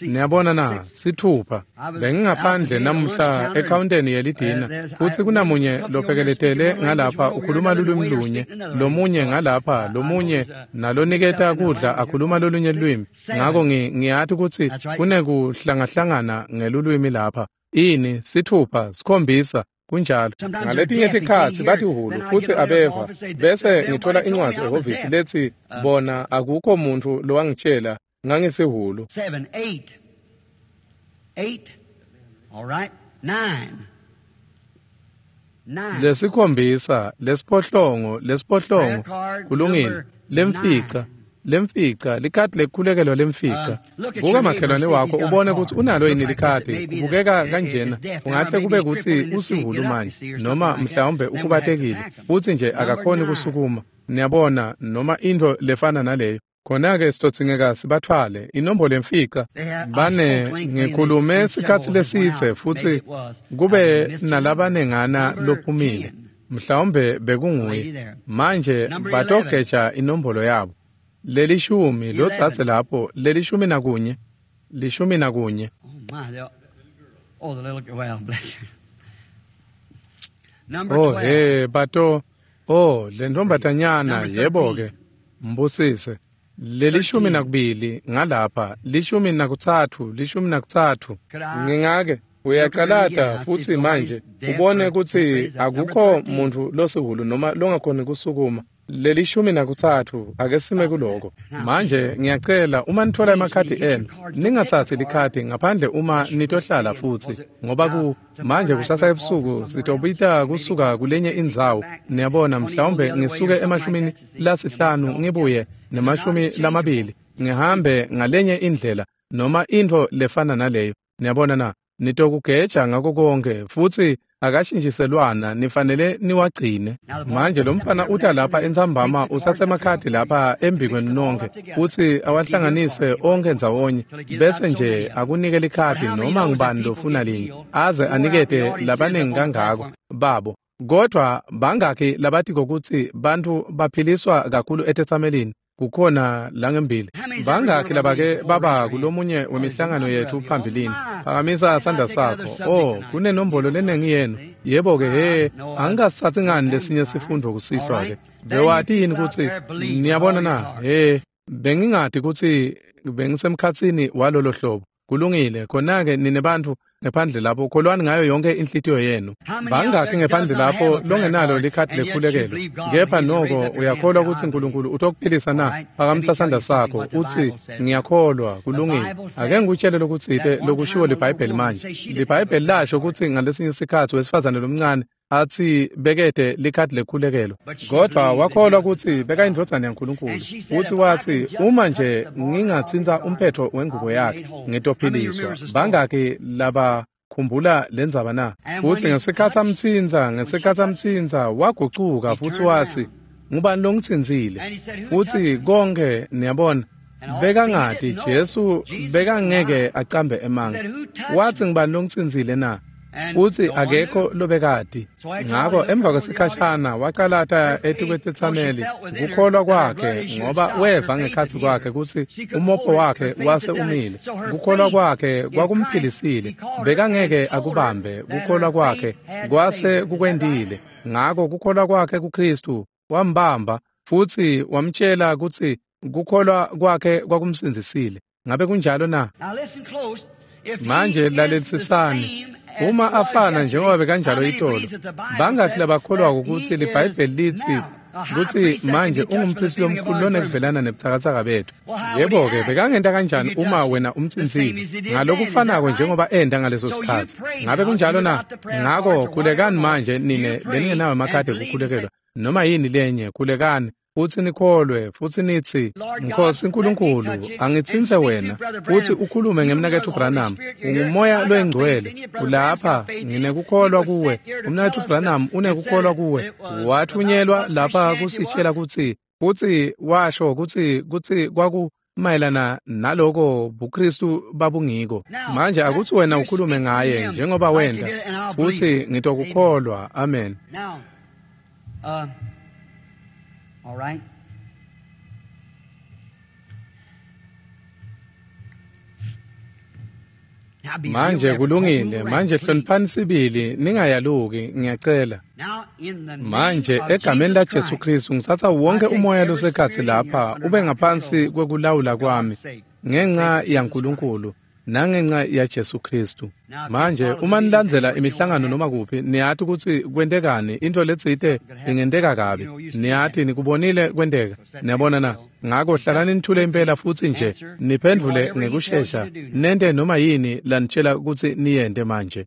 Niyabona na? Sithupha. Bengingaphandle namuhla ekhawunteni yelidina futhi kunamunye lophekeletele ngalapha ukhuluma lulwimi lunye, lomunye ngalapha, lomunye naloniketa kudla akhuluma lolunye lulwimi. Ngako ngiyathi kutsi kunekuhlangahlangana ngelulwimi lapha. Ini sithupha sikhombisa kunjalo. Ngaletinye tikhatsi bathi hulu futhi abeva bese ngithola incwadi ehhovisi lethi bona akukho muntu lowangitshela ngangisihulu. Seven, eight, eight, all right, nine, nine. Lesikhombisa, lesiphohlongo, lesiphohlongo, kulungile, lemfica, lemfica, likhadi lekukhulekelwa lemfica. Buka makhelwane wakho ubone kutsi unalo yini likhadi. Kubukeka kanjena ungahle kube kutsi usihulu manje noma mhlawumbe ukhubatekile futsi nje akakhoni kusukuma. Niyabona noma intfo lefana naleyo. Khona-ke sitodzingeka sibathwale inombolo yemfica. Bane ngikhulume sikhatsi lesitse futsi kube nalabanengana lophumile. Mhlawumbe bekunguye. Manje batogeja inombolo yabo. Lelishumi lotsatse lapho lelishumi nakunye. Lishumi nakunye. Oh, the little well, bless you. Oh, hey, bato Oh, le ntombatanyana, yebo-ke, mbusise. Lelishumi nakubili ngalapha, lishumi nakutsatfu, lishumi nakutsatfu. Ngingake uyacalata futsi manje ubone kutsi akukho muntfu losihulu noma longakhoni kusukuma. Lelishumi nakutsatfu, ake sime kuloko. Manje ngiyacela uma nitfola emakhadi enu, ningatsatsi likhadi ngaphandle uma nitohlala futsi, ngoba ku manje kusasa ebusuku sitobita kusuka kulenye indzawo. Niyabona, mhlawumbe ngisuke emashumini lasihlanu ngibuye nemashumi lamabili, ngihambe ngalenye indlela noma intfo lefana naleyo. Niyabona na? Nitokugeja ngako konke futsi akashintshiselwana, nifanele niwagcine. Manje lo mfana uta lapha entsambama utsatsa emakhadi lapha embikwenu nonke futsi awahlanganise onke ndzawonye, bese nje akunike likhadi noma ngubani lofuna linye, aze anikete labaningi kangako babo. Kodwa bangakhi labatiko kutsi bantfu baphiliswa kakhulu etetsamelini kukhona langembili? Bangakhi labake baba kulomunye wemihlangano yethu phambilini? Phakamisa sandla sakho. Oh, kunenombolo lenengi yenu. Yebo-ke, he, angikasatsi ngani lesinye sifundvo kusihlwa-ke. Bewati yini kutsi niyabona na? He, bengingati kutsi bengisemkhatsini walolo hlobo. Kulungile, khona-ke nine bantfu ngephandle lapho kholwani ngayo yonke inhlitiyo yenu. Bangakhi ngephandle lapho longenalo likhadi lekhulekelo, kepha noko uyakholwa kutsi Nkulunkulu utokuphilisa na? Phakamisa sandla sakho utsi ngiyakholwa. Kulungile, ake ngikutshele lokutsite lokushiwo liBhayibheli manje. LiBhayibheli lasho kutsi ngalesinye sikhatsi wesifazane lomncane atsi bekete likhadi lekhulekelo, kodvwa wakholwa kutsi bekayindvodzana yaNkulunkulu, futsi watsi uma nje ngingatsintsa umphetfo wengubo yakhe ngitophiliswa. Bangakhi laba khumbula lendzaba na? Futsi ngesikhatsi amtsintsa, ngesikhatsi amtsintsa wagucuka futsi watsi, ngubani longitsintsile? Futsi konke niyabona, bekangati Jesu bekangeke acambe emanga. Watsi ngubani longitsintsile na? Futsi akekho lobekati. Ngako emva kwesikhashana wacalata etikwetetsameli kukholwa kwakhe, ngoba weva ngekhatsi kwakhe kutsi umopho wakhe wase umile. Kukholwa kwakhe kwakumphilisile, bekangeke akubambe. Kukholwa kwakhe kwase kukwendile. Ngako kukholwa kwakhe kuKristu wambamba futsi wamtshela kutsi kukholwa kwakhe kwakumsindzisile. Ngabe kunjalo na? Manje lalelisisani. Uma afana njengoba bekanjalo itolo, bangakhi labakholwako kutsi liBhayibheli litsi kutsi manje ungumphristi lomkhulu lonekuvelana nebutsakatsaka betfu? Yebo-ke, bekangenta kanjani uma wena umtsintsile ngalokufanako njengoba enta ngaleso sikhatsi? Ngabe kunjalo na? Ngako khulekani manje nine leningenawo emakhadi ekukhulekelwa noma yini lenye, khulekani futsi nikholwe futsi nitsi, Nkosi Nkulunkulu, angitsintse wena futsi ukhulume ngemnaketfu Branham. Ungumoya loyingcwele ulapha, nginekukholwa kuwe. Umnaketfu Branham unekukholwa kuwe. Wathunyelwa lapha kusitshela kutsi futsi washo kutsi kutsi kwaku mayelana naloko buKristu babungiko. Manje akutsi wena ukhulume ngaye njengoba wenta, futsi ngitokukholwa. Amen. All right. Manje kulungile, manje hloniphani sibili, ningayaluki, ngiyacela. Manje egameni la Jesu Kristu ngitsatsa wonke umoya losekhatsi lapha ube ngaphansi kwekulawula kwami ngenxa yaNkulunkulu nangenxa ya Jesu Kristu. Manje uma nilandzela imihlangano noma kuphi, niyati kutsi kwentekani, into letsite ingenteka kabi. Niyati nikubonile kwenteka. Niyabona na? Ngako hlalani nithule impela futsi nje niphendvule ngekushesha, nente noma yini lanitshela kutsi niyente manje.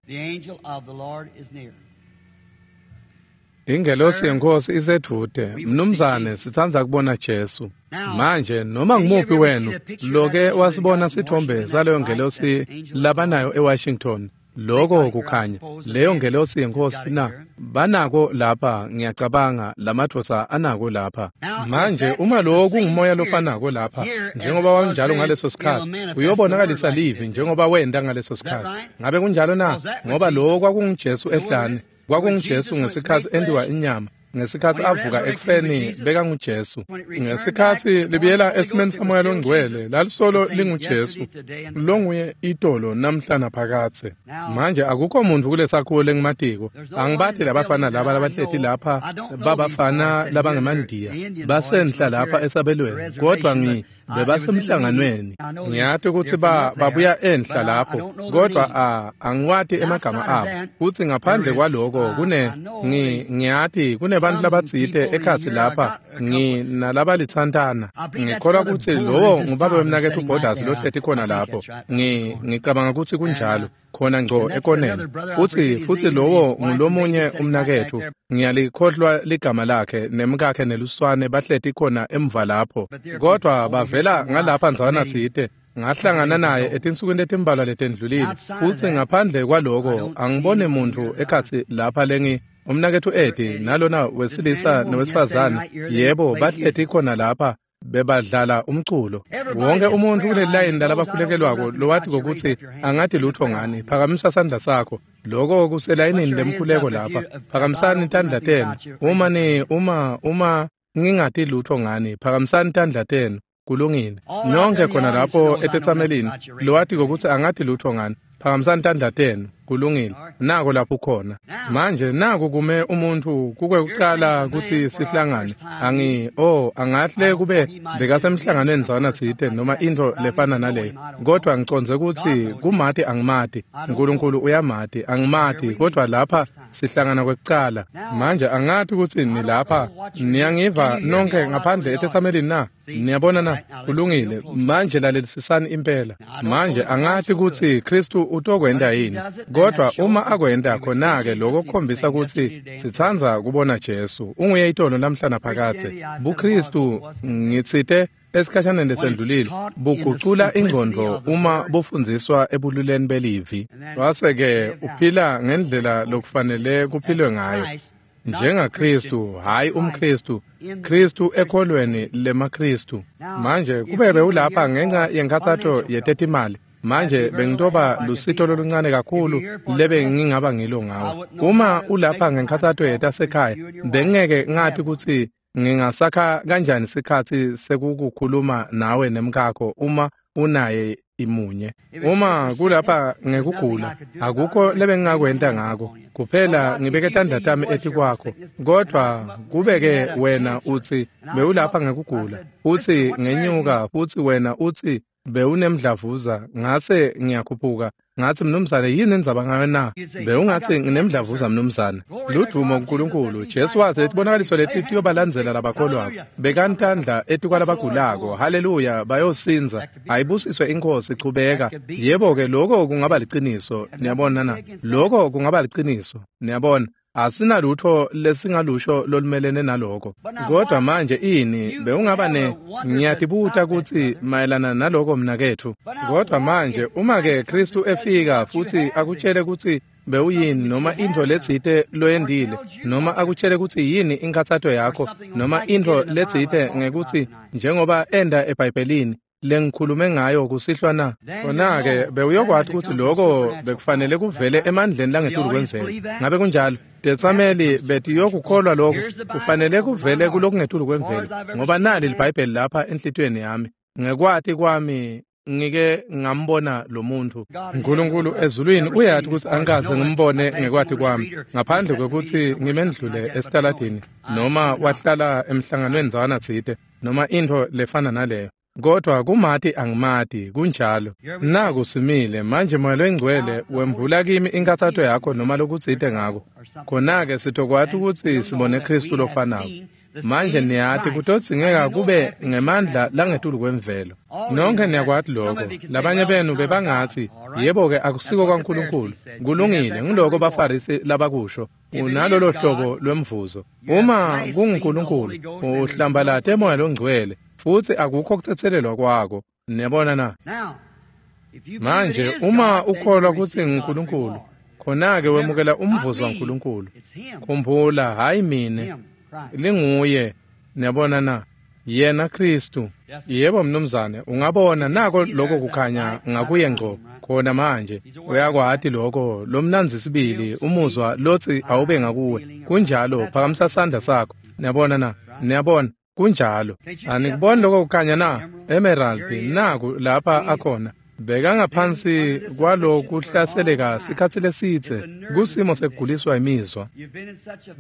Ingelosi yeNkosi isedvute. Mnumzane, sitsandza kubona Jesu. Manje noma ngumuphi wenu loke wasibona sithombe saleyo ngelosi labanayo eWashington, loko kukhanya leyo ngelosi yeNkosi na? Banako lapha, ngiyacabanga lamadvodza anako lapha. Manje uma lowo kungumoya lofanako lapha njengoba wanjalo ngaleso sikhatsi, uyobonakalisa livi njengoba wenta ngaleso sikhatsi. Ngabe kunjalo na? Ngoba lowo kwakunguJesu ehlane, kwakunguJesu ngesikhatsi entiwa inyama. Ngesikhatsi avuka ekufeni bekanguJesu. Ngesikhatsi libuyela esimeni saMoya loNgcwele lalisolo linguJesu longuye itolo namhla naphakadze. Manje akukho muntfu kulesakhiwo lengimatiko. Angibati labafana laba labahleti lapha babafana labangemandiya basenhla lapha esabelweni, kodvwa ngi bebasemhlanganweni. Ngiyati kutsi ba babuya enhla lapho, kodvwa a angiwati emagama abo. Futsi ngaphandle kwaloko kune ngi ngiyati kunebantfu labatsite ekhatsi lapha ngi nalabalitsantana. Ngikholwa kutsi lowo ngubabe wemnaketfu Borders lohleti khona lapho. Ngi ngicabanga kutsi kunjalo khona ngco ekoneni. Futsi futsi lowo ngulomunye umnaketfu, ngiyalikhohlwa ligama lakhe, nemkakhe neluswane bahleti khona emva lapho, kodvwa bavela ngalapha ndzawana tsite. Ngahlangana naye etinsukwini letimbalwa letendlulile. Futsi ngaphandle kwaloko angiboni muntfu ekhatsi lapha lengi umnaketfu Eddie nalona wesilisa nowesifazane, yebo, bahleti khona lapha bebadlala umculo. Wonke umuntfu kuleli layini lalabakhulekelwako lowati kutsi angati lutfo ngani, phakamisa sandla sakho. Loko kuselayinini lemkhuleko lapha. Phakamisani tandla tenu. Uma ni uma uma ngingati lutfo ngani, phakamisani tandla tenu. Kulungile. Nonke khona lapho etetsamelini lowati kutsi angati lutfo ngani, phakamisani tandla tenu. Kulungile. Nako lapho khona. Manje naku kume umuntfu kukwekucala kutsi sihlangane. Angi oh angahle kube bekasemhlanganweni ndzawana tsite noma intfo lefana naleyo, kodvwa ngicondze kutsi kumati angimati. Nkulunkulu uyamati, angimati, kodvwa lapha sihlangana kwekucala. Manje angati kutsi nilapha niyangiva nonke ngaphandle etetsamelini na? Niyabona na? Kulungile. Manje lalelisisani impela. Manje angati kutsi Khristu utokwenta yini, kodvwa uma akwenta khona-ke loko kukhombisa kutsi sitsandza kubona Jesu. Unguye itolo namhla naphakadze. BuKhristu ngitsite esikhashaneni lesendlulile bugucula ingcondvo uma bufundziswa ebululeni belivi. Wase-ke uphila ngendlela lokufanele kuphilwe ngayo njengaKhristu, hhayi umKhristu, Khristu ekholweni lemaKhristu. Manje kube bewulapha ngenca yenkhatsato yetetimali, manje bengitoba lusito loluncane kakhulu lebe ngingaba ngilo ngawe. Uma ulapha ngenkhatsato yetasekhaya, bengeke ngati kutsi ngingasakha kanjani sikhatsi sekukukhuluma nawe nemkakho uma unaye imunye. Uma kulapha ngekugula, akukho lebengingakwenta ngako, kuphela ngibeke tandla tami etikwakho. Kodvwa kube-ke wena utsi bewulapha ngekugula, futsi ngenyuka, futsi wena utsi bewunemdlavuza, ngase ngiyakhuphuka ngatsi mnumzane yini indzaba ngayo na? Bewungatsi nginemdlavuza mnumzane. Ludvumo kuNkulunkulu. Jesu watsi letibonakaliso leti tiyobalandzela labakholwako. Bekani tandla etikwalabagulako. Haleluya, bayosindza. Ayibusiswe iNkhosi, chubeka. Yebo-ke loko kungaba liciniso, niyabona na? Loko kungaba liciniso, niyabona. Asinalutfo lesingalusho lolumelene naloko. Kodwa manje ini bewungaba ne ngiyatibuta kutsi mayelana naloko mnaketfu. Kodwa manje uma-ke Khristu efika futsi akutshele kutsi bewuyini noma intfo letsite loyendile, noma akutshele kutsi yini inkhatsato yakho, noma intfo letsite ngekutsi njengoba enda eBhayibhelini lengikhulume ngayo kusihlwa na? Khona-ke bewuyokwati kutsi loko bekufanele kuvele emandleni langetulu kwemvelo. Ngabe kunjalo? Tetsameli betiyokukholwa lokho, kufanele kuvele kulokungetulu kwemvelo, ngoba nali liBhayibheli lapha enhlitiyweni yami. Ngekwati kwami ngike ngambona lo muntu. Nkulunkulu ezulwini uyati kutsi angikaze ngimbone ngekwati kwami, ngaphandle kwekutsi ngimendlule esitaladini noma wahlala emhlanganweni ndzawana tsite noma intfo lefana naleyo. Kodwa kumati angimati, kunjalo. Naku simile manje Moya loyiNgcwele wembula kimi inkhatsato yakho noma lokutsite ngako. Khona-ke sitokwati kutsi sibone Khristu lofanako. Manje niyati kutodzingeka kube ngemandla langetulu kwemvelo. Nonke niyakwati loko. Labanye benu bebangatsi, yebo-ke akusiko kwaNkulunkulu. Kulungile, ngiloko baFarisi labakusho. Unalolo hlobo lwemvuzo. Uma kunguNkulunkulu, uhlambalate Moya loNgcwele, futsi akukho kutsetselelwa kwako. Niyabona na? Manje uma ukholwa kutsi nguNkulunkulu, khona-ke wemukela umvuzo waNkulunkulu. Khumbula, hhayi mine, linguye. Niyabona na? Yena Khristu. Yebo mnumzane, ungabona nako lokho kukhanya ngakuye ngco khona manje. Uyakwati lokho lomnandzi sibili umuzwa lotsi awube ngakuwe. Kunjalo, phakamisa sandla sakho. Niyabona na? Niyabona? Kunjalo. Anikuboni lokho kukhanya na? Emerald naku lapha akhona. Bekangaphansi kwalokuhlaseleka sikhatsi lesidze kusimo sekuguliswa imizwa.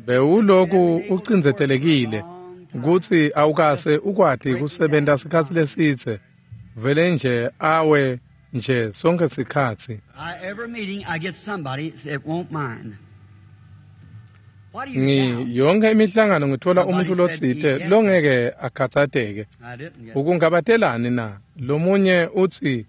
Bewuloku ucindzetelekile kutsi awukase ukwati kusebenta sikhatsi lesidze vele nje awe nje sonke sikhatsi. Ngi yonke imihlangano ngithola umuntu lotsite longeke akhatsateke. Ukungabatelani na? Lomunye utsi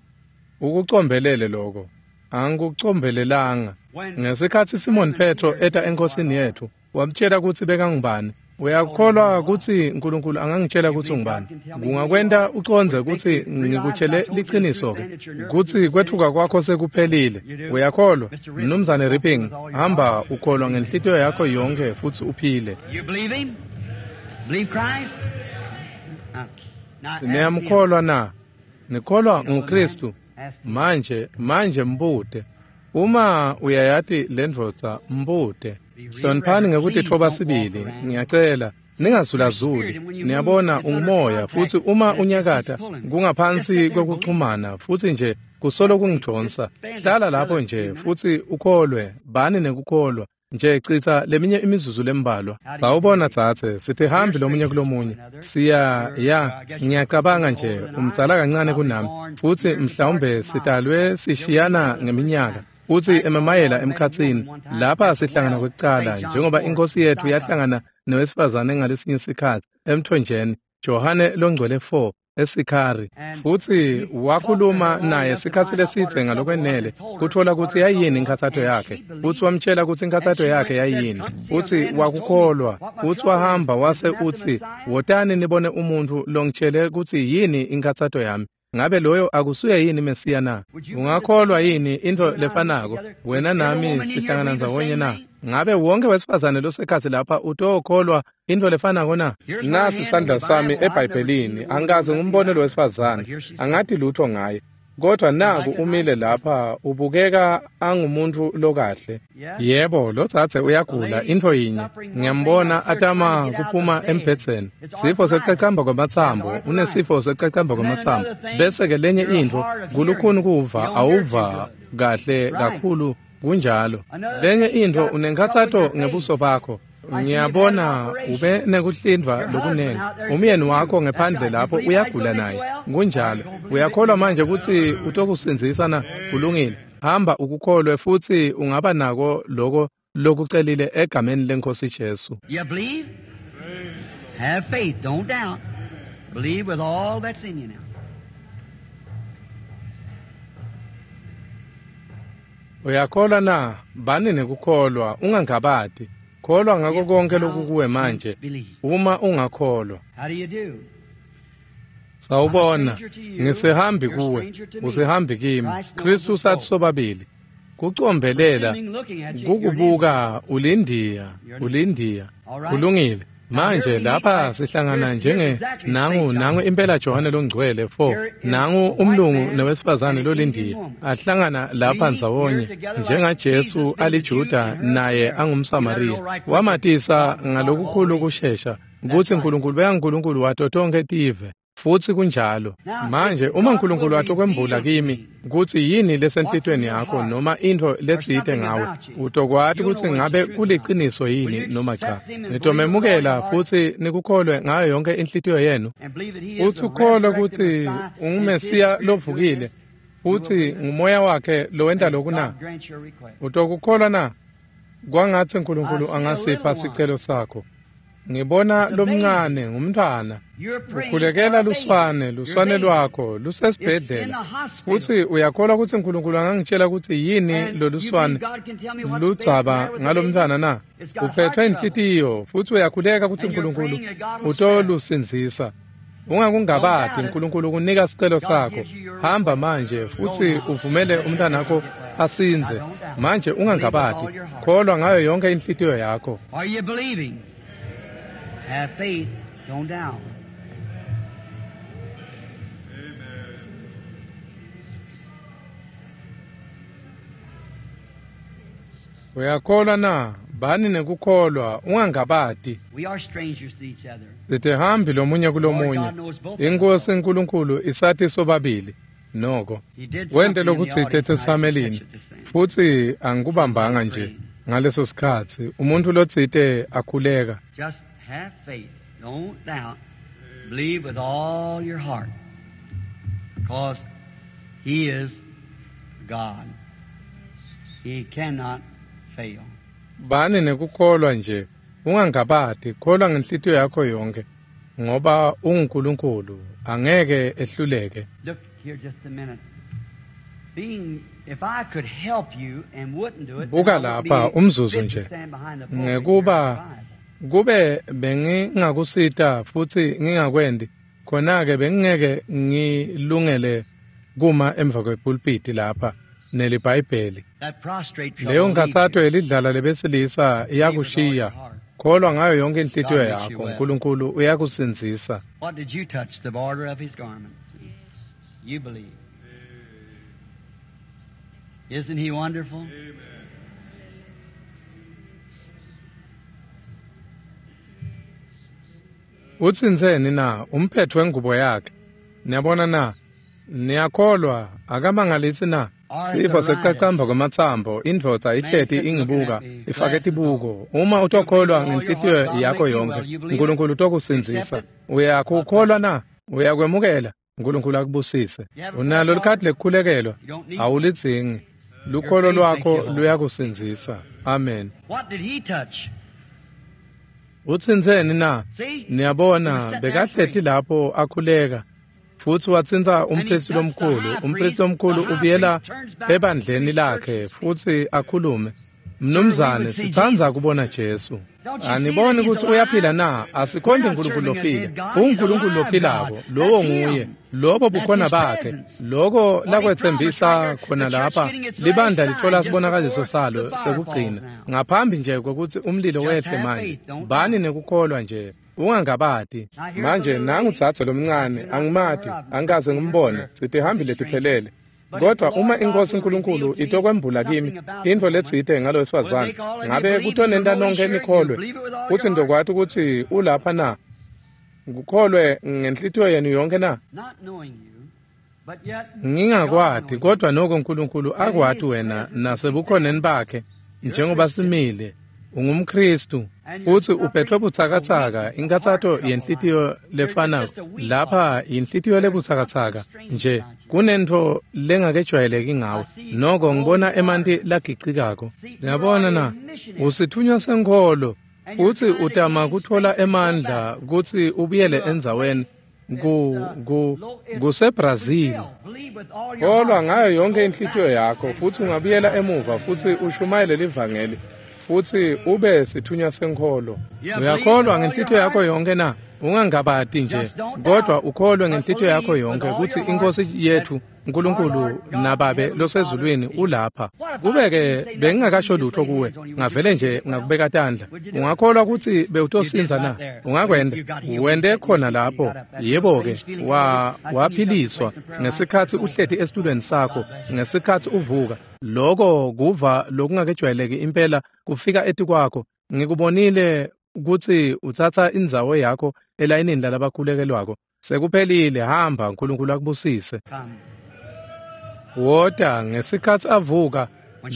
ukucombelele lokho. Angikucombelelanga. Ngesikhatsi Simon Petro eta enkosini yethu, wamtshela kutsi bekangubani. Uyakholwa kutsi uNkulunkulu angangitshela kutsi ungubani? Kungakwenta ucondze kutsi ngikutshele liciniso-ke, kutsi kwetfuka kwakho sekuphelile. Uyakholwa? Mnumzane Ripping, hamba ukholwa ngenhlitiyo yakho yonke futsi uphile. Niyamkholwa na? Nikholwa nguKristu? Manje, manje mbute. Uma uyayati lendvodza, mbute. Hloniphani ngekutitfoba sibili, ngiyacela, ningazulazuli. Niyabona ungumoya, futsi uma unyakata kungaphansi kwekuxhumana, futsi nje kusolo kungidonsa. Hlala lapho nje futsi ukholwe, bani nekukholwa. Nje chitsa leminye imizuzu lembalwa. Sawubona dzadze, sitihambi lomunye kulomunye. Siya ya, ngiyacabanga nje umdzala kancane kunami, futsi mhlawumbe sitalwe sishiyana ngeminyaka. Futsi emamayela emkhatsini lapha sihlangana kwekucala, njengoba inkosi yethu yahlangana nowesifazane ngalesinye sikhatsi emthonjeni, Johane longcwele four eSikhari, futsi wakhuluma naye sikhatsi lesidze ngalokwenele kutfola kutsi yayini inkhatsato yakhe, futsi wamtshela kutsi inkhatsato yakhe yayini, futsi wakukholwa, futsi wahamba wase utsi, wotani nibone umuntfu longitshele kutsi yini inkhatsato yami. Ngabe loyo akusuye yini Mesiya na? Ungakholwa yini intfo lefanako? Wena nami sihlangana ndzawonye na? Ngabe wonke wesifazane losekhatsi lapha utokholwa intfo lefanako na? Nasi sandla sami eBhayibhelini, angikaze ngimbone lo wesifazane, angati lutho ngaye. Kodwa naku umile lapha ubukeka angumuntu lokahle. Yebo, lotsatse uyagula intfo yinye. Ngiyambona atama kuphuma embhedzeni. Sifo sekucacamba kwamatsambo, unesifo sekucacamba kwamatsambo. Bese ke lenye intfo, kulukhuni kuva, awuva kahle kakhulu kunjalo. Lenye intfo unenkhatsato ngebuso bakho. Ngiyabona ube nekuhlindwa lokunengi. Umyeni wakho ngephandle lapho uyagula naye. Kunjalo. Uyakholwa manje kutsi utokusindzisa na? Kulungile. Hamba ukukholwe futsi ungaba nako loko lokucelile egameni leNkosi Jesu. You believe? Have faith, don't doubt. Believe with all that's in you now. Uyakholwa na? Bani nekukholwa, ungangabati. Kholwa ngako konke lokukuwe manje. Uma ungakholwa. Sawubona, ngisihambi kuwe, usihambi kimi. Kristu sathi sobabili. Kucombelela, kukubuka ulindiya, ulindiya. Kulungile. Manje lapha sihlangana njenge nangu nangu impela Johane longcwele four, nangu umlungu nowesifazane lolindiya ahlangana lapha ndzawonye njengaJesu aliJuda naye angumSamariya. Wamatisa ngalokukhulu kushesha kutsi uNkulunkulu bekaNkulunkulu wato tonkhe tive. Futsi kunjalo. Manje uma uNkulunkulu atokwembula kimi kutsi yini lesenhlitweni yakho noma intfo letsite ngawe, utokwati kutsi ngabe kuliciniso yini noma cha. Nitomemukela futsi nikukholwe ngayo yonke inhlitiyo yenu. Futsi ukholwe kutsi unguMesiya lovukile futsi ngumoya wakhe lowenta loku na? Utokukholwa na? Kwangatsi uNkulunkulu angasipha sicelo sakho. Ngibona lomncane ngumntwana. Ukhulekela luswane, luswane lwakho lusesibhedlela. Futsi uyakholwa kutsi uNkulunkulu angangitshela kutsi yini loluswane ludzaba ngalomntwana na? Uphethwe inhlitiyo futsi uyakhuleka kutsi uNkulunkulu utolusindzisa. Ungakungabati, uNkulunkulu kunika sicelo sakho. Hamba manje futsi uvumele umntanakho asindze. Manje ungangabati, kholwa ngayo yonke inhlitiyo yakho. Have faith, don't doubt. Uyakholwa na? Bani nekukholwa, ungangabati. We are strangers to each other. Sitihambi lomunye kulomunye. Inkosi Nkulunkulu isathi sobabili. Noko He did wente something in the lokutsite audience and I etesamelini didn't catch it this thing. futsi angikubambanga nje ngaleso sikhatsi umuntfu lotsite akhuleka. Just have faith. Don't doubt. Believe with all your heart. Because He is God. He cannot fail. Bani nekukholwa nje, ungangabati, kholwa ngenhlitiyo yakho yonkhe, ngoba unguNkulunkulu, angeke ehluleke. Look here just a minute. Being, if I could help you and wouldn't do it, then Buka I wouldn't lapha be umzuzu fit to nje. stand behind the pulpit Ngekuba here with the Bible. kube bengingakusita futsi ngingakwendi, khona-ke bengingeke ngilungele kuma emva kwepulpiti lapha neliBhayibheli. That prostrate trouble Leyo will leave nkhatsato you. yelidlala lebesilisa iyakushiya. Kholwa ngayo yonke inhlitiyo yakho, uNkulunkulu uyakusindzisa. What did you touch? The border of his garment. You believe. Isn't he wonderful? Utsintseni na umphetho wengubo yakhe? Niyabona na? Niyakholwa akamangalisi na? Sifo sekucacamba kwematsambo, indvodza ihleti ingibuka, ifake tibuko. Uma utokholwa ngenhlitiyo yakho yonke, uNkulunkulu utokusindzisa. Uyakukholwa na? Uyakwemukela? uNkulunkulu akubusise. Unalo likhadi lekukhulekelwa? Awulidzingi. Lukholo lwakho luyakusindzisa. Amen. What did he touch? Utsintseni na? See? Niyabona bekahleti lapho akhuleka futsi watsintsa umpristi lomkhulu. Umpristi lomkhulu ubuyela ebandleni lakhe futsi akhulume. Mnumzane, sitsandza kubona Jesu. Aniboni kutsi uyaphila na? Asikhonti uNkulunkulu lofile. UnguNkulunkulu lophilako, lowo nguye. Lobo bukhona bakhe. Loko lakwetsembisa khona lapha, libandla litfola sibonakaliso salo sekugcina. Ngaphambi nje kwekutsi umlilo wehle manje, bani nekukholwa nje. Ungangabati. Manje nangu dzadze lomncane, angimati, angikaze ngimbone, sitihambile tiphelele. Kodwa uma iNkosi uNkulunkulu itokwembula kimi intfo letsite ngalo wesifazane, ngabe kutonenta nonkhe nikholwe kutsi ndokwati kutsi ulapha na? Kukholwe ngenhlitiyo yenu yonkhe na? Not knowing you, but yet Ngingakwati, kodwa noko uNkulunkulu akwati wena nasebukhoneni bakhe njengoba simile. UngumKristu utsi uphethwe butsakatsaka, inkatsato yenhlitiyo lefanako. Lapha yinhlitiyo lebutsakatsaka nje, kunentfo lengakejwayeleki ngawe. Noko ngibona emanti lagicikako. Niyabona na? Usithunywa senkholo futsi utama kutfola emandla kutsi ubuyele endzaweni ku ku kuseBrazil. Believe with all your Kholwa heart. ngayo yonke inhlitiyo yakho futsi ungabuyela emuva futsi ushumayele livangeli futsi ube sithunywa senkholo. Uyakholwa ngenhlitiyo yakho yonke na? Ungangabati nje, kodwa ukholwe ngenhlitiyo yakho yonke kutsi iNkosi yethu uNkulunkulu naBabe losezulwini ulapha. Kube-ke bengingakasho lutho kuwe, ngavele nje ngakubeka tandla. Ungakholwa kutsi bewutosinza na? Ungakwenda? Wente khona lapho. Yebo-ke, wa waphiliswa ngesikhatsi uhleti esitulweni sakho, ngesikhatsi uvuka. Loko kuva lokungakejwayeleki impela kufika etikwakho. Ngikubonile kutsi utsatsa indzawo yakho elayinini lalabakhulekelwako. Sekuphelile, hamba, uNkulunkulu akubusise. Come. Wota ngesikhatsi avuka,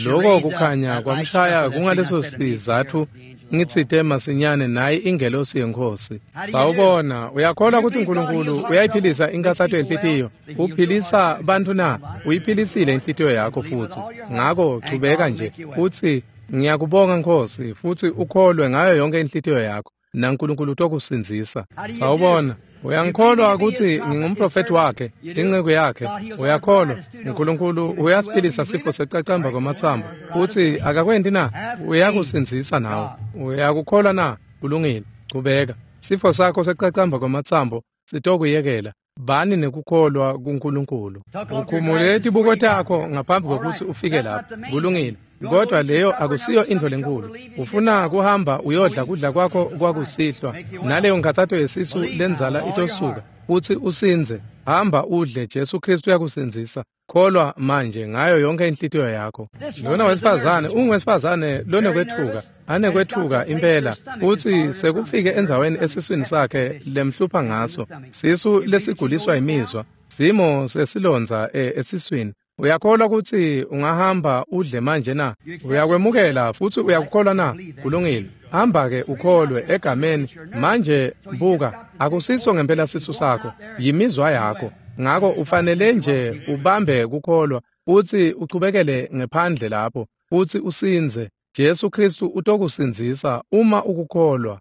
loko kukhanya kwamshaya kungaleso sizatfu ngitsite masinyane nayi ingelosi yeNkhosi. Sawubona, uyakholwa kutsi uNkulunkulu uyayiphilisa inkhatsato yenhlitiyo? Uphilisa bantfu na? Uyiphilisile inhlitiyo yakho futsi. Ngako chubeka nje utsi ngiyakubonga Nkhosi, futsi ukholwe ngayo yonke inhlitiyo yakho, naNkulunkulu utokusindzisa. Sawubona, uyangikholwa kutsi ngingumprofethi wakhe, inceku yakhe? Uyakholwa? uNkulunkulu uyasiphilisa sifo sekucacamba kwamatsambo futsi akakwenti na? Uyakusindzisa nawe. Uyakukholwa na? Kulungile, chubeka. Sifo sakho sekucacamba kwamatsambo sitokuyekela. Bani nekukholwa kuNkulunkulu. Ukhumule tibuko takho ngaphambi kwekutsi ufike lapho. Kulungile. Kodwa leyo akusiyo intfo lenkulu. Ufuna kuhamba uyodla kudla kwakho kwakusihlwa, naleyo nkhatsato yesisu lendzala itosuka, futsi usindze. Hamba udle, Jesu Kristu uyakusindzisa. Kholwa manje ngayo yonke inhlitiyo yakho. Lona wesifazane ungwesifazane lonekwethuka, anekwethuka impela, uthi sekufike endzaweni esiswini sakhe lemhlupha ngaso, sisu lesiguliswa imizwa, simo sesilondza esiswini. Uyakholwa ukuthi ungahamba udle manje na? Uyakwemukela futhi uyakukholwa na? Kulungile. Hamba-ke ukholwe egameni. Manje buka, akusiso ngempela sisu sakho, yimizwa yakho. Ngako ufanele nje ubambe kukholwa uthi uchubekele ngephandle lapho uthi usinze. Jesu Kristu utokusindzisa uma ukukholwa.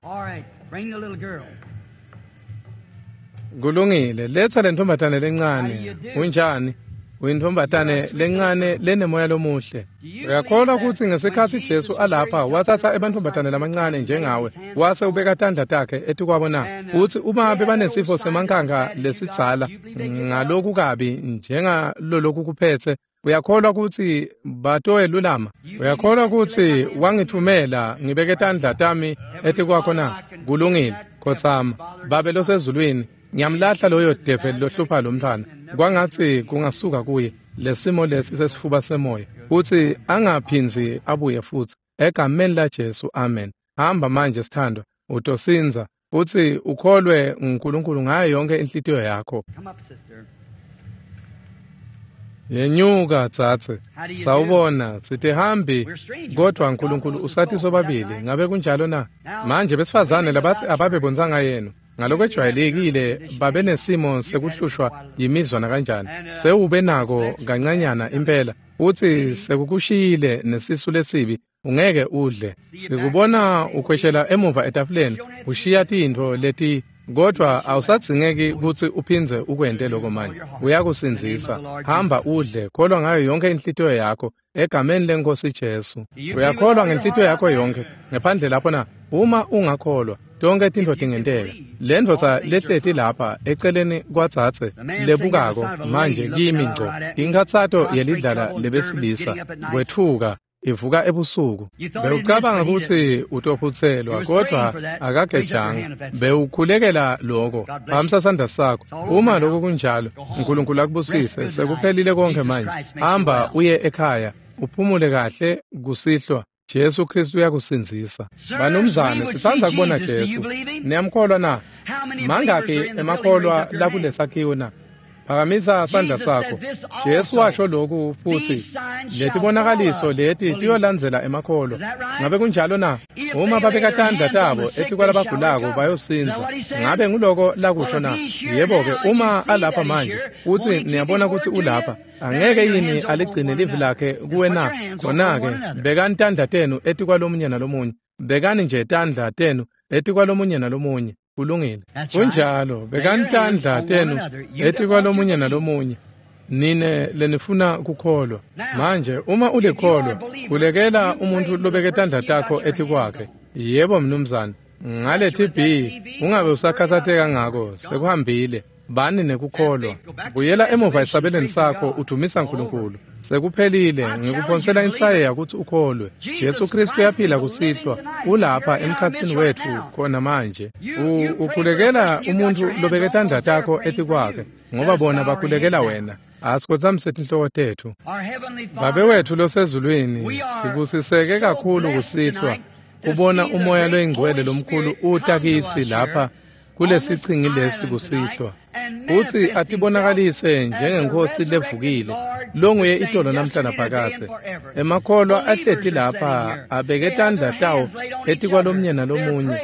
Kulungile, letha le ntombazane lencane. Unjani? Uyintombazane lencane lenemoya lomuhle. Uyakholwa ukuthi ngesikhathi Jesu alapha wathatha ebantombazane lamancane njengawe wase ubeka tandla takhe etikwabo na? Uthi uma bebanesifo semankanga lesidzala ngaloku kabi njengaloloku kuphethe, uyakholwa ukuthi batoyelulama? Uyakholwa ukuthi wangithumela ngibeke tandla tami etikwakho na? Kulungile, khotsama. Babe losezulwini, ngiyamlahla loyo develi lohlupha lo mntwana. Kwangathi kungasuka kuye lesimo lesi sesifuba semoya, kuthi angaphindzi abuye futhi. Egameni la Jesu, amen. Hamba manje sithandwa, utosinza futhi ukholwe uNkulunkulu ngayo yonke inhlitiyo yakho. Yenyuka tsatse. Sawubona, sitihambi kodwa uNkulunkulu usathi sobabili. Ngabe kunjalo na? Manje besifazane labathi ababebonzanga yenu ngalokwejwayelekile babe nesimo sekuhlushwa yimizwa nakanjani. Sewube nako kancanyana impela, uthi sekukushiyile nesisu lesibi, ungeke udle. Sikubona ukhweshela emuva etafuleni, ushiya tintfo leti, kodwa awusadzingeki kutsi uphindze ukwente lokho manje. Uyakusindzisa. Hamba udle, kholwa ngayo yonke inhlitiyo yakho egameni leNkosi Jesu. Uyakholwa ngenhlitiyo yakho yonke ngephandle lapho na? Uma ungakholwa, tonke tintfo tingenteka. Le ndvodza lehleti lapha eceleni kwatsatse lebukako manje kimi ngco, inkhatsato yelidlala lebesilisa, kwetfuka, ivuka ebusuku. Bewucabanga ukuthi utophutselwa, kodwa akagejanga. Bewukhulekela lokho. Phakamisa sandla sakho. Uma lokho kunjalo, uNkulunkulu akubusise. Sekuphelile konke manje. Hamba uye ekhaya, uphumule kahle kusihlwa. Jesu Kristu uyakusindzisa. Banumzane, sitsandza kubona Jesu. Niyamkholwa na? Mangakhi emakholwa lakulesakhiwo na? Phakamisa sandla sakho. Jesu washo lokhu futhi, letibonakaliso leti tiyolandzela emakholwa. Ngabe kunjalo na? Uma babeka tandla tabo etikwalabagulako bayosindza. Ngabe nguloko lakusho na? Yebo-ke, uma alapha manje, uthi niyabona ukuthi ulapha, angeke yini aligcine livi lakhe kuwe na? Khona-ke bekani tandla tenu etikwalomunye nalomunye. Bekani nje tandla tenu etikwalomunye nalomunye. Kulungile. Kunjalo, bekani tandla tenu etikwalomunye nalomunye. Nine lenifuna kukholwa. Manje uma ulikholwa, khulekela umuntu lobeke tandla takho etikwakhe. Yebo mnumzane, ngale T B ungabe usakhathatheka ngako, sekuhambile. Bani nekukholwa. Buyela emuva esabelweni sakho udumisa uNkulunkulu. Sekuphelile, ngikuphonsela insayeya ukuthi ukholwe. Jesu Kristu uyaphila kusihlwa, ulapha emkhatsini wethu khona manje. Ukhulekela umuntu lobeke tandla takho etikwakhe, ngoba bona bakhulekela wena. Asikhothamise tinhloko tethu. Babe wethu losezulwini, sibusiseke kakhulu kusihlwa kubona umoya loyingcwele lomkhulu uta kitsi lapha kulesichingi lesi kusihlwa. Uthi atibonakalise njengenkosi levukile, longuye itolo namhla naphakadze. Emakholwa ahleti lapha abeke tandla tawo etikwalomunye nalomunye,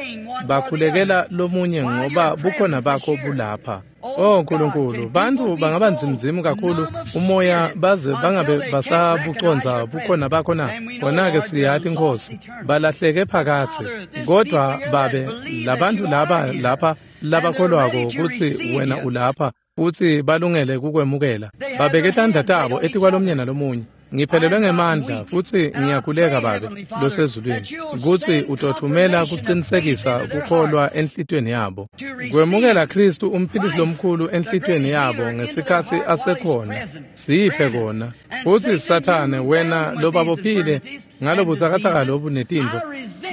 bakhulekela lomunye ngoba bukhona bakho bulapha. Oh Nkulunkulu, bantfu bangaba nzimnzimu kakhulu umoya baze bangabe basabucondza bukhona bakho na? Khona-ke siyati Nkosi, balahleke phakatsi. Kodwa babe, labantfu laba lapha labakholwako kutsi wena ulapha futsi balungele kukwemukela, babeke tandla tabo etikwalomunye nalomunye. Ngiphelelwe ngemandla futsi ngiyakhuleka Babe losezulwini kutsi utothumela kucinisekisa kukholwa enhlitiyweni yabo, kwemukela Kristu umphilisi lomkhulu enhlitiyweni yabo ngesikhatsi asekhona. Siphe kona. Futsi Sathane, wena lobabophile ngalobutsakatsaka lobu netintfo,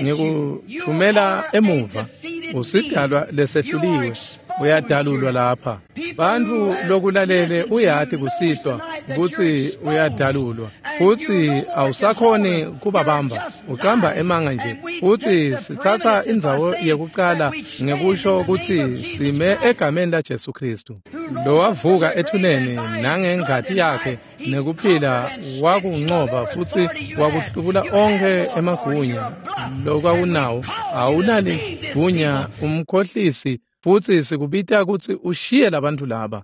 ngikuthumela emuva. Usidalwa lesehluliwe, Uyadalulwa lapha. Bantfu lokulalele uyati kusihlwa kutsi uyadalulwa futsi awusakhoni kubabamba, ucamba emanga nje. Futsi sitsatsa indzawo yekucala ngekusho kutsi sime egameni laJesu Khristu, lowavuka ethuneni nangengati yakhe nekuphila wakuncoba futsi wakuhlubula onkhe emagunya lokwakunawo. Awunaligunya umkhohlisi, futsi sikubita kutsi ushiye labantfu laba.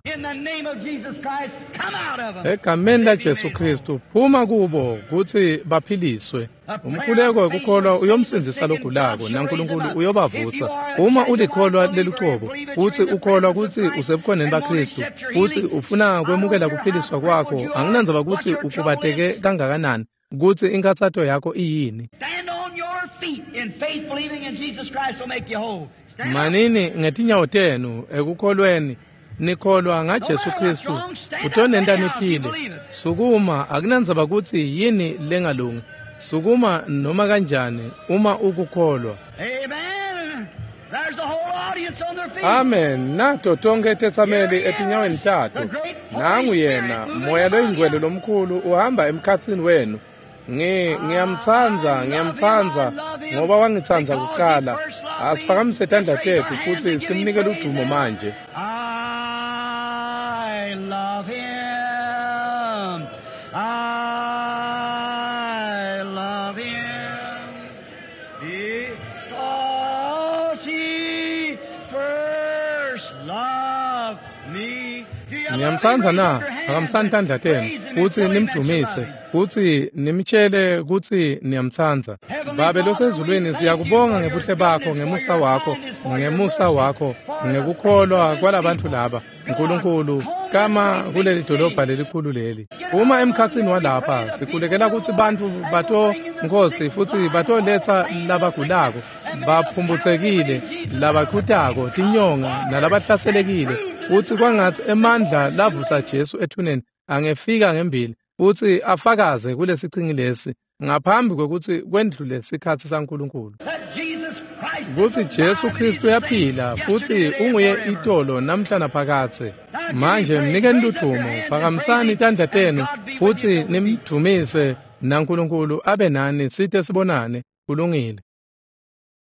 Egameni laJesu Khristu, phuma kubo kutsi baphiliswe. Umkhuleko wekukholwa uyomsindzisa logulako, naNkulunkulu uyobavusa. Uma ulikholwa lelucobo futsi ukholwa kutsi usebukhoneni baKhristu futsi ufuna kwemukela kuphiliswa kwakho, anginandzaba kutsi ukhubateke kangakanani, kutsi inkhatsato yakho iyini. Manini ngetinyawo tenu ekukholweni, nikholwa ngaJesu Khristu, utonenta niphile. Sukuma, akunandzaba kutsi yini lengalungi. Sukuma noma kanjani uma ukukholwa. Amen. Nato tonkhe tetsameli etinyaweni tato. Nangu yena, Moya loyiNgcwele lomkhulu uhamba emkhatsini wenu. Ngi ngiyamtsandza, ngiyamtsandza ngoba wangitsandza kucala. Asiphakamise tandla tetfu futsi simnike ludumo manje. I love him. I love him because he first loved me. Ngiyamtsandza na? Phakamisani tandla tenu futsi nimdumise futsi nimtshele kutsi niyamtsandza. Babe losezulwini, siyakubonga ngebuhle bakho, ngemusa wakho, ngemusa wakho, ngekukholwa kwalabantfu laba. Nkulunkulu, kama kuleli dolobha lelikhulu leli. Uma emkhatsini walapha, sikhulekela kutsi bantfu bato Nkosi futsi batoletsa labagulako, baphumphutsekile, labakhutako, tinyonga nalabahlaselekile, futsi kwangatsi emandla lavusa Jesu ethuneni angefika ngembili futsi afakaze kulesichingi lesi ngaphambi kwekutsi kwendlule sikhatsi saNkulunkulu, kutsi Jesu Khristu uyaphila futsi unguye itolo namhla naphakadze. Manje mnikeni ludvumo, phakamisani tandla tenu futsi nimdvumise, naNkulunkulu abe nani site sibonane. Kulungile.